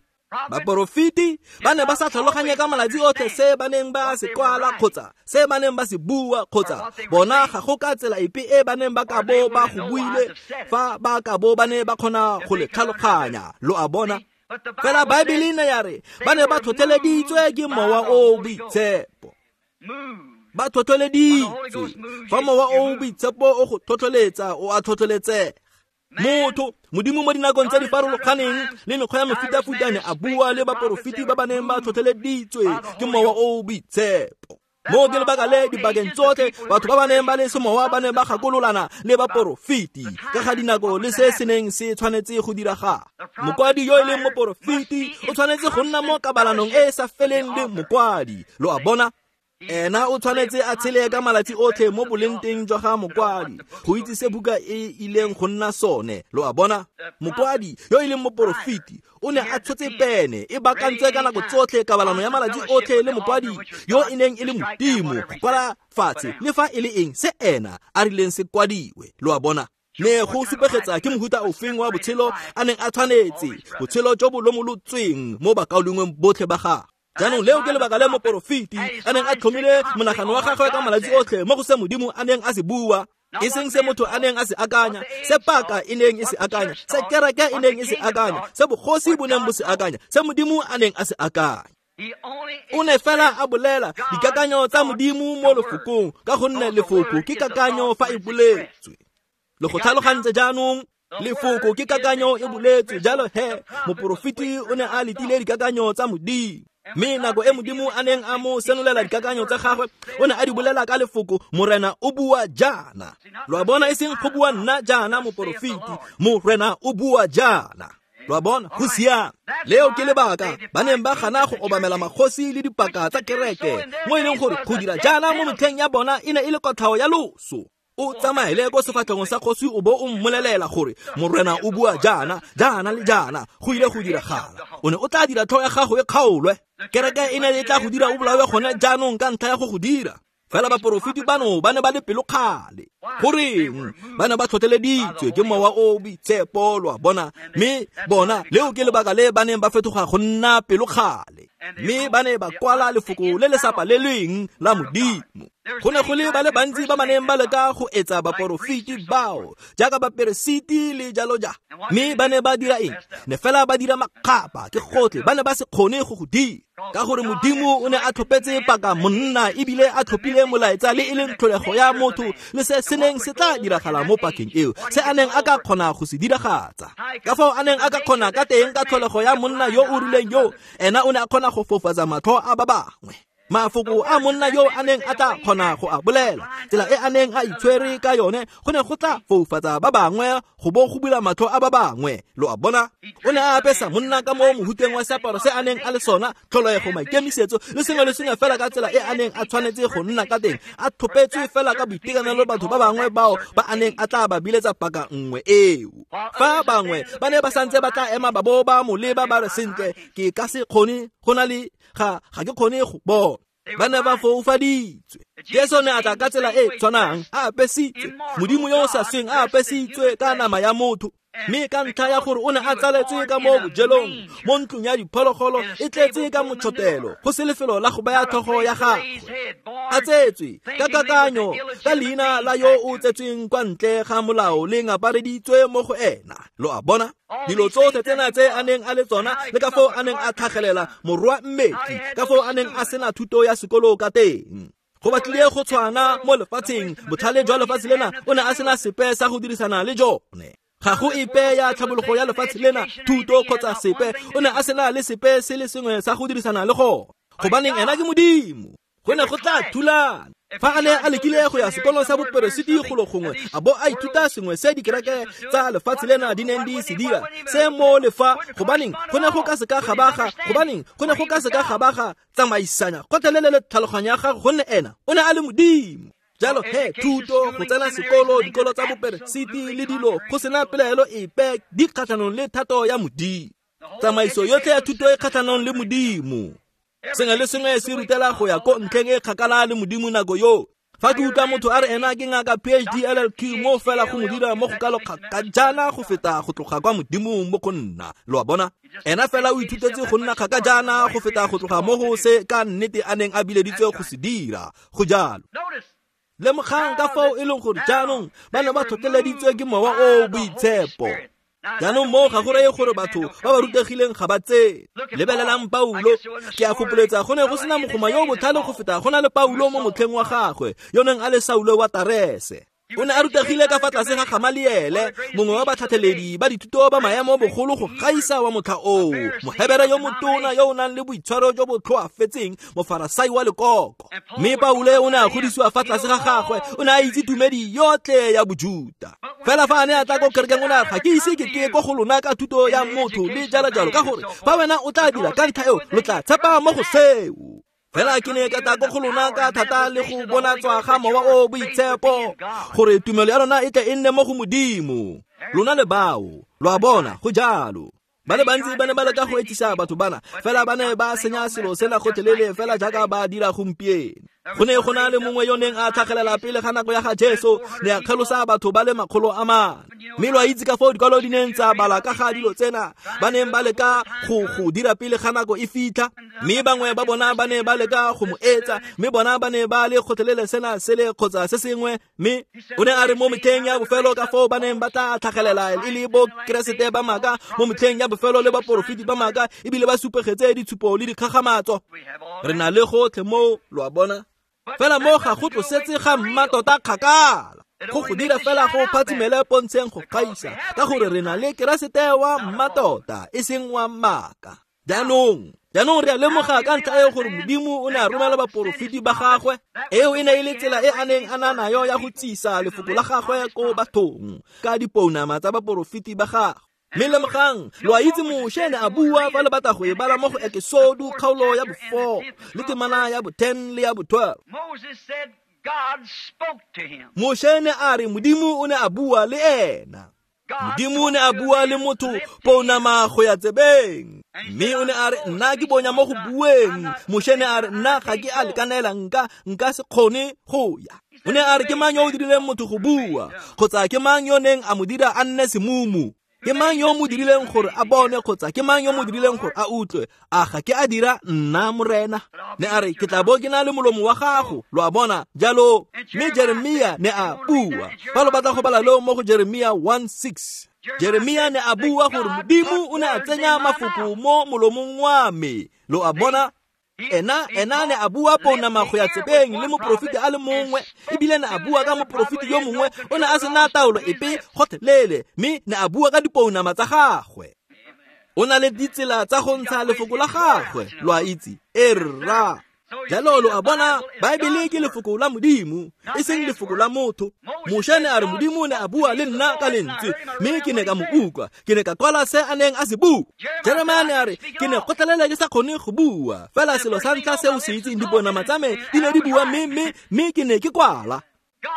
Baporofeti ba ne ba sa tlhaloganye ka malatsi otlhe se ba neng ba se kwala kgotsa se ba neng ba se bua, kgotsa bona ga go ka tsela epe e ba neng ba ka bo ba go buile fa ba ka bo ba ne ba kgona go le tlhaloganya, lo a bona. Fela Baebele ne ya re ba ne ba tlhotlheleditswe ke mowa o o boitshepo. Ba tlhotlheleditswe. Fa mowa o o boitshepo o go tlhotlheletsa, o a tlhotlheletsega. Motho, Modimo mo dinakong tse di farologaneng le mekgwa ya mefutafuta ne a bua le baporofeti ba ba neng ba tlhotlheleditswe ke mowa o o boitshepo. Mo ke lebaka le dibakeng tsotlhe batho ba ba neng ba le semowa ba ne ba gakololana le baporofeti ka ga dinako le se se neng se tshwanetse go diragala. Mokwadi yo e leng moporofeti o tshwanetse go nna mo kabalanong e e sa feleng le mokwadi, lo a bona. Ena o tshwanetse a tshele ka malatsi otlhe mo boleng teng jwa ga mokwadi go itse se buka e ileng go nna sone, lo a bona. Mokwadi yo e leng moporofeti o ne a tshotse pene e bakantswe ka nako tsotlhe kabalano ya malatsi otlhe le mokwadi yo e neng e le Modimo go kwala fatshe le fa e le eng se ena a rileng se kwadiwe, lo a bona. Ne go supegetsa ke mohuta ofeng wa botshelo a neng a tshwanetse, botshelo jo bo lomolotsweng mo bakaulengweng botlhe ba gagwe. Jaanong leo ke lebaka le moporofeti a neng a tlhomile monagano wa gagwe ka malatsi otlhe mo go se Modimo a neng a se bua, e seng se motho a neng a se akanya, se paka e neng e se akanya, se kereke e neng e se akanya, se bogosi bo neng bo se akanya, se Modimo a neng a se akanya. O ne fela a bolela dikakanyo tsa Modimo mo lefokong, ka gonne lefoko ke kakanyo fa e boletswe. Le go tlhalogantse jaanong, lefoko ke kakanyo e boletswe. Jalo he, moporofeti o ne a letile dikakanyo tsa Modimo. Mme nako e Modimo a neng a mo senolela dikakanyo tsa gagwe, o ne a di bolela ka lefoko, Morena o bua jaana. Lo a bona, e seng go bua nna jaana moporofeti, Morena o bua jaana. Lo a bona, go siame. Leo ke lebaka ba neng ba gana go obamela magosi le dipaka tsa kereke, mo e leng gore go dira jaana mo metlheng ya bona e ne e le kotlhao ya loso. O tsamaele ko sefatlhegong sa kgosi o bo o mmolelela gore Morena o bua jaana, jaana le jaana, go ile go diragala. O ne o tla dira tlhogo ya gago e kgaolwe. Kereke e ne e tla go dira o bolawe gone jaanong ka ntlha ya go go dira. Fela baporofeti bano ba ne ba le pelokgale. Goreng? Ba ne ba tlhotlheleditswe ke mowa o o boitshepo, lo a bona. Mme bona leo ke lebaka le ba neng ba fetoga go nna pelokgale. Mme ba ne ba kwala lefoko le le sa palelweng la Modimo. Go ne go le ba le bantsi ba ba neng ba leka go etsa baporofeti bao jaaka baperesiti le jalo jalo, mme ba ne ba dira eng? Ne fela ba dira makgapa, ke gotlhe, ba ne ba se kgone go go dira, ka gore Modimo o ne a tlhopetse paka monna ebile a tlhophile molaetsa le e leng tlholego ya motho le se se neng se tla diragala mo pakeng eo, se a neng a ka kgona go se diragatsa. Ka fao a neng a ka kgona ka teng ka tlholego ya monna yo o rileng yo, ena o ne a kgona go fofatsa matlho a ba bangwe. Mafoko a monna yo a neng a tla kgona go a bolela, tsela e a neng a itshwere ka yone, go ne go tla foufatsa ba bangwe go bo go bula matlho a ba bangwe. Lo a bona? O ne a apesa monna ka mo mohuteng wa seaparo se a neng a le sona, tlholego, maikemisetso le sengwe le sengwe fela ka tsela e a neng a tshwanetse go nna ka teng, a tlhopetswe fela ka boitekanelo batho ba bangwe bao ba a neng a tla ba biletsa paka nngwe eo. Fa bangwe ba ne ba santse ba tla ema ba bo ba mo leba ba re, sentle, ke ka se kgone go na le ga ga ke kgone go bona. Ba ne ba foufaditswe. Jesu ne a tla ka tsela e tshwanang, a apesitswe, Modimo yo o sa sweng a apesitswe ka nama ya motho, mme ka ntlha ya gore o ne a tsaletswe ka mo bojelong, mo ntlong ya diphologolo e tletse ka motšhotelo, go se lefelo la go baya tlhogo ya gagwe, a tsetswe ka kakanyo ka leina la yo o tsetsweng kwa ntle ga molao le ngapareditswe mo go ena. Lo a bona? Dilo tsotlhe tsena tse a neng a le tsona, le ka foo a neng a tlhagelela morwa mmetli, ka foo a neng a sena thuto ya sekolo ka teng. Go batlile go tshwana mo lefatsheng, botlhale jwa lefatshe lena o ne a sena sepe sa go dirisana le jone. Ga go epe ya tlhabologo ya lefatshe lena, thuto kgotsa sepe, o ne a sena le sepe se le sengwe sa go dirisana le gone, gobaneng ena ke Modimo. Go ne go tla thulana. Fa a ne a lekile go ya sekolong sa boperesiti golo gongwe, a bo a ithuta sengwe se dikereke tsa lefatshe lena di neng di se dira, se mo le fa, gobaneng go ne go ka se ka gabaga, gobaneng go ne go ka se ka gabaga tsamaisanya gotlhelele le tlhaloganyo ya gagwe, gonne ena o ne a le Modimo. Jalo he, thuto, go tsena sekolo, dikolo tsa boperesiti le dilo, go sena pelaelo epe di kgatlhanong le thato ya Modimo. Tsamaiso yotlhe ya thuto e kgatlhanong le Modimo. Sengwe le sengwe se rutela go ya ko ntlheng e kgakala le Modimo nako yo. Fa ke utlwa motho a re ena ke ngaka P H D L L Q, mo fela go mo dira mo go kalo kgakajana go feta go tloga kwa Modimong mo go nna. Lo a bona? Ena fela o ithutetse go nna kgakajana go feta go tloga mo go se ka nnete a neng a bileditswe go se dira. Go jalo. Lemogang ka fao e leng gore jaanong ba ne ba tlhotlheleditswe ke Mowa o o Boitshepo. Jaanong moo ga go reye gore batho ba ba rutegileng ga ba tsene. Lebelelang Paulo, ke a fopoletsa go ne go sena mogoma yo o botlhale go feta go na le Paulo mo motlheng wa gagwe, yo neng a le Saulo wa Tarese. O ne a rutegile ka fa tlase ga Gamaliele, mongwe wa batlhatlheledi ba dithuto ba maemo bogolo go gaisa wa motlha oo, Mohebere yo motona yo o nang le boitshwaro jo bo tlhoafetseng, Mofarasai wa lekoko. Mme Paulo o ne a godisiwa fa tlase ga gagwe, o ne a itse tumedi yotlhe ya Bojuta. Fela fa a ne a tla ko kerekeng, o ne a re, ga ke ise ke tle ko go lona ka thuto ya motho le jalo jalo, ka gore fa wena o tla dira ka ntlha eo, lo tla tshepa mo go seo. Fela ke ne ka tla ko go lona ka thata le go bonatswa ga Mowa o Boitshepo, gore tumelo ya lona e tle e nne mo go Modimo. Lona le bao, lo a bona, go jalo. Ba le bantsi ba ne ba leka go etsisa batho bana, fela ba ne ba senya selo sena gotlhelele fela jaaka ba dira gompieno. Go ne go na le mongwe yo neng a tlhagelela pele ga nako ya ga Jesu, ne a kgelosa batho ba le makgolo a mane. Mme lo a itse ka foo dikwalo di neng tsa bala ka ga dilo tsena ba neng ba leka go go dira pele ga nako e fitlha, mme bangwe ba bona ba ne ba leka go mo etsa, mme bona ba ne ba le kgotlhelele sena sele kgotsa se sengwe. Mme o ne a re mo metlheng ya bofelo ka foo ba neng ba tla tlhagelela e le bo Keresete ba maaka, mo metlheng ya bofelo le baporofeti ba maaka, ebile ba supegetse ditshupo le dikgakgamatso. Re na le gotlhe moo, lo a bona. Fela mo ga go tlosetse ga mmatota kgakala, go go dira fela go phatsimele pontsheng go gaisa, ka gore re na le Keresete wa mmatota e seng wa maaka. Jaanong jaanong re a lemoga ka ntlha eo gore Modimo o ne a romela baporofeti ba gagwe. Eo e ne e le tsela e a neng a na nayo ya go tsisa lefoko la gagwe ko bathong ka dipounama tsa baporofeti ba gagwe. Mme lemogang, lo a itse Moshe ne a bua fa le batla go e bala mo go Ekesodu kgaolo ya bo-four le temana ya bo-ten le ya bo-twelve. Moshe ne a re Modimo o ne a bua le ena. Modimo o ne a bua le motho pounama go ya tsebeng. Mme o ne a re nna ke bonya mo go bueng. Moshe ne a re nna ga ke a lekanela, nka nka se kgone go ya. O ne a re ke mang yo o dirileng motho go bua, kgotsa ke mang yo neng a mo dira a nne semumu? Ke mang yo mo dirileng gore a bone kgotsa ke mang yo mo dirileng gore a utlwe? A ga ke a dira nna Morena? Ne a re ke tla bo ke na le molomo wa gago, lo a bona jalo. Mme Jeremia ne a bua. Fa lo batla go bala leo mo go Jeremia one six, Jeremia ne a bua gore Modimo o ne a tsenya mafoko mo molomong wa me, lo a bona. Ena ena ne a bua pounama go ya tsebeng le moporofeti a le mongwe, ebile ne a bua ka moporofeti yo mongwe o ne a sena taolo epe gotlhelele, mme ne a bua ka dipounama tsa gagwe. O na le ditsela tsa go ntsha lefoko la gagwe, lo a itse. E rra. Jalo lo a bona, Baebele ke lefoko la Modimo, e seng lefoko la motho. Moshe ne a re Modimo ne a bua le nna ka lentswe, mme ke ne ka mo utlwa, ke ne ka kwala se a neng a se bua. Jeremia ne a re ke ne gotlhelele ke sa kgone go bua, fela selo sa ntlha se o se itseng, dipounama tsa me di ne di bua, mme mme mme ke ne ke kwala.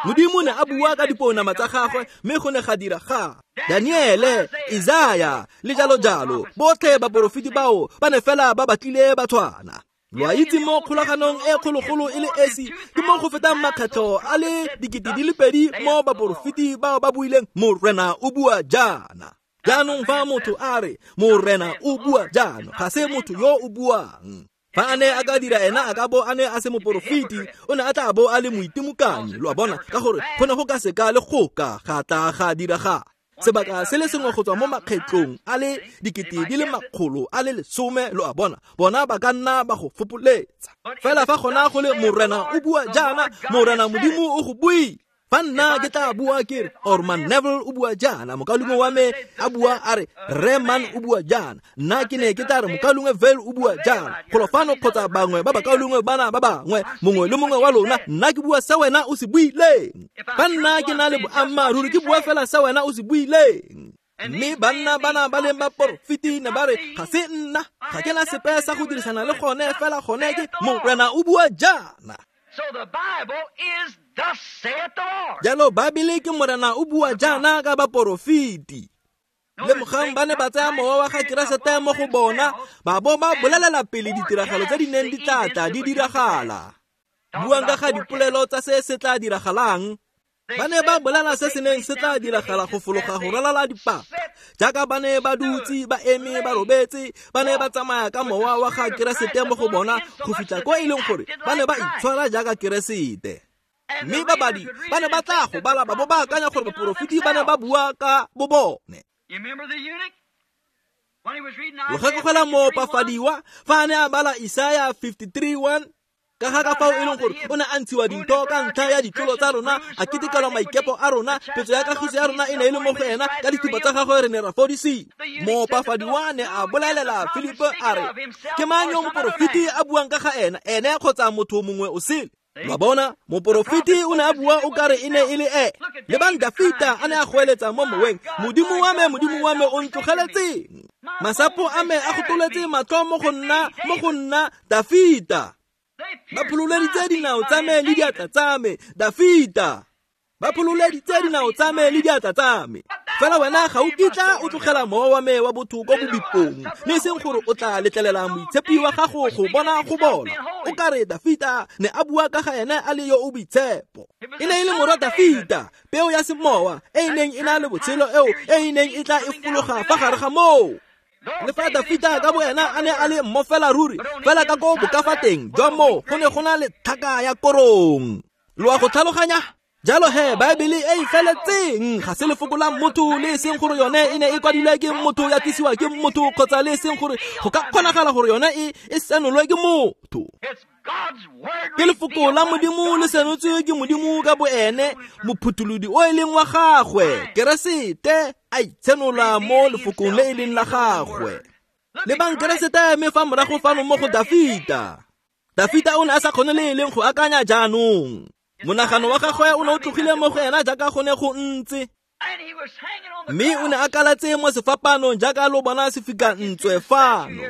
Modimo ne a bua ka dipounama tsa gagwe, mme go ne ga dira ga Daniele, Isaya le jalo jalo, botlhe baporofeti bao ba ne fela ba batlile ba tshwana. Lo a itse mo kgolaganong e kgologolo e le esi ke mo go fetang makgetlho a le dikete di le pedi mo baporofeti bao ba buileng Morena o bua jaana. Jaanong fa motho a re Morena o bua jaana, ga se motho yo o buang. Fa a ne a ka dira ena a ka bo a ne a se moporofeti, o ne a tla bo a le moitimokanyi, lo a bona, ka gore go ne go ka seka le go ka ga tla ga diraga. Sebaka se le sengwe go tswa mo makgetlong a le dikete di le makgolo a le lesome, lo a bona, bona ba ka nna ba go fopoletsa. Fela fa gona go le Morena o bua jaana, Morena Modimo o go buile. Fa nna ke tla bua ke re Orman Neville o bua jaana, mokaulengwe wa me a bua a re Reman o bua jaana, nna ke ne ke tla re mokaulengwe Vale o bua jaana, golo fano kgotsa bangwe ba bakaulengwe bana ba bangwe, mongwe le mongwe wa lona, nna ke bua se wena o se buileng. Fa nna ke na le boammaaruri, ke bua fela se wena o se buileng. Mme banna bana ba leng baporofeti ne ba re ga se nna, ga ke na sepe sa go dirisana le gone, fela gone ke Morena o bua jaana. So the Bible is thus saith the Lord. Jalo Baebele ke Morena o bua jaana ka baporofeti. Lemogang ba ne ba tsaya mowa wa ga Keresete mo go bona, ba bo ba bolelela pele ditiragalo tse di neng di tla tla di diragala. Buang ka ga dipolelo tsa se se tla diragalang, ba ne ba bolela se se neng se tla diragala go fologa go ralala dipaka. Jaaka ba ne ba dutse, ba eme, ba robetse, ba ne ba tsamaya ka mowa wa ga Keresete mo go bona go fitlha ko e leng gore ba ne ba itshwara jaaka Keresete. Mme babadi ba ne ba tla go bala ba bo ba akanya gore baporofeti ba ne ba bua ka bo bone. Lo gakologelwa moopafadiwa fa a ne a bala Isaya fifty-three one, ka ga ka fao e leng gore o ne a ntshiwa dintho ka ntlha ya ditlolo tsa rona, a ketekelwa maikepo a rona, petso ya kagiso ya rona e ne e le mo go ena, ka dithupa tsa gagwe re ne ra fodisiwa. Moopafadiwa ne a bolelela Filipo a re, ke mang yo moporofeti a buang ka ga ena, ene kgotsa motho mongwe o sele? Lo a bona, moporofeti o ne a bua o kare e ne e le e. Lebang Dafita a ne a goeletsa mo moweng, Modimo wa me, Modimo wa me o ntlogeletseng. Masapo a me a gotoletse matlho mo go nna, mo go nna Dafita. Ba phololeditse dinao tsa me le diatla tsa me, Dafita. Ba phololeditse dinao tsa me le diatla tsa me. Fela wena ga o kitla o tlogela mowa wa me wa botho ko bobipong, le seng gore o tla letlelela moitshepi wa gago go bona go bola. O ka re Dafita ne a bua ka ga ene a le yo o boitshepo. E ne e le morwa Dafita, peo ya semowa e e neng e na le botshelo eo e e neng e tla e fologa fa gare ga moo. Le fa Dafita ka bo ena a ne a le mmofela ruri, fela ka ko bokafateng jwa moo go ne go na le tlhaka ya korong. Lo a go tlhaloganya? Jalo he, Baebele e e feletseng ga se lefoko la motho, le e seng gore yone e ne e kwadilwe ke motho, ya tlisiwa ke motho, kgotsa le e seng gore go ka kgonagala gore yone e e senolwe ke motho. Ke lefoko la Modimo le senotswe ke Modimo ka bo ene, mophutholodi o e leng wa gagwe, Keresete, a itshenola mo lefokong le e leng la gagwe. Lebang Keresete eme fa morago fano mo go Dafita. Dafita o ne a sa kgone le e leng go akanya jaanong. Monagano wa gagwe o ne o tlogile mo go ena jaaka go ne go ntse, mme o ne a kaletse mo sefapanong jaaka lo bona se fika ntswe fano.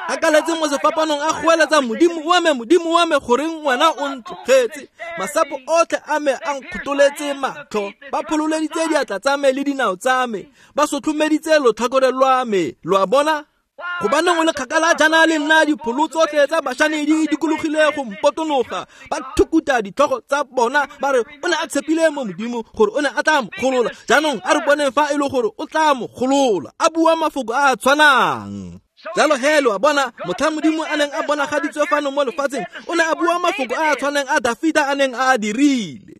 A kaletse mo sefapanong a goeletsa, Modimo wa me, Modimo wa me, goreng wena o ntlogetse? Masapo otlhe a me a nkgotoletse matlho, ba phololeditse diatla tsa me le dinao tsa me, ba sotlhomeditse lotlhakore lwa me. Lo a bona? Gobaneng o le kgakala jaana le nna dipholo tsotlhe tsa Bašane di dikologile go mpotonoga, ba thukuta ditlhogo tsa bona ba re o ne a tshepile mo Modimo gore o ne a tla mo golola. Jaanong a re boneng fa e le gore o tla mo golola. A bua mafoko a a tshwanang. Jalo he lo a bona motlha Modimo a neng a bonagaditswe fano mo lefatsheng, o ne a bua mafoko a a tshwanang a Dafita a neng a a dirile.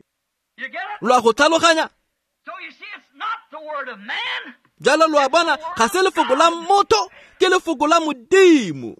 Lo a go tlhaloganya? Jalo lo a bona ga se lefoko la motho, ke lefoko la Modimo.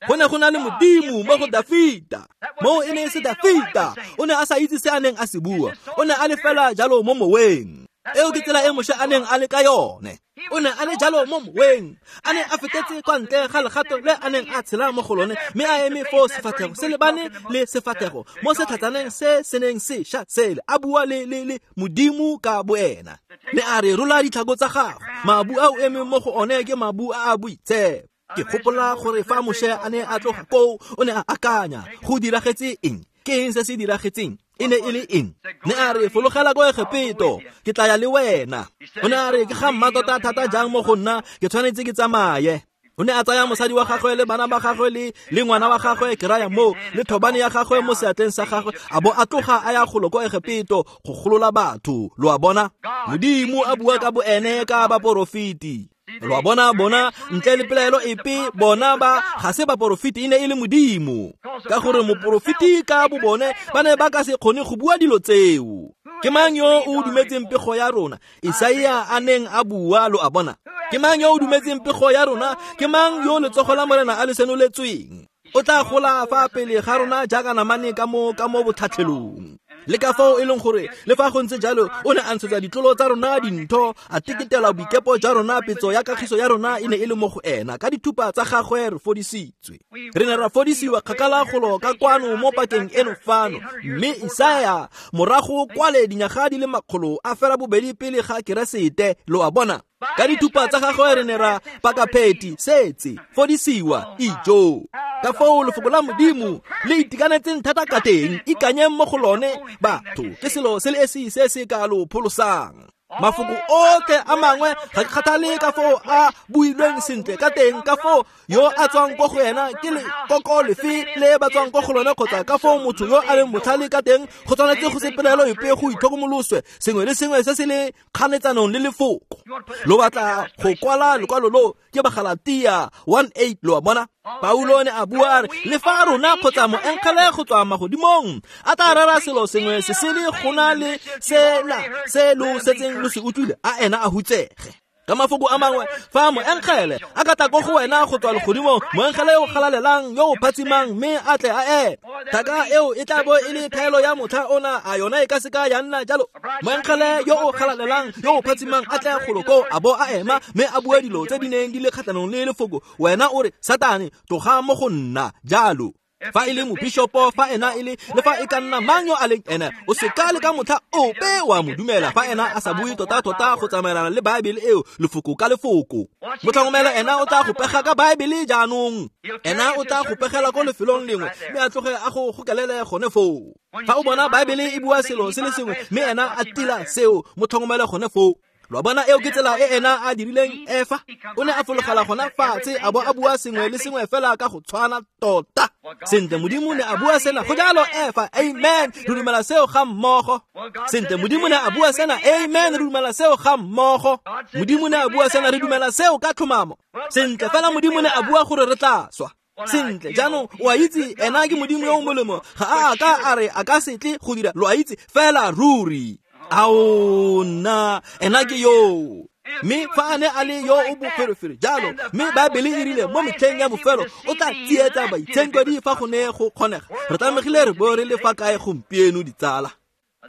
Go ne go na le Modimo mo go Dafita. Moo e ne e se Dafita, o ne a sa itse se a neng a se bua, o ne a le fela jalo mo moweng. Eo ke tsela e Moshe a neng a le ka yone. O ne a le jalo mo moweng, a ne a fetetse kwa ntle ga legato le a neng a tshela mo go lone, mme a eme foo sefatlhego se lebane le sefatlhego mo setlhatsaneng se se neng se ša sele, a bua le le le Modimo ka boena. Ne a re rola ditlhako tsa gago, mabu a o emeng mo go one ke mabu a a boitshepo. Ke gopola gore fa Moshe a ne a tloga koo, o ne a akanya go diragetse eng, ke eng se se diragetseng, e ne e le eng. Ne a re fologela ko Egepeto, ke tla ya le wena. O ne a re ke ga mmatota thata jang mo go nna, ke tshwanetse ke tsamaye. O ne a tsaya mosadi wa gagwe le bana ba gagwe le le ngwana wa gagwe, ke raya moo, le thobane ya gagwe mo seatleng sa gagwe, a bo a tloga a ya golo ko Egepeto go golola batho. Lo a bona, Modimo a bua ka boene ka baporofeti. Lo a bona, bona ntle le pelaelo epe, bona ba ga se baporofeti, e ne e le Modimo. Ka gore moporofeti ka bo bone ba ne ba ka se kgone go bua dilo tseo. Ke mang yo o dumetseng pego ya rona? Isaia a neng a bua, lo a bona. Ke mang yo o dumetseng pego ya rona? Ke mang yo letsogo la Morena a le senoletsweng? O tla gola fa pele ga rona jaaka namane ka mo ka mo botlhatlhelong. Le ka fao e leng gore le fa go ntse jalo o ne a ntshetsa ditlolo tsa rona dintho, a teketela boikepo jwa rona, petso ya kagiso ya rona e ne e le mo go ena. Ka dithupa tsa gagwe re fodisitswe. Re ne ra fodisiwa kgakala golo ka kwano mo pakeng eno fano. Mme Isaia morago kwale dinyaga di le makgolo a fela bobedi pele ga Keresete, lo a bona. Ka dithupa tsa gagwe re ne ra pakapheti setse fodisiwa ijo. Ka foo lefoko la Modimo le itekanetseng thata ka teng, ikanyeng mo go lone batho, ke selo se le esi se se ka lo pholosang. Mafoko otlhe a mangwe ga ke kgathale ka foo a builweng sentle ka teng, ka foo yo a tswang ko go ena ke lekoko lefe le ba tswang ko go lone, kgotsa ka foo motho yo a leng botlhale ka teng, go tshwanetse go se pelaelo epe go itlhokomoloswe sengwe le sengwe se se le kganetsanong le lefoko. Lo batla go kwala lekwalo lo ke Bagalatia one eight, lo a bona. Paulo ne a bua a re le fa rona kgotsa moengele go tswa magodimong a tla rera selo sengwe se se le go na le sela se lo setseng lo se utlwile, a ena a hutsege. Ka mafoko a mangwe, fa moengele a ka tla ko go wena go tswa legodimong, moengele yo o galalelang yo o phatsimang, mme a tle a eme, thaka eo e tla bo e le thaelo ya motlha ona, a yona e ka se ka ya nna jalo. Moengele yo o galalelang yo o phatsimang a tle golo koo a bo a ema, mme a bua dilo tse di neng di le kgatlhanong le lefoko, wena o re Satane tloga mo go nna jalo. Fa e le mobishopo, fa ena e le le fa e ka nna mang yo a leng ena, o se ka le ka motlha ope wa mo dumela fa ena a sa bue tota-tota go tsamaelana le Baebele eo lefoko ka lefoko. Motlhangomela ena o tla go pega ka Baebele jaanong, ena o tla go pegela ko lefelong lengwe mme a tloge a go gokelele gone foo. Fa o bona Baebele e bua selo se le sengwe mme ena a tila seo, motlhangomele gone foo. Lo bona, eo ke tsela e ena a dirileng Efa. O ne a fologela gona fatshe a bo a bua sengwe le sengwe fela ka go tshwana tota. Sentle, Modimo ne a bua sena, go jalo Efa, amen, re dumela seo ga mmogo. Sentle, Modimo ne a bua sena, amen, re dumela seo ga mmogo. Modimo ne a bua sena, re dumela seo ka tlhomamo. Sentle, fela Modimo ne a bua gore re tla swa. Sentle, jaanong o a itse ena ke Modimo yo o molemo, ga a ka a re a ka se tle go dira, lo a itse fela ruri. Ao nna, ena ke yo. Mme fa a ne a le yo o boferefere jalo, mme Baebele e rile mo metlheng ya bofelo o tla tsietsa baitshenkwedi fa go ne go kgonega. Re tlamegile re bo re le fa kae gompieno ditsala?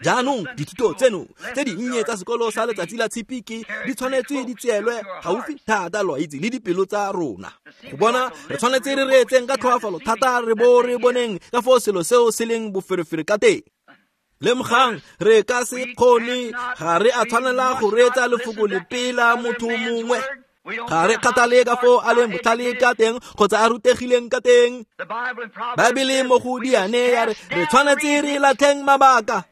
Jaanong dithuto tseno tse dinnye tsa sekolo sa letsatsi la tshipi ke di tshwanetse di tseelwe gaufi thata, lo a itse, le dipelo tsa rona. Go bona re tshwanetse re reetseng ka tlhoafalo thata, re bo re boneng ka foo selo seo se leng boferefere ka teng. Lemogang, re ka se kgone, ga re a tshwanela go reetsa lefoko lepe la motho mongwe. Ga re kgathale ka foo a leng botlhale ka teng kgotsa a rutegileng ka teng. Baebele mo go diane ya re re tshwanetse re latlheng mabaka.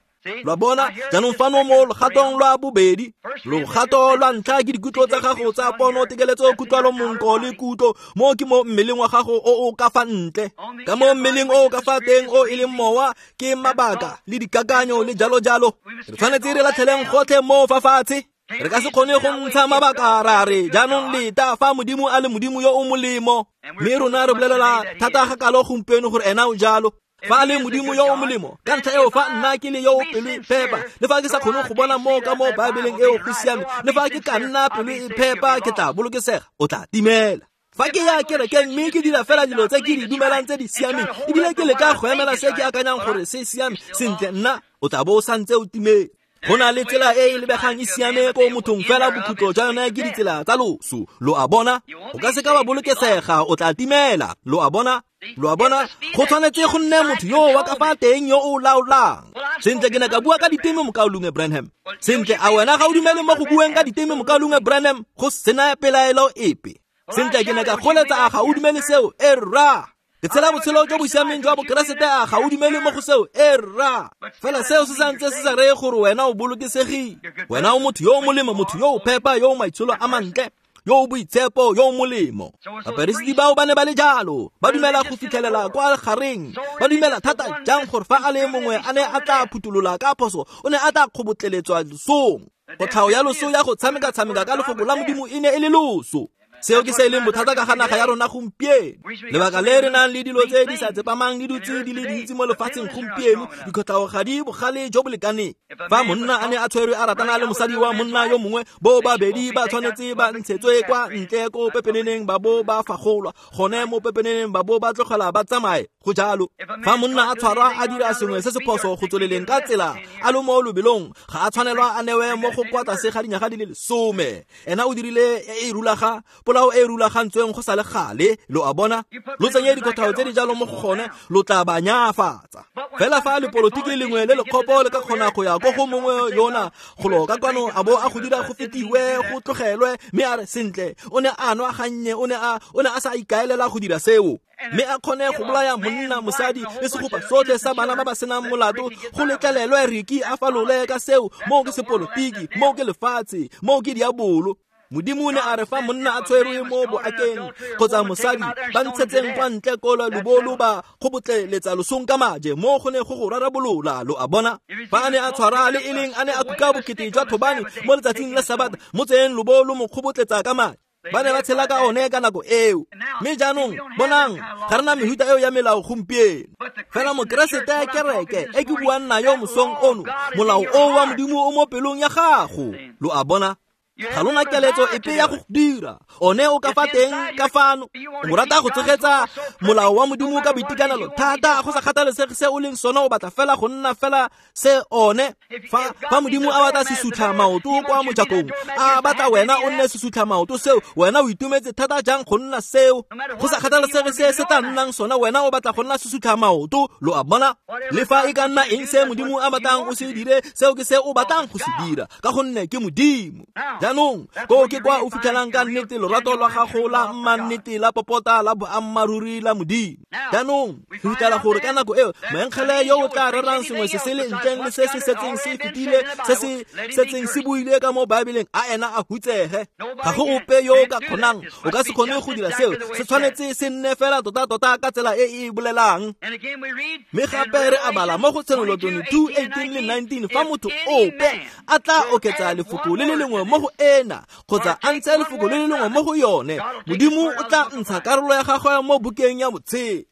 Lo a bona jaanong fano mo logatong lwa bobedi, logato lwa ntlha ke dikutlo tsa gago tsa pono, tekeletso, kutlwalo, monko le kutlo. Mo ke mo mmeleng wa gago o o ka fa ntle. Ka mo mmeleng o o ka fa teng o e leng mowa ke mabaka le dikakanyo le jalo jalo. Re tshwanetse re latlheleng gotlhe mo fa fatshe. Re ka se kgone go ntsha mabaka ra re jaanong leta fa Modimo a le Modimo yo o molemo, mme rona re bolelela thata ga kalo gompieno gore ena o jalo. Fa a le Modimo yo o molemo, ka ntlha eo fa nna ke le yo o pelo e phepa, le fa ke sa kgone go bona moo ka mo Baebeleng eo go siame, le fa ke ka nna pelo e phepa ke tla bolokesega, o tla timela. Fa ke ya kerekeng mme ke dira fela dilo tse ke di dumelang tse di siameng, ebile ke leka go emela se ke akanyang gore se siame, sentle nna o tla bo o santse o timetse. Go na le tsela e e lebegang e siame ko mothong fela bokhutlo jwa yone ke ditsela tsa loso. Lo a bona? O ka se ka wa bolokesega, o tla timela. Lo a bona? Lo a bona? Go tshwanetse go nne motho yo wa ka fa teng yo o laolang. Sentle ke ne ka bua ka diteme mokaulengwe Branham. Sentle a wena ga o dumele mo go bueng ka diteme mokaulengwe Branham go sena pelaelo epe. Sentle ke ne ka goletsa a ga o dumele seo? E rra. Ke tshela botshelo jo bo siameng jwa Bokeresete a ga o dumele mo go seo? E rra. Fela seo se santse se sa reye gore wena o bolokesegile. Wena o motho yo o molemo, motho yo o phepa, yo o maitsholo a mantle, yo o boitshepo, yo o molemo. Baperesiti bao ba ne ba le jalo, ba dumela go fitlhelela kwa gareng, ba dumela thata jang gore fa a le mongwe a ne a tla phuthulola ka phoso, o ne a tla kgobotleletswa losong. Kotlhao ya loso ya go tshameka-tshameka ka lefoko la Modimo e ne e le loso. Seo ke se e leng bothata ka ga naga ya rona gompieno. Lebaka le re nang le dilo tse di sa tsepamang di dutse di le dintsi mo lefatsheng gompieno, dikotlhao ga di bogale jo bo lekaneng. Fa monna a ne a tshwerwe a ratana le mosadi wa monna yo mongwe, bo babedi ba tshwanetse ba ntshetswe kwa ntle ko pepeneneng ba bo ba fagolwa, gone mo pepeneneng ba bo ba tlogela ba tsamaye. Go jalo. Fa monna a tshwarwa a dira sengwe se se phoso go tsweleleng ka tsela a le mo lobelong, ga a tshwanelwa a newe mo go kwa tlase ga dinyaga di le lesome. Ena o dirile e e rulaga polao e rulagantsweng go sa le gale. Lo a bona? Lo tsenye dikotlhao tse di jalo mo go gone, lo tla ba nyafatsa. Fela fa lepolotiki lengwe le lekgopo le ka kgona go ya ko go mongwe yona golo ka kwano a bo a go dira go fetiwe go tlogelwe, mme a re sentle o ne a nwa gannye, o ne a o ne a sa ikaelela go dira seo, mme a kgone go bolaya monna, mosadi le segopa sotlhe sa bana ba ba senang molato, go letlelelwe Riki a falole ka seo. Moo ke sepolotiki, moo ke lefatshe, moo ke diabolo. Modimo o ne a re fa monna a tshwerwe mo boakeng kgotsa mosadi, ba ntshetseng kwa ntle ko lobolo ba kgobotleletsa losong ka maje, mo go ne go go rarabolola. Lo a bona? Fa a ne a tshwara le e leng a ne a kuka bokete jwa thobane mo letsatsing la Sabata, mo tseyeng lobolo mo kgobotletsa ka maje. Ba ne ba tshela ka one ka nako eo. Mme jaanong bonang, ga re na mehuta eo ya melao gompieno. Fela Mokeresete kereke e ke buang nayo mosong ono, molao o wa Modimo o mo pelong ya gago. Lo a bona? Ga lona keletso epe ya go dira one o ka fa teng ka fano. O rata go tsogetsa molao wa Modimo ka boitekanelo thata, go sa kgathalesege se o leng sona, o batla fela go nna fela se one. Fa fa Modimo a batla sesutlha maoto kwa mojakong, a batla wena o nne sesutlha maoto seo, wena o itumetse thata jang go nna seo. Go sa kgathalesege se se tla nnang sona, wena o batla go nna sesutlha maoto. Lo a bona? Le fa e ka nna eng se Modimo a batlang o se dire, seo ke se o batlang go se dira, ka gonne ke Modimo. Jaanong ko ke kwa o fitlhelang ka nnete lorato lwa gago la mmannete la popota la boammaaruri la Modimo. Jaanong re fitlhela gore ka nako eo moengele yo o tla rerang sengwe se se le ntleng le se se setseng se fetile, se se setseng se buile ka mo Baebeleng, a ena a hutsege. Ga go ope yo o ka kgonang, o ka se kgone go dira seo. Se tshwanetse se nne fela tota-tota ka tsela e e bolelang. Mme gape re a bala mo go Tshenolo twenty-two, eighteen le nineteen, fa motho ope a tla oketsa lefoko le le lengwe mo go ena kgotsa a ntshe lefoko le le lengwe mo go yone, Modimo o tla ntsha karolo ya gagwe mo bukeng ya botshelo.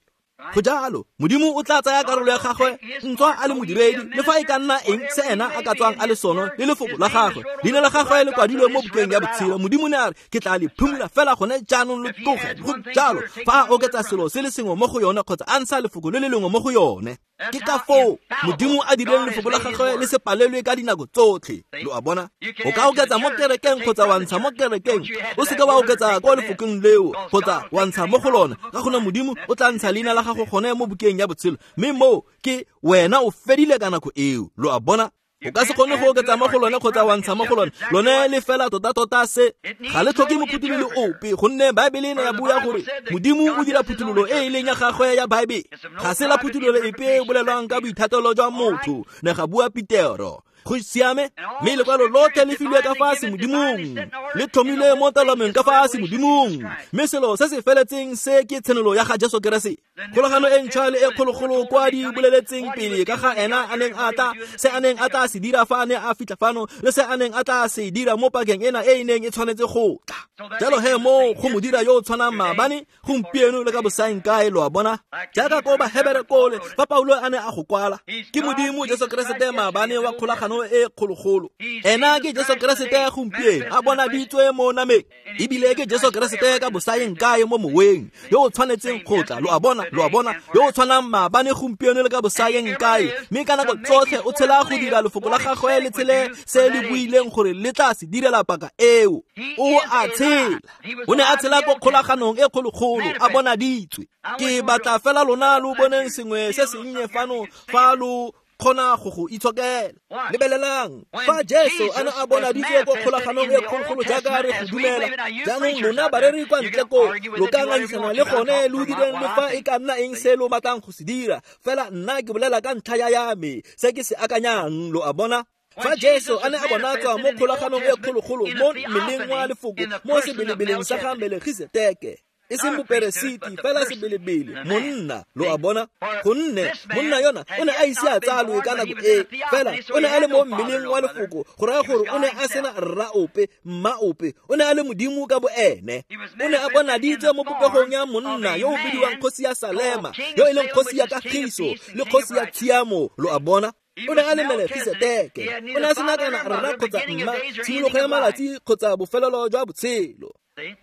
Go jalo, Modimo o tla tsaya karolo ya gagwe ntswa a le modiredi, le fa e ka nna eng se ena a ka tswang a le sone le lefoko la gagwe. Leina la gagwe le kwadilwe mo bukeng ya botshelo. Modimo ne a re, ke tla le phimola fela gone jaanong le tloge. Go jalo, fa a oketsa selo se le sengwe mo go yone kgotsa a ntsha lefoko le le lengwe mo go yone. Ke ka foo Modimo a dirileng lefoko la gagwe le se palelwe ka dinako tsotlhe. Lo a bona? O ka oketsa mo kerekeng kgotsa wa ntsha mo kerekeng, o seka wa oketsa kwa lefokong leo kgotsa wa ntsha mo go lona, ka gonne Modimo o tla ntsha leina la gago gone mo bukeng ya botshelo, mme moo ke wena o fedile ka nako eo. Lo a bona? O ka se kgone go oketsa mo go lone kgotsa wa ntsha mo go lone. Lone le fela tota-tota se ga le tlhoke mophuthololo ope, gonne Baebele e ne ya bua gore Modimo o dira phuthololo e e leng ya gagwe ya Baebele. Ga se la phuthololo epe e bolelwang ka boithatelo jwa motho, ne ga bua Petero. Go siame, mme lekwalo lotlhe le filwe ka fa semodimong, le tlhomilwe mo taolong ka fa semodimong, mme selo se se feletseng se ke tshenolo ya ga Jesu Keresete. Kgolagano e ntšhwa le e kgologolo kwa di boleletseng pele ka ga ena a neng a tla, se a neng a tla se dira fa a ne a fitlha fano, le se a neng a tla se dira mo pakeng ena e e neng e tshwanetse go tla. Jalo he mo go mo dira yo o tshwanang maabane, gompieno le ka bosaengkae, lo a bona. Jaaka ko Bahebere kole fa Paulo a ne a go kwala, ke Modimo Jesu Keresete maabane wa kgolagano e kgologolo. Ena ke Jesu Keresete gompieno a bonaditswe mo nameng, ebile ke Jesu Keresete ka bosaengkae mo moweng yo o tshwanetseng go tla, lo a bona, lo a bona, yo o tshwanang maabane gompieno le ka bosaengkae, mme ka nako tsotlhe o tshela go dira lefoko la gagwe le tshele se le buileng gore le tla se direla paka eo. O a tshela, o ne a tshela ko kgolaganong e kgologolo a bonaditswe. Ke batla fela lona lo boneng sengwe se sennye fano fa lo kgona go go itshokela. Lebelelang fa Jesu a ne a bonaditswe ko kgolaganong e kgologolo jaaka re go dumela. Jaanong lona bareri kwa ntle ko lo ka ngangisana le gone lo direng le fa e ka nna eng se lo batlang go se dira, fela nna ke bolela ka ntlha ya ya me se ke se akanyang, lo a bona. Fa Jesu a ne a bonatswa mo kgolaganong e kgologolo mo mmeleng wa lefoko mo sebelebeleng sa ga Melkisedeke, e seng moperesiti fela sebelebele, monna, lo a bona, gonne monna yona o ne a ise a tsalwe ka nako e, fela o ne a le mo mmeleng wa lefoko, go raya gore o ne a sena rra ope, mma ope, o ne a le Modimo ka boene. O ne a bonaditswe mo popegong ya monna yo o bidiwang kgosi ya Salema, yo e leng kgosi ya kagiso le kgosi ya tshiamo, lo a bona. O ne a le Melkisedeke, o ne a sena kana rra kgotsa mma, tshimologo ya malatsi kgotsa bofelelo jwa botshelo.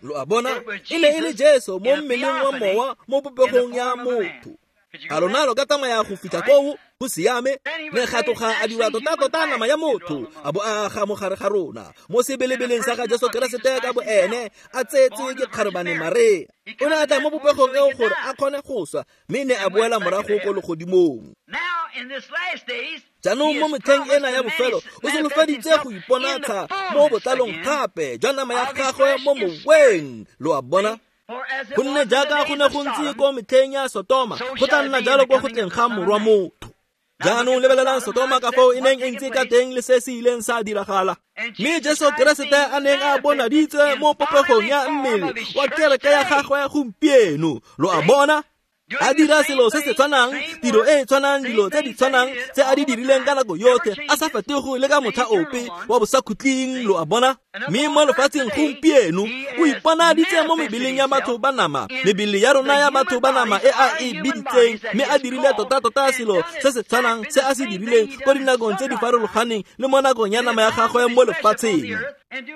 Lo a bona, e ne e le Jesu mo mmeleng wa mowa mo popegong ya motho. A lona lo ka tsamaya go fitlha koo? Go siame. Ne ga tloga a dira tota-tota nama ya motho, a bo a aga mo gare ga rona mo sebelebeleng sa ga Jesu Keresete ka boene, a tsetse ke kgarebane Maria. O ne a tla mo popegong eo gore a kgone go swa, mme ne a boela morago ko legodimong. Jaanong mo metlheng ena ya bofelo o solofeditse go iponatsha mo botlalong gape jwa nama ya gagwe mo moweng, lo a bona. Gonne jaaka go ne go ntse ko metlheng ya Sotoma, go tla nna jalo ko go tleng ga Morwa Motho. Jaanong lebelelang Sotoma ka foo e neng e ntse ka teng le se se ileng sa diragala. Mme Jesu Keresete a neng a bonaditswe mo popegong ya mmele wa kereke ya gagwe gompieno, lo a bona. A dira selo se se tshwanang, tiro e e tshwanang, dilo tse di tshwanang tse a di dirileng ka nako yotlhe, a sa fetoge le ka motlha ope wa bosakhutleng, lo a bona. Mme mo lefatsheng gompieno o iponaditse mo mebeleng ya batho ba nama, mebele ya rona ya batho ba nama e a e biditseng, mme a dirile tota-tota selo se se tshwanang se a se dirileng ko dinakong tse di farologaneng le mo nakong ya nama ya gagwe mo lefatsheng.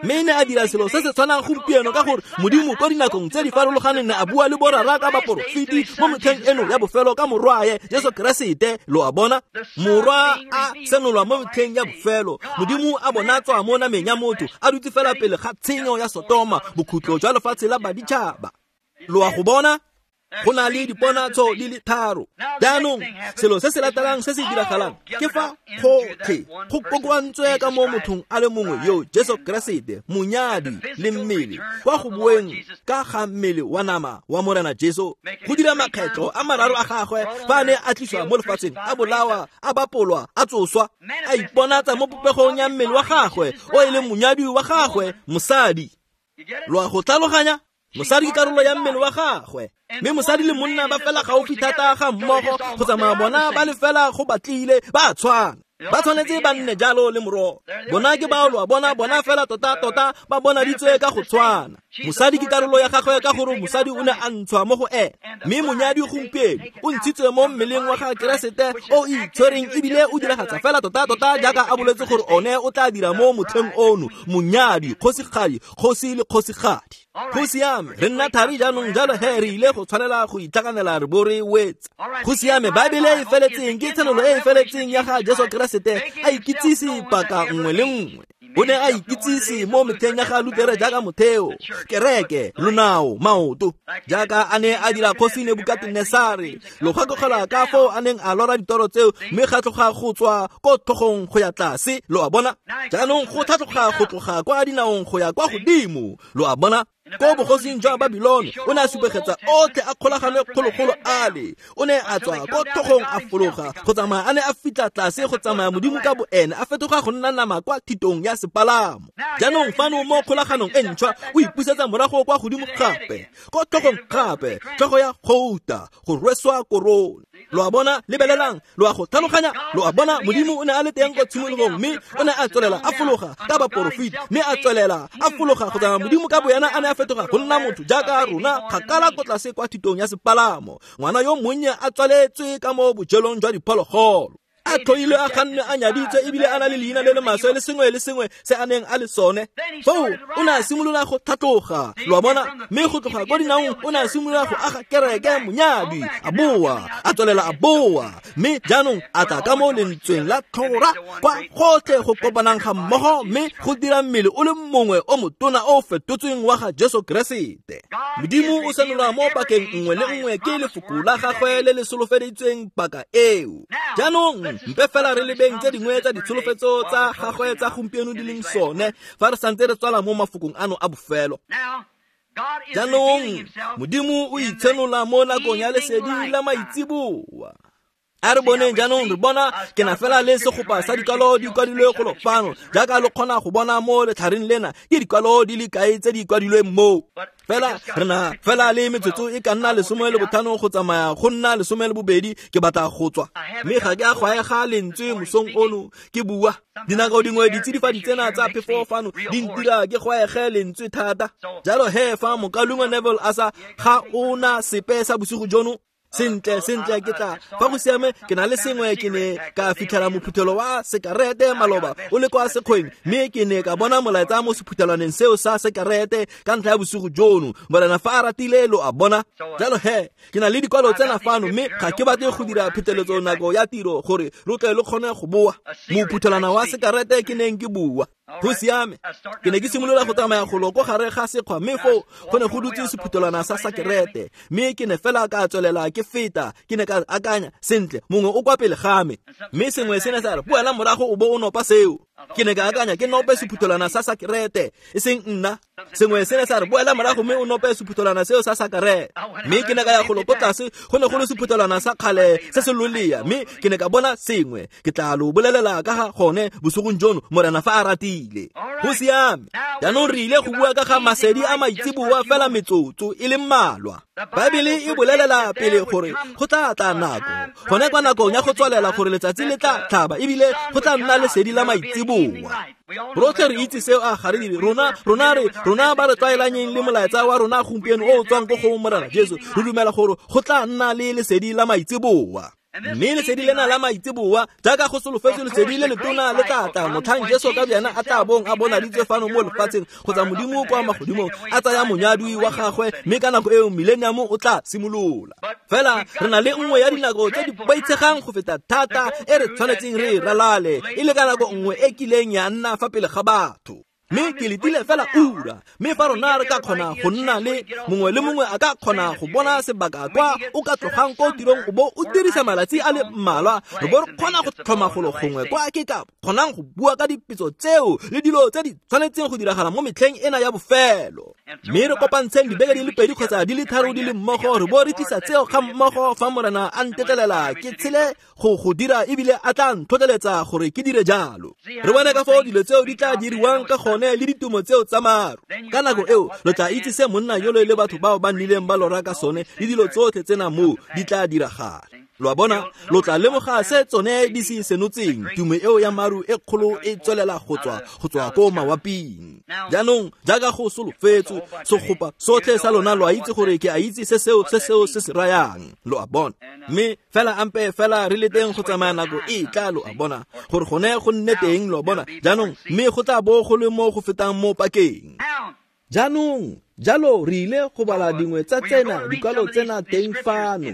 Mme ne a dira selo se se tshwanang gompieno ka gore Modimo ko dinakong tse di farologaneng ne a bua le borara ka baporofeti mo metlheng eno ya bofelo ka morwae Jesu Keresete, lo a bona. Morwa a senolwa mo metlheng ya bofelo, Modimo a bonatswa mo nameng ya motho, a dutse fela pele ga tshenyo ya Sotoma, bokhutlo jwa lefatshe la baditšhaba. Lo a go bona? Go na le diponatso di le tharo. Jaanong selo se se latelang se se diragalang ke fa gotlhe go kokoantswe ka mo mothong a le mongwe yo Jesu Keresete, monyadi le mmele, kwa go boeng ka ga mmele wa nama wa Morena Jesu, go dira makgetlo a mararo a gagwe fa a ne a tliswa mo lefatsheng, a bolawa, a bapolwa, a tsoswa, a iponatsa mo popegong ya mmele wa gagwe o e leng monyadi wa gagwe, mosadi. Lo a go tlhaloganya? Mosadi ke karolo ya mmele wa gagwe, mme mosadi le monna ba fela gaufi thata ga mmogo go tsamaya bona ba le fela go batlile ba tshwana. Ba tshwanetse ba nne jalo le morogo. Bona ke bao, lo a bona, bona fela tota-tota ba bonaditswe ka go tshwana. Mosadi ke karolo ya gagwe ka gore mosadi o ne a ntshwa mo go ene, mme monyadi gompieno o ntshitswe mo mmeleng wa ga Keresete o itshwereng ebile o diragatsa fela tota-tota jaaka a boletse gore one o tla dira mo motlheng ono, monyadi, kgosigadi, kgosi le kgosigadi. Go siame, re nna thari jaanong, jalo he re ile go tshwanela go itlhaganela re bo re wetsa. Go siame, Baebele e feletseng ke tshenolo e e feletseng ya ga Jesu Keresete a ikitsise paka nngwe le nngwe. O ne a ikitsise mo metlheng ya ga Lutere jaaka motheo, kereke, lonao, maoto, jaaka a ne a dira kgosi Nebukatenesare. Lo gakologelwa ka foo a neng a lora ditoro tseo, mme ga tloga go tswa ko tlhogong go ya tlase, lo a bona. Jaanong go tlhatloga go tloga kwa dinaong go ya kwa godimo, lo a bona. Ko bogosing jwa Babilone o ne a supegetsa otlhe a kgolagano kgologolo ale. O ne a tswa ko tlhogong a fologa go tsamaya a ne a fitlha tlase go tsamaya Modimo ka boene a fetoga go nna nama kwa thitong ya sepalamo. Jaanong fano mo kgolaganong e ntšhwa o ipusetsa morago kwa godimo gape, ko tlhogong gape, tlhogo ya gouta go rweswa korone. Lo a bona, lebelelang, lo a go tlhaloganya, lo a bona. Modimo o ne a le teng ko tshimologong, mme o ne a tswelela a fologa ka baporofeti, mme a tswelela a fologa go tsamaya Modimo ka boyena a ne a fetoga go nna motho jaaka rona kgakala ko tlase kwa thitong ya sepalamo. Ngwana yo monnye a tswaletswe ka mo bojelong jwa diphologolo, a tlhoilwe, a gannwe, a nyaditswe, ebile a na le leina le le maswe le sengwe le sengwe se a neng a le sone. Foo o ne a simolola go tlhatloga, lo a bona, mme go tloga ko dinaong o ne a simolola go aga kereke monyadi, a boa, a tswelela a boa, mme jaanong a tla ka mo lentsweng la tlhora kwa gotlhe go kopanang ga mmogo, mme go dira mmele o le mongwe o motona o fetotsweng wa ga Jesu Keresete. Modimo o senolwa mo pakeng nngwe le nngwe ke lefoko la gagwe le le solofeditsweng paka eo. Jaanong mpe fela re lebeng tse dingwe tsa ditsholofetso tsa gagwe tsa gompieno di leng sone fa re santse re tswala mo mafokong ano a bofelo. Jaanong Modimo o itshenola mo nakong ya lesedi la maitseboa. A re boneng jaanong, re bona ke na fela le segopa sa dikwalo di kwadilwe golo fano, jaaka lo kgona go bona mo letlhareng lena ke dikwalo di le kae tse di kwadilweng moo. Fela re na fela le metsotso e ka nna lesome le botlhano go tsamaya go nna lesome le bobedi, ke batla go tswa, mme ga ke a gwaega lentswe mosong ono ke bua. Dinako dingwe ditsidifadi tsena tsa phefo fano di ntira ke gwaege lentswe thata. Jalo he fa mokalungwe Neville a sa ga ona sepe sa bosigo jono, sentle sentle ke tla fa go siame ke na le sengwe. Ke ne ka fitlhela mophuthelo wa sekarete maloba o le kwa sekgweng, mme ke ne ka bona molaetsa mo sephuthelwaneng seo sa sekarete ka ntlha ya bosigo jono. Morena fa a ratile, lo a bona. Jalo he ke na le dikwalo tsena fano, mme ga ke batle go dira pheteletso nako ya tiro gore lo tle lo kgone go boa. Mophuthelwana wa sekarete ke neng ke bua. Go siame, ke ne ke simolola go tsamaya golo ko gare ga sekgwa, mme foo go ne go dutse sephuthelwana sa sekarete, mme ke ne fela ka tswelela ke feta. Ke ne ka akanya, sentle, mongwe o kwa pele ga me, mme sengwe se ne sa re boela morago o bo o nopa seo. Ke ne ka akanya, ke nope sephuthelwana sa sekarete, e seng nna. Sengwe se ne sa re boela morago mme o nope sephuthelwana seo sa sekarete. Mme ke ne ka ya golo ko tlase, go ne go le sephuthelwana sa kgale se se lolea, mme ke ne ka bona sengwe. Ke tla lo bolelela ka ga gone bosigong jono, Morena fa a ratile. Go siame, jaanong re ile go bua ka ga masedi a maitseboa fela metsotso e le mmalwa. Baebele e bolelela pele gore go tla tla nako, gone kwa nakong ya go tswalela, gore letsatsi le tla tlhaba ebile go tla nna lesedi la maitseboa. Rotlhe re itse seo, a ga re dire? Rona rona re rona ba re tlwaelanyeng le molaetsa wa rona gompieno o o tswang ko go Morena Jesu, re dumela gore go tla nna le lesedi la maitseboa. Mme lesedi lena la maitseboa, jaaka go solofetswe lesedi le letona le tla tla motlhang Jesu ka boyena a tla bong a bonaditswe fano mo lefatsheng kgotsa Modimo kwa magodimong a tsaya monyadwi wa gagwe, mme ka nako eo millennium o tla simolola. Fela re na le nngwe ya dinako tse di boitshegang go feta thata e re tshwanetseng re e ralale, e le ka nako nngwe e kileng ya nna fa pele ga batho. Mme ke letile fela ura, mme fa rona re ka kgona go nna le mongwe le mongwe a ka kgona go bona sebaka kwa o ka tlogang ko tirong o bo o dirisa malatsi a le mmalwa, re bo re kgona go tlhoma golo gongwe kwa ke ka kgonang go bua ka dipetso tseo le dilo tse di tshwanetseng go diragala mo metlheng ena ya bofelo. Mme re kopantsheng dibeke di le pedi kgotsa di le tharo di le mmogo, re bo re tlisa tseo ga mmogo fa Morena a ntetlelela ke tshele go go dira, ebile a tla ntlhotlheletsa gore ke dire jalo. Re bone ka foo dilo tseo di tla diriwang ka gone le ditumo tseo tsa maru. Ka nako eo lo tla itse se monna yolo le batho bao ba nnileng ba lora ka sone, le dilo tsotlhe tsena moo di tla diragala. Lo a bona, lo tla lemoga se tsone di se senotseng. Tumo eo ya maru e kgolo e tswelela go tswa go tswa ko mawaping. Jaanong jaaka go solofetswe, segopa sotlhe sa lona lo a itse gore ke a itse se seo se seo se se rayang, lo a bona. Mme fela ampe fela re le teng go tsamaya nako e tla, lo a bona, gore gone go nne teng, lo a bona. Jaanong mme go tla bo go le mo go fetang mo pakeng. Jaanong jalo re ile go bala dingwe tsa tsena dikwalo tsena teng fano.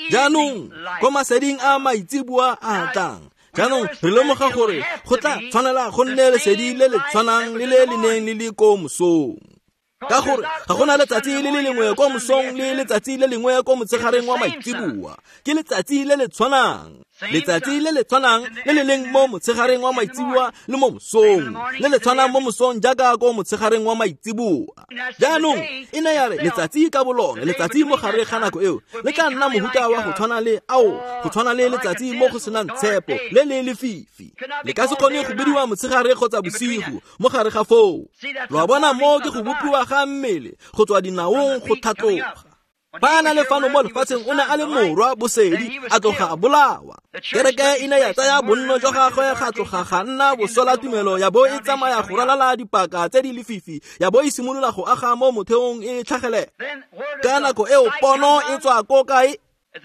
Jaanong ko maseding a maitseboa a tlang, Jaanong re lemoga gore go tla tshwanela go nne lesedi le le tshwanang le le le neng le le ko mosong. Ka gore ga gona letsatsi le le lengwe ko mosong le letsatsi le lengwe ko motshegareng wa maitseboa. Ke letsatsi le le tshwanang. Letsatsi le le tshwanang le le leng mo motshegareng wa maitseboa le mo mosong. Le le tshwanang mo mosong jaaka ko motshegareng wa maitseboa. Jaanong e ne ya re letsatsi ka bolone, letsatsi mo gare ga nako eo le tla nna mohuta wa go tshwana le ao, go tshwana le letsatsi mo go senang tshepo le le lefifi. Le ka se kgone go bidiwa motshegare kgotsa bosigo mo gare ga foo. Lo a bona mo ke go bopiwa ga mmele go tswa dinaong go tlhatloga. Ba na le fano mo lefatsheng o ne a le morwa bosedi a tloga a bolawa. Kereke e ne ya tsaya bonno jwa gagwe ga tloga ga nna bosola tumelo ya bo e tsamaya go ralala dipaka tse di lefifi ya bo e simolola go aga mo motheong e tlhagelela. Ka nako eo pono e tswa ko kae?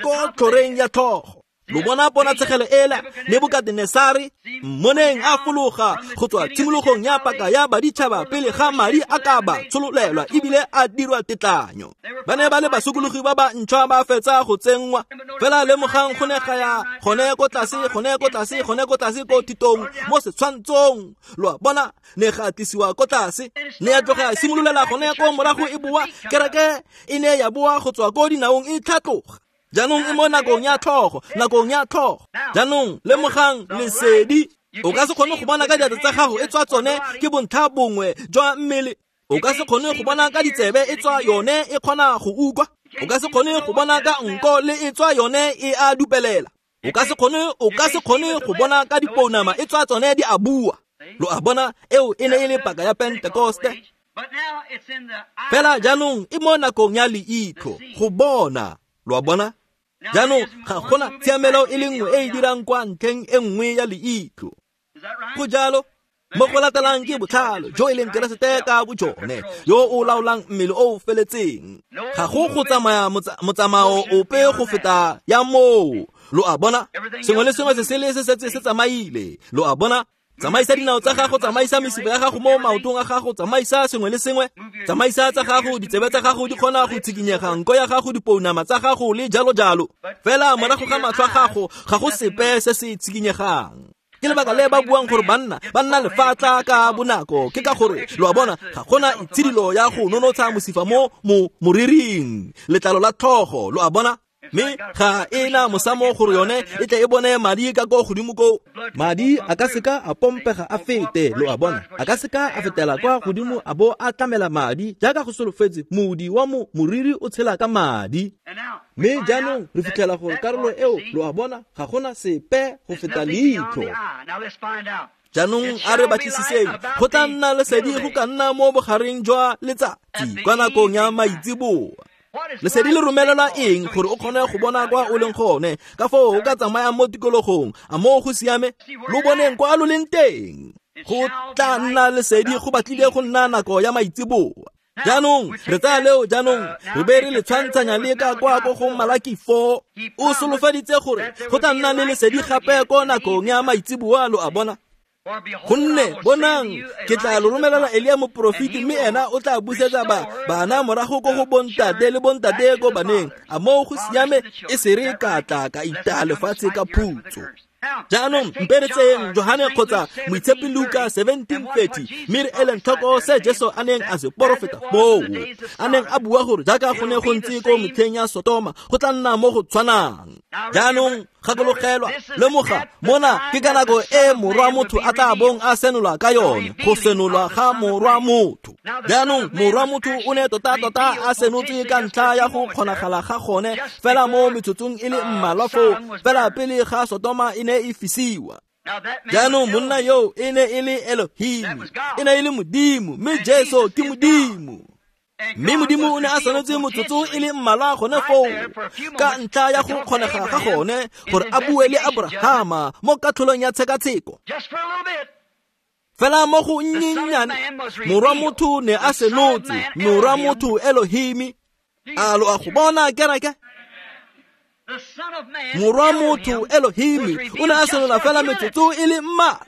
Ko tlhoreng ya tlhogo. Lo bona ponatshegelo ela Nebukadenesare mmoneng a fologa go tswa tshimologong ya paka ya baditšhaba pele ga madi a ka ba tshololelwa ebile a dirwa tetlanyo. Ba ne ba le basokologi ba ba ntšhwa ba fetsa go tsenngwa. Fela lemogang go ne ga ya gone ko tlase, gone ko tlase, gone ko tlase ko thitong mo setshwantshong. Lo a bona ne ga tlisiwa ko tlase, ne ya tloga ya simololela gone ko morago e boa. Kereke e ne ya boa go tswa ko dinaong e tlhatloga. Jaanong e mo nakong ya tlhogo, nakong ya tlhogo. Jaanong lemogang lesedi. O ka se kgone go bona ka diatla tsa gago e tswa tsone ke bontlha bongwe jwa mmele. O ka se kgone go bona ka ditsebe e tswa yone e kgona go utlwa. O ka se kgone go bona ka nko le e tswa yone e a dupelela. O ka se kgone, o ka se kgone go bona ka dipounama e tswa tsone di a bua. Lo a bona eo e ne e le paka ya Pentekoste. Fela jaanong e mo nakong ya leitlho go bona. Lo a bona? Jaanong ga gona tshiamelo e le nngwe e e dirang kwa ntlheng e nngwe ya leitlho. Go jalo, mo go latelang ke botlhalo jo e leng Keresete ka bojone yo o laolang mmele o o feletseng. Ga go go tsamaya motsamao ope go feta ya moo. Lo a bona? Sengwe le sengwe se sele se setse se tsamaile. Lo a bona? Tsamaisa dinao tsa gago, tsamaisa mesifa ya gago mo maotong a gago, tsamaisa sengwe le sengwe. Tsamaisa tsa gago, ditsebe tsa gago di kgona go tshikinyega, nko ya gago, dipounama tsa gago le jalo jalo. Fela morago ga matlho a gago ga go sepe se se tshikinyegang. Ke lebaka le ba buang gore banna ba nna lefatla ka bonako, ke ka gore lo a bona ga gona itshidilo ya go nonotsha mosifa mo mo moriring, letlalo la tlhogo. Lo a bona? Mme ga e na mosamo gore yone e tle e bone madi ka ko godimo ko. Madi a ka seka a pompega a fete, lo a bona? A ka seka a fetela kwa godimo a bo a tlamela madi jaaka go solofetse modi wa mo moriri o tshela ka madi. Mme jaanong re fitlhela gore karolo eo, lo a bona, ga gona sepe go feta leitlho. Jaanong a re batlisiseng, go tla nna lesedi go ka nna mo bogareng jwa letsatsi kwa nakong ya maitseboa. Lesedi le romelelwa eng gore o kgone go bona kwa o leng gone, ka foo o ka tsamaya mo tikologong, a moo go siame, lo boneng kwa lo leng teng. Go tla nna lesedi go batlile go nna nako ya maitseboa. Jaanong re tsaya leo, jaanong re be re le tshwantshanya le ka kwa ko go Malaki four. O solofeditse gore go tla nna le lesedi gape ko nakong ya maitseboa. Lo a bona? Gonne bonang ke tla lo romelela Elia moporofeti, mme ena o tla busetsa ba bana morago ko go bontate le bontate ko baneng. A moo go siame, e se re ka tla ka itaya lefatshe ka phutso. Jaanong mpe re tseyeng Johane kgotsa Moitshepi Luka seventeen thirty, mme re eleng tlhoko se Jesu a neng a se porofeta foo. A neng a bua gore jaaka go ne go ntse ko metlheng ya Sotoma, go tla nna mo go tshwanang. Jaanong gakologelwa, lemoga mona ke ka nako e morwa motho a tla bong a senolwa ka yone, go senolwa ga morwa motho. Jaanong morwa motho o ne tota-tota a senotswe ka ntlha ya go kgonagala ga gone fela mo metsotsong e le mmalwa foo, fela pele ga Sotoma e ne e fisiwa. Jaanong monna yo e ne e le Elohim, e ne e le Modimo, mme Jesu ke Modimo. Mme Modimo o ne a senotse motsotso e le mmalwa gone foo ka ntlha ya go kgonega ga gone gore a bue le Abrahama mo katlholong ya tshekatsheko. Fela mo go nnyennyane morwa motho ne a senotse, morwa motho Elohim. A lo a go bona kereke? Morwa motho Elohim o ne a senola fela metsotso e le mmalwa.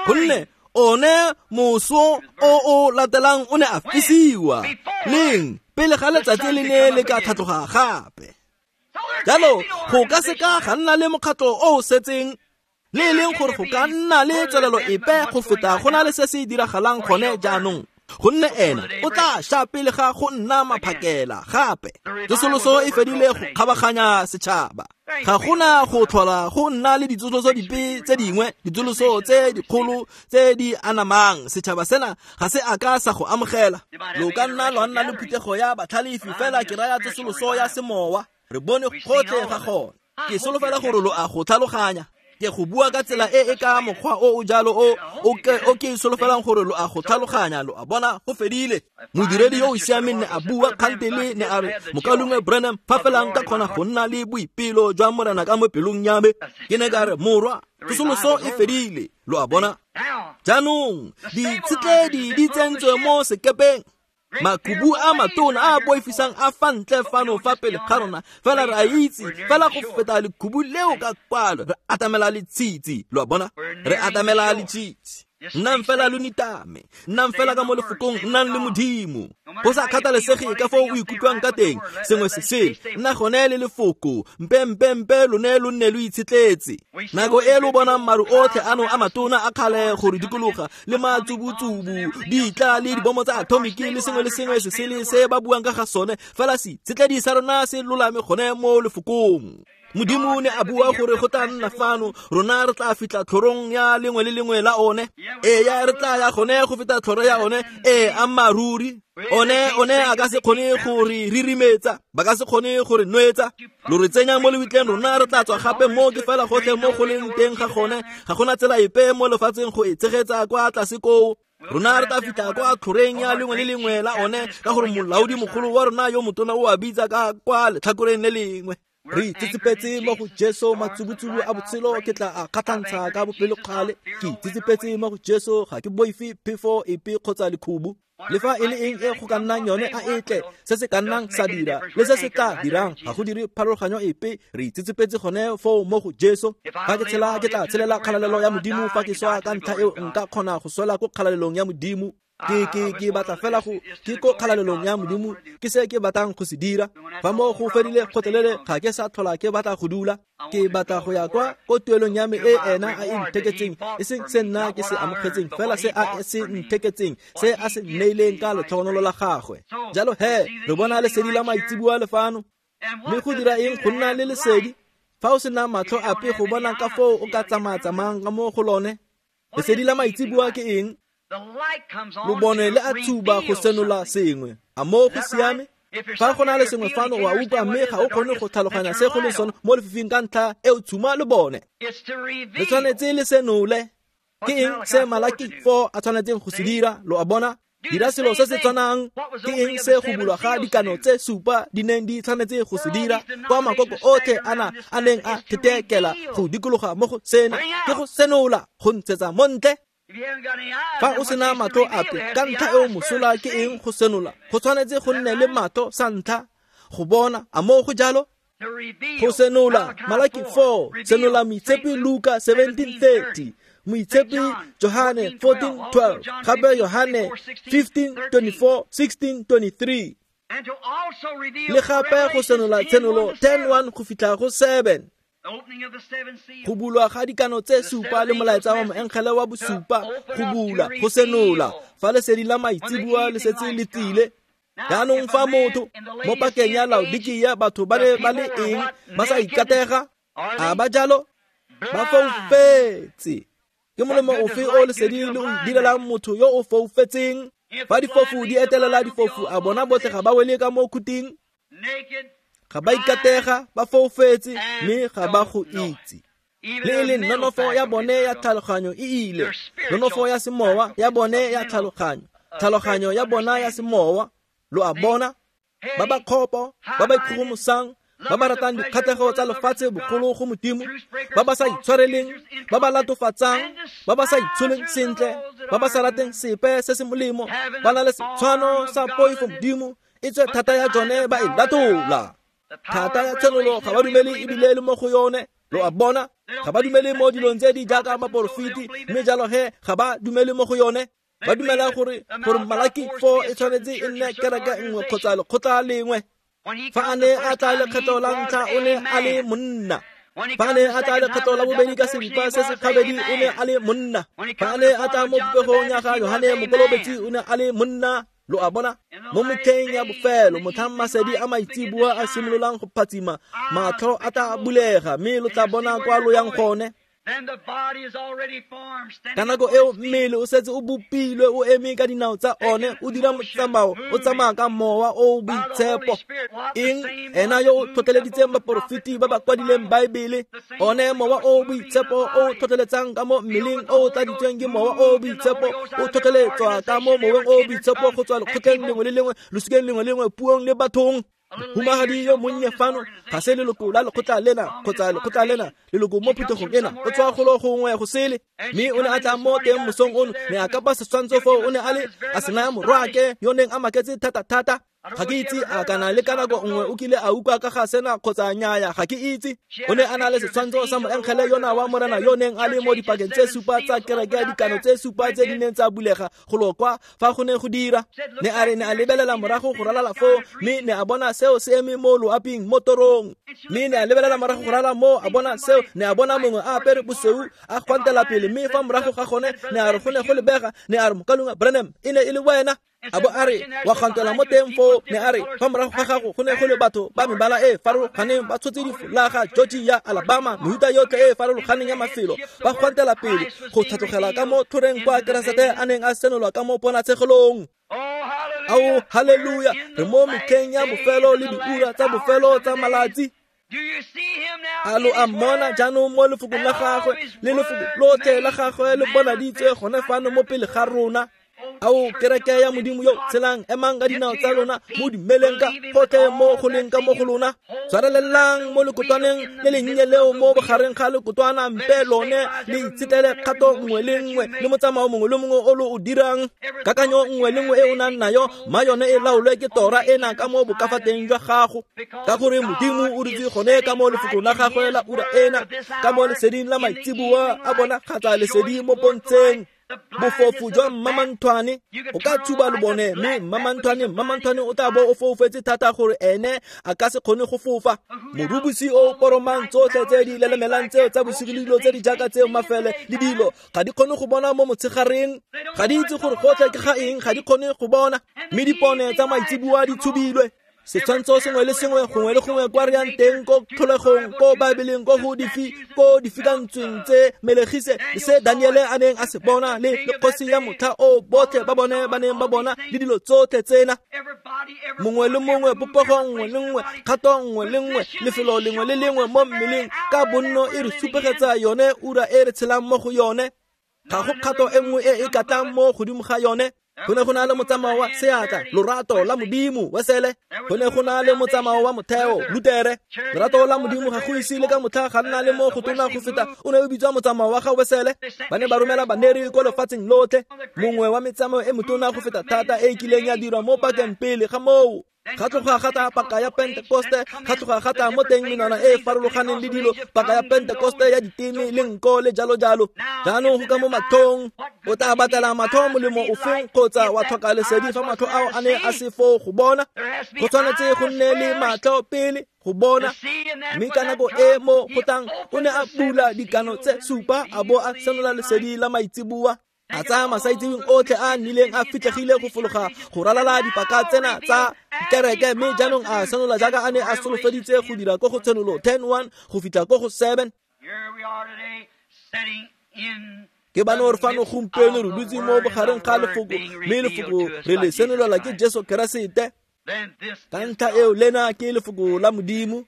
Gonne one moso o o latelang o ne a fisiwa leng pele ga letsatsi le ne le ka tlhatloga gape. Jalo go ka seka ga nna le mokgatlho o o setseng le e leng gore go ka nna le tswelelo epe go feta go na le se se diragalang gone jaanong. Gonne ena o tla sha pele ga go nna maphakela gape. Tsosoloso e fedile go kgabaganya setšhaba. Ga gona go tlhola go nna le ditsosoloso dipe tse dingwe, ditsosoloso tse dikgolo tse di anamang. Setšhaba sena ga se a ka sa go amogela. Lo ka nna lwa nna le phuthego ya batlhalefi fela ke raya tsosoloso ya semowa. Re bone gotlhe ga gone. Ke solofela gore lo a go tlhaloganya. Ke go bua ka tsela e e ka mokgwa o o jalo o o ke o ke solofelang gore lo a go tlhaloganya. Lo a bona go fedile. Modiredi yo o siameng ne a bua kgantele ne a re mokalungwe Branham fa fela nka kgona go nna le boipelo jwa Morena ka mo pelong ya me. Ke ne ka re morwa tsosoloso e fedile. Lo a bona. Jaanong ditshetledi di tsentswe mo sekepeng. Makubu a matona a boifisang a fa ntle fano fa pele ga rona, fela re a itse fela go feta lekhubu leo ka kwalo. Re atamela letshitsi. Lo a bona, re atamela letshitsi. Nnang fela lo nitame, nnang fela ka mo lefokong, nnang le Modimo. Go sa kgathalesege ka foo o ikutlwang ka teng, sengwe se sele, nna gone le lefoko, mpe mpe mpe lone lo nne lo itshetletse. Nako e lo bonang maru otlhe ano a matona a kgale go re dikologa, le matsubutsubu, ditla le dibomo tsa atomiki le sengwe le sengwe se sele se ba buang ka ga sone, fela seitshetledi sa rona se lolame gone mo lefokong. Modimo ne a bua gore go tla nna fano, rona re tla fitlha tlhorong ya lengwe le lengwe la one. Ee ya re tla ya gone go feta tlhoro ya one. Ee ammaruri. One one a ka se kgone go re ririmetsa, ba ka se kgone go re nwetsa. Lo re tsenya mo lebitleng, rona re tla tswa gape mo ke fela gotlhe mo go leng teng ga gone. Ga gona tsela epe mo lefatsheng go e tshegetsa kwa tlase koo. Rona re tla fitlha kwa tlhoreng ya lengwe le lengwe la one, ka gore molaodi mogolo wa rona yo motona o a bitsa ka kwa letlhakoreng le lengwe. Re itsetsepetse mo go Jesu, matsubutsubu a botshelo ke tla a kgatlhantsha ka bopelokgale. Ke itsetsepetse mo go Jesu, ga ke boife phefo epe kgotsa lekhubu. Le fa e le eng e go ka nnang yone a e tle, se se ka nnang sa dira le se se tla dirang ga go dire pharologanyo epe. Re itsetsepetse gone foo mo go Jesu. Fa ke tshela ke tla tshelela kgalalelo ya Modimo, fa ke swa ka ntlha eo nka kgona go swela ko kgalalelong ya Modimo. Ke ke ke batla fela go ke ko kgalalelong ya Modimo, ke se ke batlang go se dira. Fa mo go fedile kgotlelele ga ke sa tlhola ke batla go dula. Ke batla go ya kwa ko tuelong ya me e ena a e ntheketseng, e seng se nna ke se amogetseng, fela se a se ntheketseng, se a se nneileng ka letlhogonolo la gagwe. Jalo he re bona lesedi la maitseboa le fano. Mme go dira eng go nna le lesedi fa o sena matlho ape go bona ka foo o ka tsamaya-tsamayang ka mo go lone? Lesedi la maitseboa ke eng? Lobone le a tshuba go senola sengwe. A mo go siame? Fa go na le sengwe fano o a utlwa mme ga o kgone go tlhaloganya se go leng sone mo lefifing ka ntlha e o tshuma lebone. Le tshwanetse le senole. Ke eng se Malaki four a tshwanetseng go se dira? Lo a bona? Dira selo se se tshwanang. Ke eng se go bulwa ga dikano tse supa di neng di tshwanetse go se dira? Kwa makoko otlhe ana a neng a thetekela go dikologa mo go sena, ke go senola, go ntshetsa mo ntle. Fa o sena matlho ape ka ntlha eo mosola ke eng go senola? Go tshwanetse go nne le matlho sa ntlha go bona. A mo go jalo? Go senola Malaki four, senola Moitshepi Luka seventeen thirty, Moitshepi Johane fourteen twelve, gape Johane fifteen twenty-four, sixteen twenty-three. Le gape go senola Tshenolo ten one go fitlha go seven. Go bulwa ga dikano tse supa le molaetsa wa moengele wa bosupa, go bula, go senola fa lesedi la maitseboa le setse le tlile. Jaanong fa motho mo pakeng ya Laodikia batho ba ne ba le eng ba sa ikatega? A ba jalo? Ba foufetse. Ke molemo ofe o lesedi le o direlang motho yo o foufetseng? Fa difofu di etelela difofu, a bona botlhe ga ba wele ka mo khuting? Ga ba ikatega, ba foufetse, mme ga ba go itse. Le e leng nonofo ya bone ya tlhaloganyo e ile, nonofo ya semowa ya bone ya tlhaloganyo, tlhaloganyo ya bona ya semowa. Lo a bona? Ba ba kgopo, ba ba ikgogomosang, ba ba ratang dikgatlhego tsa lefatshe bogolo go Modimo, ba ba sa itshwareleng, ba ba latofatsang, ba ba sa itsholeng sentle, ba ba sa rateng sepe se se molemo, ba na le setshwano sa poifo Modimo, e tswe thata ya jone ba e latola. Thata ya tshenolo ga ba dumele ebile le mo go yone. Lo a bona? Ga ba dumele mo dilong tse di jaaka baporofeti, mme jalo he ga ba dumele mo go yone. Ba dumela gore gore Malaki four e tshwanetse e nne kereke nngwe kgotsa lekgotla lengwe. Fa a ne a tla lekgetlo la ntlha o ne a le monna. Fa a ne a tla lekgetlo la bobedi ka seripa se se kgabedi o ne a le monna. Fa a ne a tla mo popegong ya ga Yohane Mokolobetsi o ne a le monna. Lo a bona mo metlheng ya bofelo motlhang masedi a maitseboa a simololang go phatsima, matlho a tla bulega mme lo tla bona kwa lo yang gone. Ka nako eo mmele o setse o bopilwe, o eme ka dinao tsa one, o dira motsamao, o tsamaya ka mowa o o boitshepo. Eng? Ena yo o tlhotlheleditseng baporofeti ba ba kwadileng Baebele, one mowa o o boitshepo o o tlhotlheletsang ka mo mmeleng o o tladitsweng ke mowa o o boitshepo, o tlhotlheletswa ka mo moweng o o boitshepo go tswa lekgotleng lengwe le lengwe, losikeng lengwe le lengwe, puong le bathong. Mohumagadi yo monnye fano ga se leloko la lekgotla lena kgotsa lekgotla lena, leloko mo phuthegong ena, o tswa golo gongwe go sele. Mme o ne a tla mo teng mosong ono, ne a kapa setshwantsho foo, o ne a le a se naya morwaake yo neng a maketse thata-thata. Ga ke itse a kana le ka nako nngwe o kile a utlwa ka ga sena kgotsa nnyaya, ga ke itse. O ne a na le setshwantsho sa moengele yona wa Morena yo neng a le mo dipakeng tse supa tsa kereke ya dikano tse supa tse di neng tsa bulega golo kwa fa go ne go dira. Ne a re ne a lebelela morago go ralala foo, mme ne a bona seo se eme mo loaping mo torong. Mme ne a lebelela morago go ralala mo, a bona seo, ne a bona mongwe a apere bosweu a gwantela pele, mme fa morago ga gone ne a re go ne go lebega, ne a re mokalunga Branham e ne e le wena. A bo a re wa kgantela mo teng foo, ne a re fa morago ga gago go ne go le batho ba mebala e farologaneng ba tshotse difolaga, Georgia, Alabama, mehuta yotlhe e farologaneng ya mafelo, ba gwantela pele go tlhatlogela ka mo tlhoreng kwa Keresete a neng a senolwa ka mo ponatshegelong. Ao, haleluya! Re mo metlheng ya bofelo le diura tsa bofelo tsa malatsi. A lo a mmona jaanong mo lefokong la gagwe le lefoko lotlhe la gagwe le bonaditswe gone fano mo pele ga rona. Ao, kereke ya Modimo yo tshelang, emang ka dinao tsa lona, mo dumeleng ka gotlhe mo go leng ka mo go lona. Tshwarelelang mo lekotwaneng le lennye leo mo bogareng ga lekotwana, mpe lone le itshetlele kgato nngwe le nngwe le motsamao mongwe le mongwe o lo o dirang. Kakanyo nngwe le nngwe e o nang nayo, mma yone e laolwe ke tora ena ka mo bokafateng jwa gago, ka gore Modimo o dutse gone ka mo lefokong la gagwe la ura ena, ka mo leseding la maitseboa a bonagatsa lesedi mo pontsheng. Bofofu jwa mmamanthwane o ka tshuba lobone, mme mmamanthwane mmamanthwane o tla bo o foufetse thata gore ene a ka se kgone go fofa. Morubusi o poromang tsotlhe tse di lelemelang tseo tsa bosigo le dilo tse di jaaka tseo mafele le dilo ga di kgone go bona mo motshegareng, ga di itse gore gotlhe ke ga eng, ga di kgone go bona, mme dipone tsa maitseboa di tshubilwe. Setshwantsho sengwe le sengwe gongwe le gongwe kwa re yang teng, ko tlholegong, ko Baebeleng, ko go difi, ko difikantsweng tse melegise le se Daniele a neng a se bona, le le kgosi ya motlha o botlhe ba bone ba neng ba bona, le dilo tsotlhe tsena. Mongwe le mongwe, popego nngwe le nngwe, kgato nngwe le nngwe, lefelo lengwe le lengwe mo mmeleng ka bonno e re supegetsa yone ura e re tshelang mo go yone. Ga go kgato e nngwe e e ka tlang mo godimo ga yone. Go ne go na le motsamao wa seatla, lorato la Modimo, Wesele. Go ne go na le motsamao wa motheo, Lutere. Lorato la Modimo ga go ise le ka motlha ga nna le mo go tona go feta, o ne o bitswa motsamao wa ga Wesele. Ba ne ba romela baneri ko lefatsheng lotlhe, mongwe wa metsamao e motona go feta thata e e kileng ya dirwa mo pakeng pele ga moo. Ga tloga ga tla paka ya Pentekoste, ga tloga ga tla mo teng menwana e e farologaneng le dilo, paka ya Pentekoste ya diteme le nko le jalo jalo. Jaanong go ka mo matlhong, o tla batlela matlho molemo ofeng kgotsa wa tlhoka lesedi fa matlho ao a ne a se foo go bona? Go tshwanetse go nne le matlho pele go bona. Mme ka nako e mo go tlang o ne a bula dikano tse supa a bo a senola lesedi la maitseboa. A tsaya masaitseweng otlhe a nnileng a fitlhegile go fologa go ralala dipaka tsena tsa kereke, mme jaanong a senola jaaka a ne a solofeditse go dira ko go Tshenolo ten one go fitlha ko go seven. Ke bano re fano gompieno re dutse mo bogareng ga lefoko, mme lefoko re le senolela ke Jesu Keresete. Ka ntlha eo lena ke lefoko la Modimo,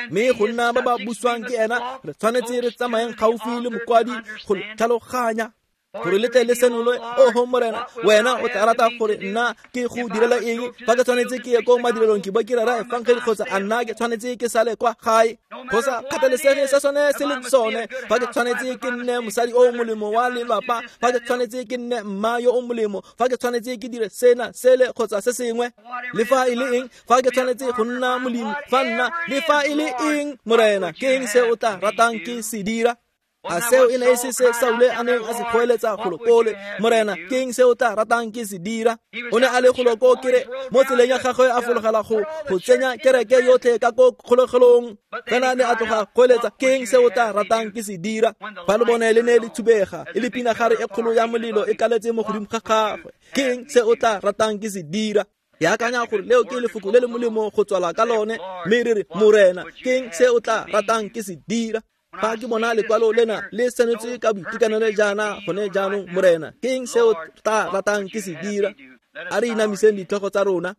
mme go nna ba ba buswang ke ena re tshwanetse re tsamayeng gaufi le mokwadi go le tlhaloganya, gore le tle le senolwe. Oho Morena, wena o tla rata gore nna ke go direla eng? Fa ke tshwanetse ke ye ko madirelong ke bo ke rera efangedi, kgotsa a nna ke tshwanetse ke sale kwa gae? Go sa kgathalesege se sone se leng sone. Fa ke tshwanetse ke nne mosadi o molemo wa lelapa, fa ke tshwanetse ke nne mma yo o molemo, fa ke tshwanetse ke dire sena sele kgotsa se sengwe, le fa e le eng, fa ke tshwanetse go nna molemi, fa nna le fa e le eng, Morena, ke eng se o tla ratang ke se dira? A seo e ne e se se Saule a neng a se kgoeletsa golo kole, Morena, ke eng se o tla ratang ke se dira? O ne a le golo ko kere mo tseleng ya gagwe a fologela go go tsenya kereke yotlhe ka ko kgolegelong. Fela ne a tloga kgoeletsa, ke eng se o tla ratang ke se dira? Fa lebone le ne le thubega, e le pinagare e kgolo ya molelo e kaletse mo godimo ga gagwe. Ke eng se o tla ratang ke se dira? Ke akanya gore leo ke lefoko le le molemo go tswala ka lone, mme re re, Morena, ke eng se o tla ratang ke se dira? Fa ke bona lekwalo lena le senetswe ka boitekanelo jaana gone jaanong, Morena, ke eng se o tla ratang ke se dira? A re inamiseng ditlhogo tsa rona.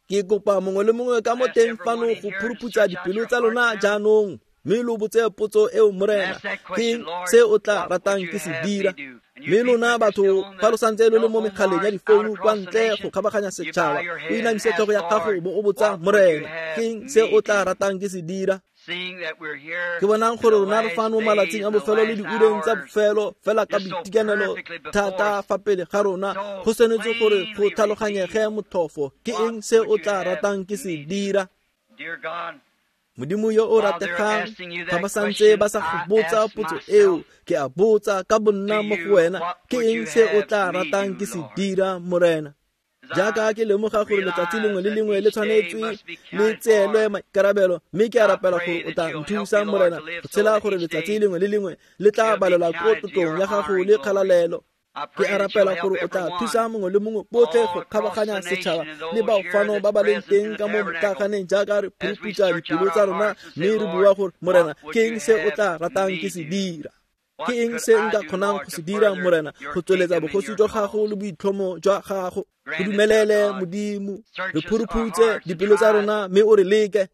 Ke kopa mongwe le mongwe ka mo teng fano go phuruputsa dipelo tsa lona jaanong, mme lo botse potso eo, Morena, ke eng se o tla ratang ke se dira? Mme lona batho fa lo santse lo le mo megaleng ya difounu kwa ntle go kgabaganya setšhaba, o inamise tlhogo ya gago bo o botsa, Morena, ke eng se o tla ratang ke se dira? Ke bonang gore rona re fano malatsing a bofelo le diureng tsa bofelo fela ka boitekanelo thata fa pele ga rona, go tshwanetse gore go tlhaloganyege motlhofo ke eng se o tla ratang ke se dira. Modimo yo o rategang, fa ba santse ba sa go botsa potso eo, ke a botsa ka bonna mo go wena, ke eng se o tla ratang ke se dira, Morena? Jaaka ke lemoga gore letsatsi lengwe le lengwe le tshwanetswe le tseelwe maikarabelo, mme ke a rapela gore o tla nthusa, Morena, go tshela gore letsatsi lengwe le lengwe le tla balelwa ko tlotlong ya gago le kgalalelo. Ke a rapela gore o tla thusa mongwe le mongwe botlhe go kgabaganya setšhaba le bao fano ba ba leng teng ka mo motlaganeng jaaka re phuruputsa dipelo tsa rona, mme re bua gore, Morena, ke eng se o tla ratang ke se dira? Ke eng se nka kgonang go se dira, Morena, go tsweletsa bogosi jwa gago le boitlhomo jwa gago? Go dumelele, Modimo, re phuruphutse dipelo tsa rona mme o re leke.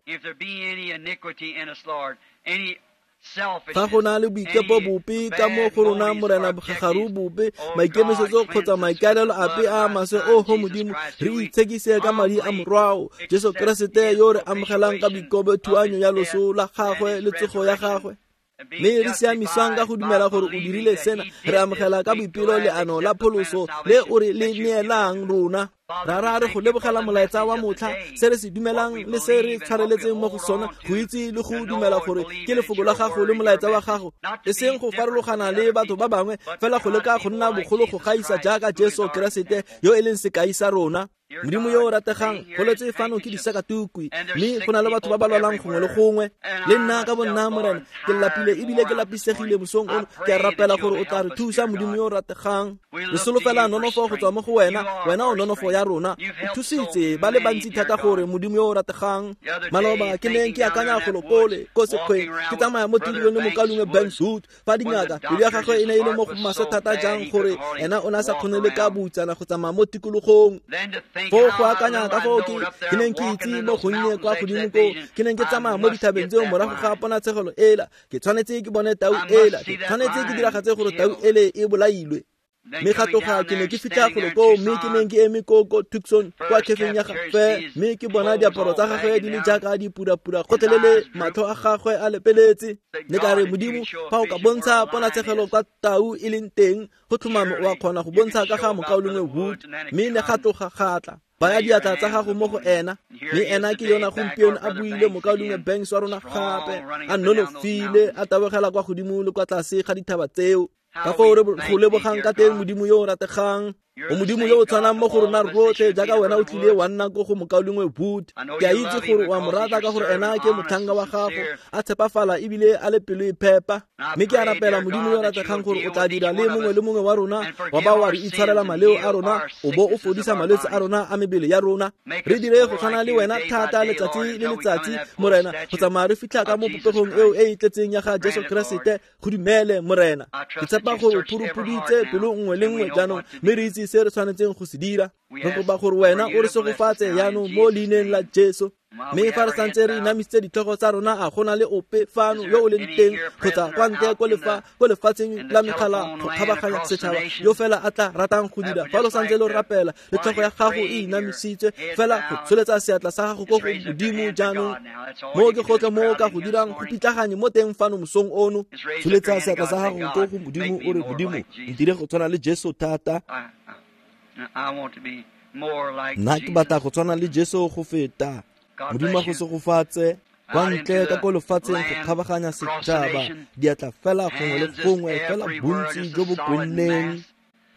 Fa go na le boikepo bope ka mo go rona, Morena, bogagaru bope, maikemisetso kgotsa maikaelelo ape a maswe, oho Modimo, re itshekise ka madi a Morwao Jesu Keresete yo re amogelang ka boikobo thuanyo ya loso la gagwe le tsogo ya gagwe. Mme re siamiswang ka go dumela gore o dirile sena, re amogela ka boipelo leano la pholoso le o re le neelang rona. Rara, re go lebogela molaetsa wa motlha, se re se dumelang le se re tshwareletseng mo go sona, go itse le go dumela gore ke lefoko la gago le molaetsa wa gago, e seng go farologana le batho ba bangwe, fela go leka go nna bogolo go gaisa jaaka Jesu Keresete yo e leng sekai sa rona. Modimo yo o rategang, go letse fano ke disakatukwi, mme go na le batho ba ba lwalang gongwe le gongwe. Le nna ka bonna, Morena, ke lapile ebile ke lapisegile mosong ono. Ke a rapela gore o tla re thusa, Modimo yo o rategang. Re solofela nonofo go tswa mo go wena, wena o nonofo ya rona. O thusitse ba le bantsi thata gore, Modimo yo o rategang. Maloba ke neng ke akanya golo kole ko sekgweng, ke tsamaya mo tulong le mokalongwe Banks Wood, fa dingaka pelo ya gagwe e ne e le mo go maswe thata jang gore ena o ne a sa kgone le ka boutsana go tsamaya mo tikologong. Foo go akanya ka foo ke ke neng ke itse mo gonnye kwa godimo koo, ke neng ke tsamaya mo dithabeng tseo morago ga ponatshegelo ela, ke tshwanetse ke bone tau ela, ke tshwanetse ke diragatse gore tau ele e bolailwe. Mme ga tloga ke ne ke fitlha golo koo, mme ke neng ke eme ko ko Tucson kwa khefeng ya gagwe, mme ke bona diaparo tsa gagwe di le jaaka dipurapura gotlhelele, matlho a gagwe a lepeletse. Ne ka re, Modimo, fa o ka bontsha ponatshegelo kwa tau e leng teng, go tlhomame o a kgona go bontsha ka ga mokaulengwe Wood. Mme ne ga tloga ga tla baya diatla tsa gago mo go ena, mme ena ke yona gompieno a buile mokaulengwe Banks wa rona gape, a nonofile, a tabogela kwa godimo le kwa tlase ga dithaba tseo. Ka foo re go lebogang ka teng, Modimo yo o rategang. O Modimo yo o tshwanang mo go rona rotlhe, jaaka wena o tlile wa nna ko go mokaulengwe Wood. Ke a itse gore o a mo rata ka gore ena ke motlhanka wa gago, a tshepafala ebile a le pelo e phepa. Mme ke a rapela, Modimo yo o rategang, gore o tla dira le mongwe le mongwe wa rona, wa ba wa re itshwarela maleo a rona, o bo o fodisa malwetse a rona a mebele ya rona. Re dire go tshwana le wena thata letsatsi le letsatsi, Morena, go tsamaya re fitlha ka mo popegong eo e e tletseng ya ga Jesu Keresete. Go dumele, Morena. Ke tshepa gore o phurupuditse pelo nngwe le nngwe jaanong, mme re itse se re tshwanetseng go se dira. Re kopa gore wena o re segofatse jaanong mo leineng la Jesu. Mme fa re santse re inamisitse ditlhogo tsa rona, a gona le ope fano yo o leng teng kgotsa kwa ntle ko lefa ko lefatsheng la megala go kgabaganya setšhaba yo fela a tla ratang go dira? Fa lo santse lo rapela le tlhogo ya gago e inamisitswe fela, go tsholetsa seatla sa gago ko go Modimo jaanong, mo ke gotlhe mo o ka go dirang go pitlaganye mo teng fano mosong ono. Tsholetsa seatla sa gago ko go Modimo o re, Modimo, ntire go tshwana le Jesu thata. Nna ke batla go tshwana le Jesu go feta. Modimo a go segofatse. Kwa ntle ka ko lefatsheng go kgabaganya setšhaba, diatla fela gongwe le gongwe, fela bontsi jo bo kwenneng.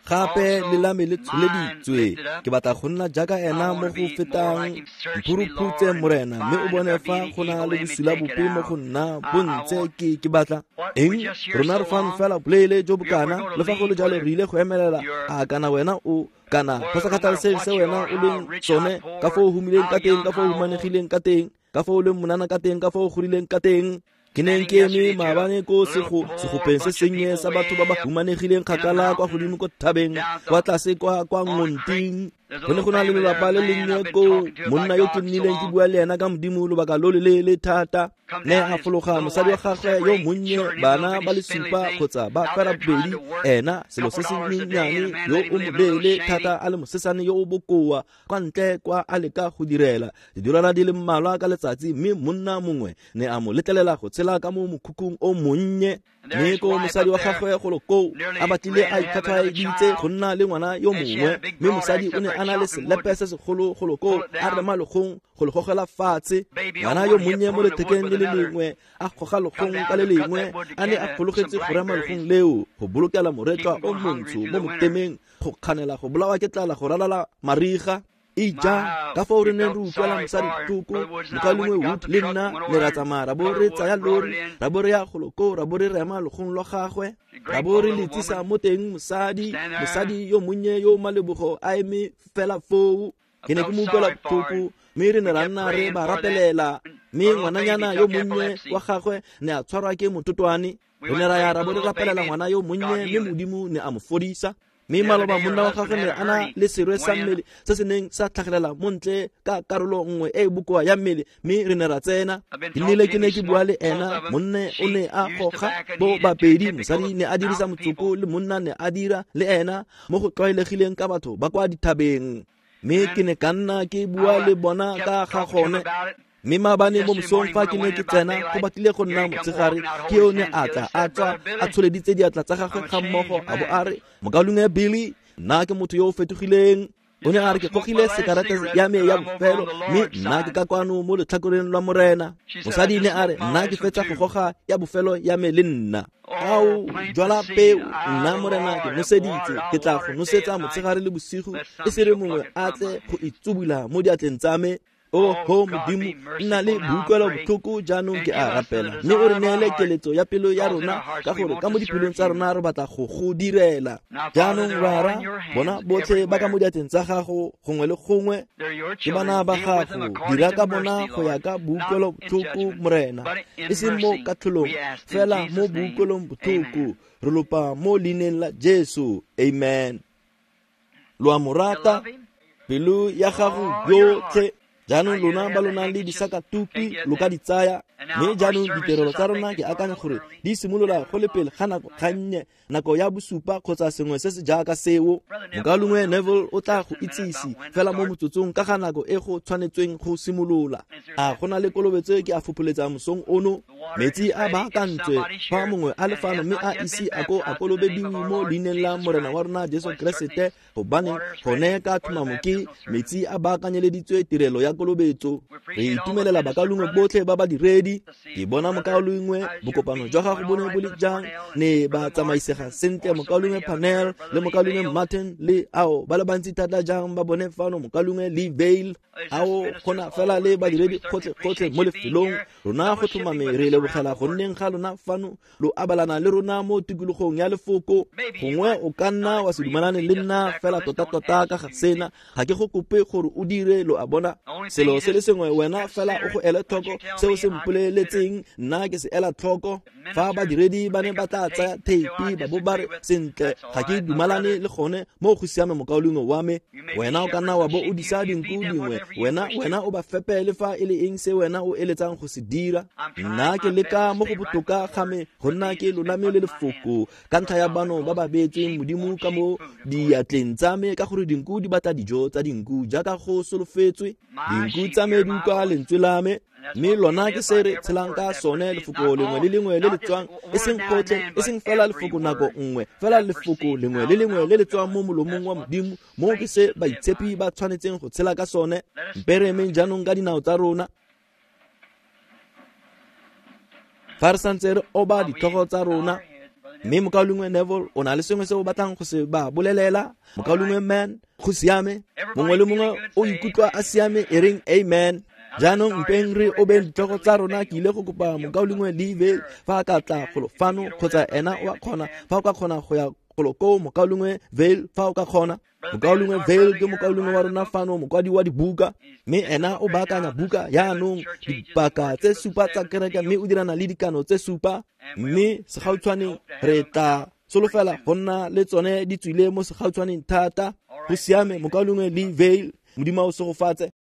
Gape le la me le tsholeditswe. Ke batla go nna jaaka ena mo go fetang. Mphuruphutse Morena, mme o bone fa go na le bosula bope mo go nna bo ntse ke ke batla eng. Rona re fano fela boleele jo bokana, le fa go le jalo re ile go emelela. A kana wena o kana go sa kgathalesege se wena o leng sone, ka foo o humileng ka teng, ka foo o humanegileng ka teng, ka foo o leng monana ka teng, ka foo o godileng ka teng. Ke neng ke eme maabane ko sego segopeng se sennye sa batho ba ba humanegileng kgakala kwa godimo ko thabeng, kwa tlase kwa kwa ngonting. Go ne go na le lelapa le lennye koo, monna yo ke nnileng ke bua le ena ka Modimo lobaka lo loleele thata. Ne a fologa mosadi wa gagwe yo monnye, bana ba le supa kgotsa ba fera bobedi, ena selo se se nyenyane yo o moleele thata a le mosesane yo o bokoa, kwa ntle kwa a leka go direla didolara di le mmalwa ka letsatsi, mme monna mongwe ne a mo letlelela go tshela ka mo mokhukhung o monnye. Mme ko mosadi wa gagwe golo koo a batlile a itlhwatlhwaeditse go nna le ngwana yo mongwe, mme mosadi o ne a na le selepe se segolo golo koo a rema legong go le gogela fatshe. Ngwana yo monnye mo lethekeng le le lengwe a goga legong ka le lengwe, a ne a fologetse go rema legong leo go bolokela moretlwa o montsho mo motemeng go kganela go bolawa ke tlala go ralala mariga. Ija, ka foo re neng re utlwela mosadi botlhoko, mokaulengwe Wood le nna ne ra tsamaya ra bo re tsaya lori, ra bo re ya golo koo, ra bo re rema legong lwa gagwe, ra bo re le tsisa mo teng. Mosadi, mosadi yo monnye yo malebogo a eme fela foo. Ke ne ke mo utlwela botlhoko, mme re ne ra nna re ba rapelela. Mme ngwananyana yo monnye wa gagwe ne a tshwarwa ke mototwane. Re ne ra ya ra bo re rapelela ngwana yo monnye, mme Modimo ne a mo fodisa. Mme maloba monna wa gagwe ne a na le serwe sa mmele se se neng sa tlhagelela mo ntle ka karolo nngwe e e bokoa ya mmele, mme re ne ra tsena. Ke nnile ke ne ke bua le ena, monna o ne a goga bo babedi, mosadi ne a dirisa motsoko le monna ne a dira le ena mo go tlwaelegileng ka batho ba kwa dithabeng. Mme ke ne ka nna ke bua le bona ka ga gone. Mme maabane mo mosong fa ke ne ke tsena go batlile go nna motshegare, ke yo ne a tla a tswa a tsholeditse diatla tsa gagwe ga mmogo, a bo a re, "Mokaulengwe Billy, nna ke motho yo o fetogileng." O ne a re, "Ke gogile sekarete ya me ya bofelo, mme nna ke ka kwano mo letlhakoreng lwa Morena." Mosadi ne a re, "Nna ke fetsa go goga ya bofelo ya me le nna." Ao, jwala peo, nna Morena ke noseditse, ke tla go nosetsa motshegare le bosigo, e se re mongwe a tle go itsubula mo diatleng tsa me. Oho Modimo, nna le boutlwelo botlhoko jaanong ke a rapela, mme o re neele keletso ya pelo ya rona, ka gore ka mo dipelong tsa rona re batla go go direla. Jaanong Rara, bona botlhe ba ka mo diatleng tsa gago gongwe le gongwe, ke bana ba gago, dira ka bona go ya ka boutlwelo botlhoko Morena, e seng mo katlholong, fela mo boutlwelong botlhoko. Re lopa mo leineng la Jesu, amen. Lo a mo rata, pelo ya gago yotlhe. Jaanong lona ba lo nang le disakatupi lo ka di tsaya. Mme jaanong ditirelo tsa rona ke akanya gore di simolola go le pele ga nako gannye, nako ya bosupa kgotsa sengwe se se jaaka seo. Mokaulengwe Neville o tla go itsise fela mo motsotsong ka ga nako e go tshwanetsweng go simolola. A go na le kolobetso e ke a fopholetsang mosong ono? Metsi a baakantswe fa mongwe a le fano mme a ise a ko a kolobediwe mo leineng la Morena wa rona Jesu Keresete, gobane gone ka tlhomamo ke metsi a baakanyeleditswe tirelo ya kolobetso. Re itumelela bakaulengwe botlhe ba badiredi. Ke bona mokaulengwe, bokopano jwa gago bo ne bo le jang? Ne ba tsamaisega sentle mokaulengwe Panel le mokaulengwe Martin le ao ba le bantsi thata jang ba bone fano, mokaulengwe Lee Vale. Ao gona fela le badiredi gotlhe-gotlhe mo lefelong. Rona go tlhomame re lebogela go nneng ga lona fano, lo abalana le rona mo tikologong ya lefoko. Gongwe o ka nna wa se dumalane le nna fela tota-tota ka ga sena, ga ke go kope gore o dire, lo a bona. Selo se le sengwe wena fela o go ele tlhoko se o se mpoleletseng, nna ke se ela tlhoko. Fa badiredi ba ne ba tla tsaya theipi ba bo ba re, "Sentle, ga ke dumalane le gone," mo go siame mokaulengwe wa me. Wena o ka nna wa bo o disa dinku dingwe, wena wena o ba fepe le fa e le eng se wena o eletsang go se dira. Nna ke leka mo go botoka ga me go nna ke lolame le lefoko ka ntlha ya bano ba ba beetsweng Modimo ka mo diatleng tsa me, ka gore dinku di batla dijo tsa dinku jaaka go solofetswe. Dinku tsa me di utlwa lentswe la me, mme lona ke se re tshelang ka sone, lefoko lengwe le lengwe le le tswang, e seng gotlhe, e seng fela lefoko nako nngwe, fela lefoko lengwe le lengwe le le tswang mo molomong wa Modimo. Mo ke se baitshepi ba tshwanetseng go tshela ka sone. Mpe re emeng jaanong ka dinao tsa rona. Fa re santse re oba ditlhogo tsa rona, mme mokaulengwe Neville o na le sengwe se o batlang go se ba bolelela. Mokaulengwe Man, go siame. Mongwe le mongwe o ikutlwa a siame, e reng amen. Jaanong mpeng re obeng ditlhogo tsa rona. Ke ile go kopa mokaulengwe Lee fa a ka tla golo fano, kgotsa ena o a kgona, fa o ka kgona go ya golo koo, mokaulengwe Vale, fa o ka kgona. Mokaulengwe Vale ke mokaulengwe wa rona fano, mokwadi wa dibuka, mme ena o baakanya buka yaanong dipaka tse supa tsa kereke, mme o dirana le dikano tse supa, mme segautshwaneng re tla solofela go nna le tsone di tswile mo segautshwaneng thata. Go siame, mokaulengwe Lee Vale, Modimo a o segofatse.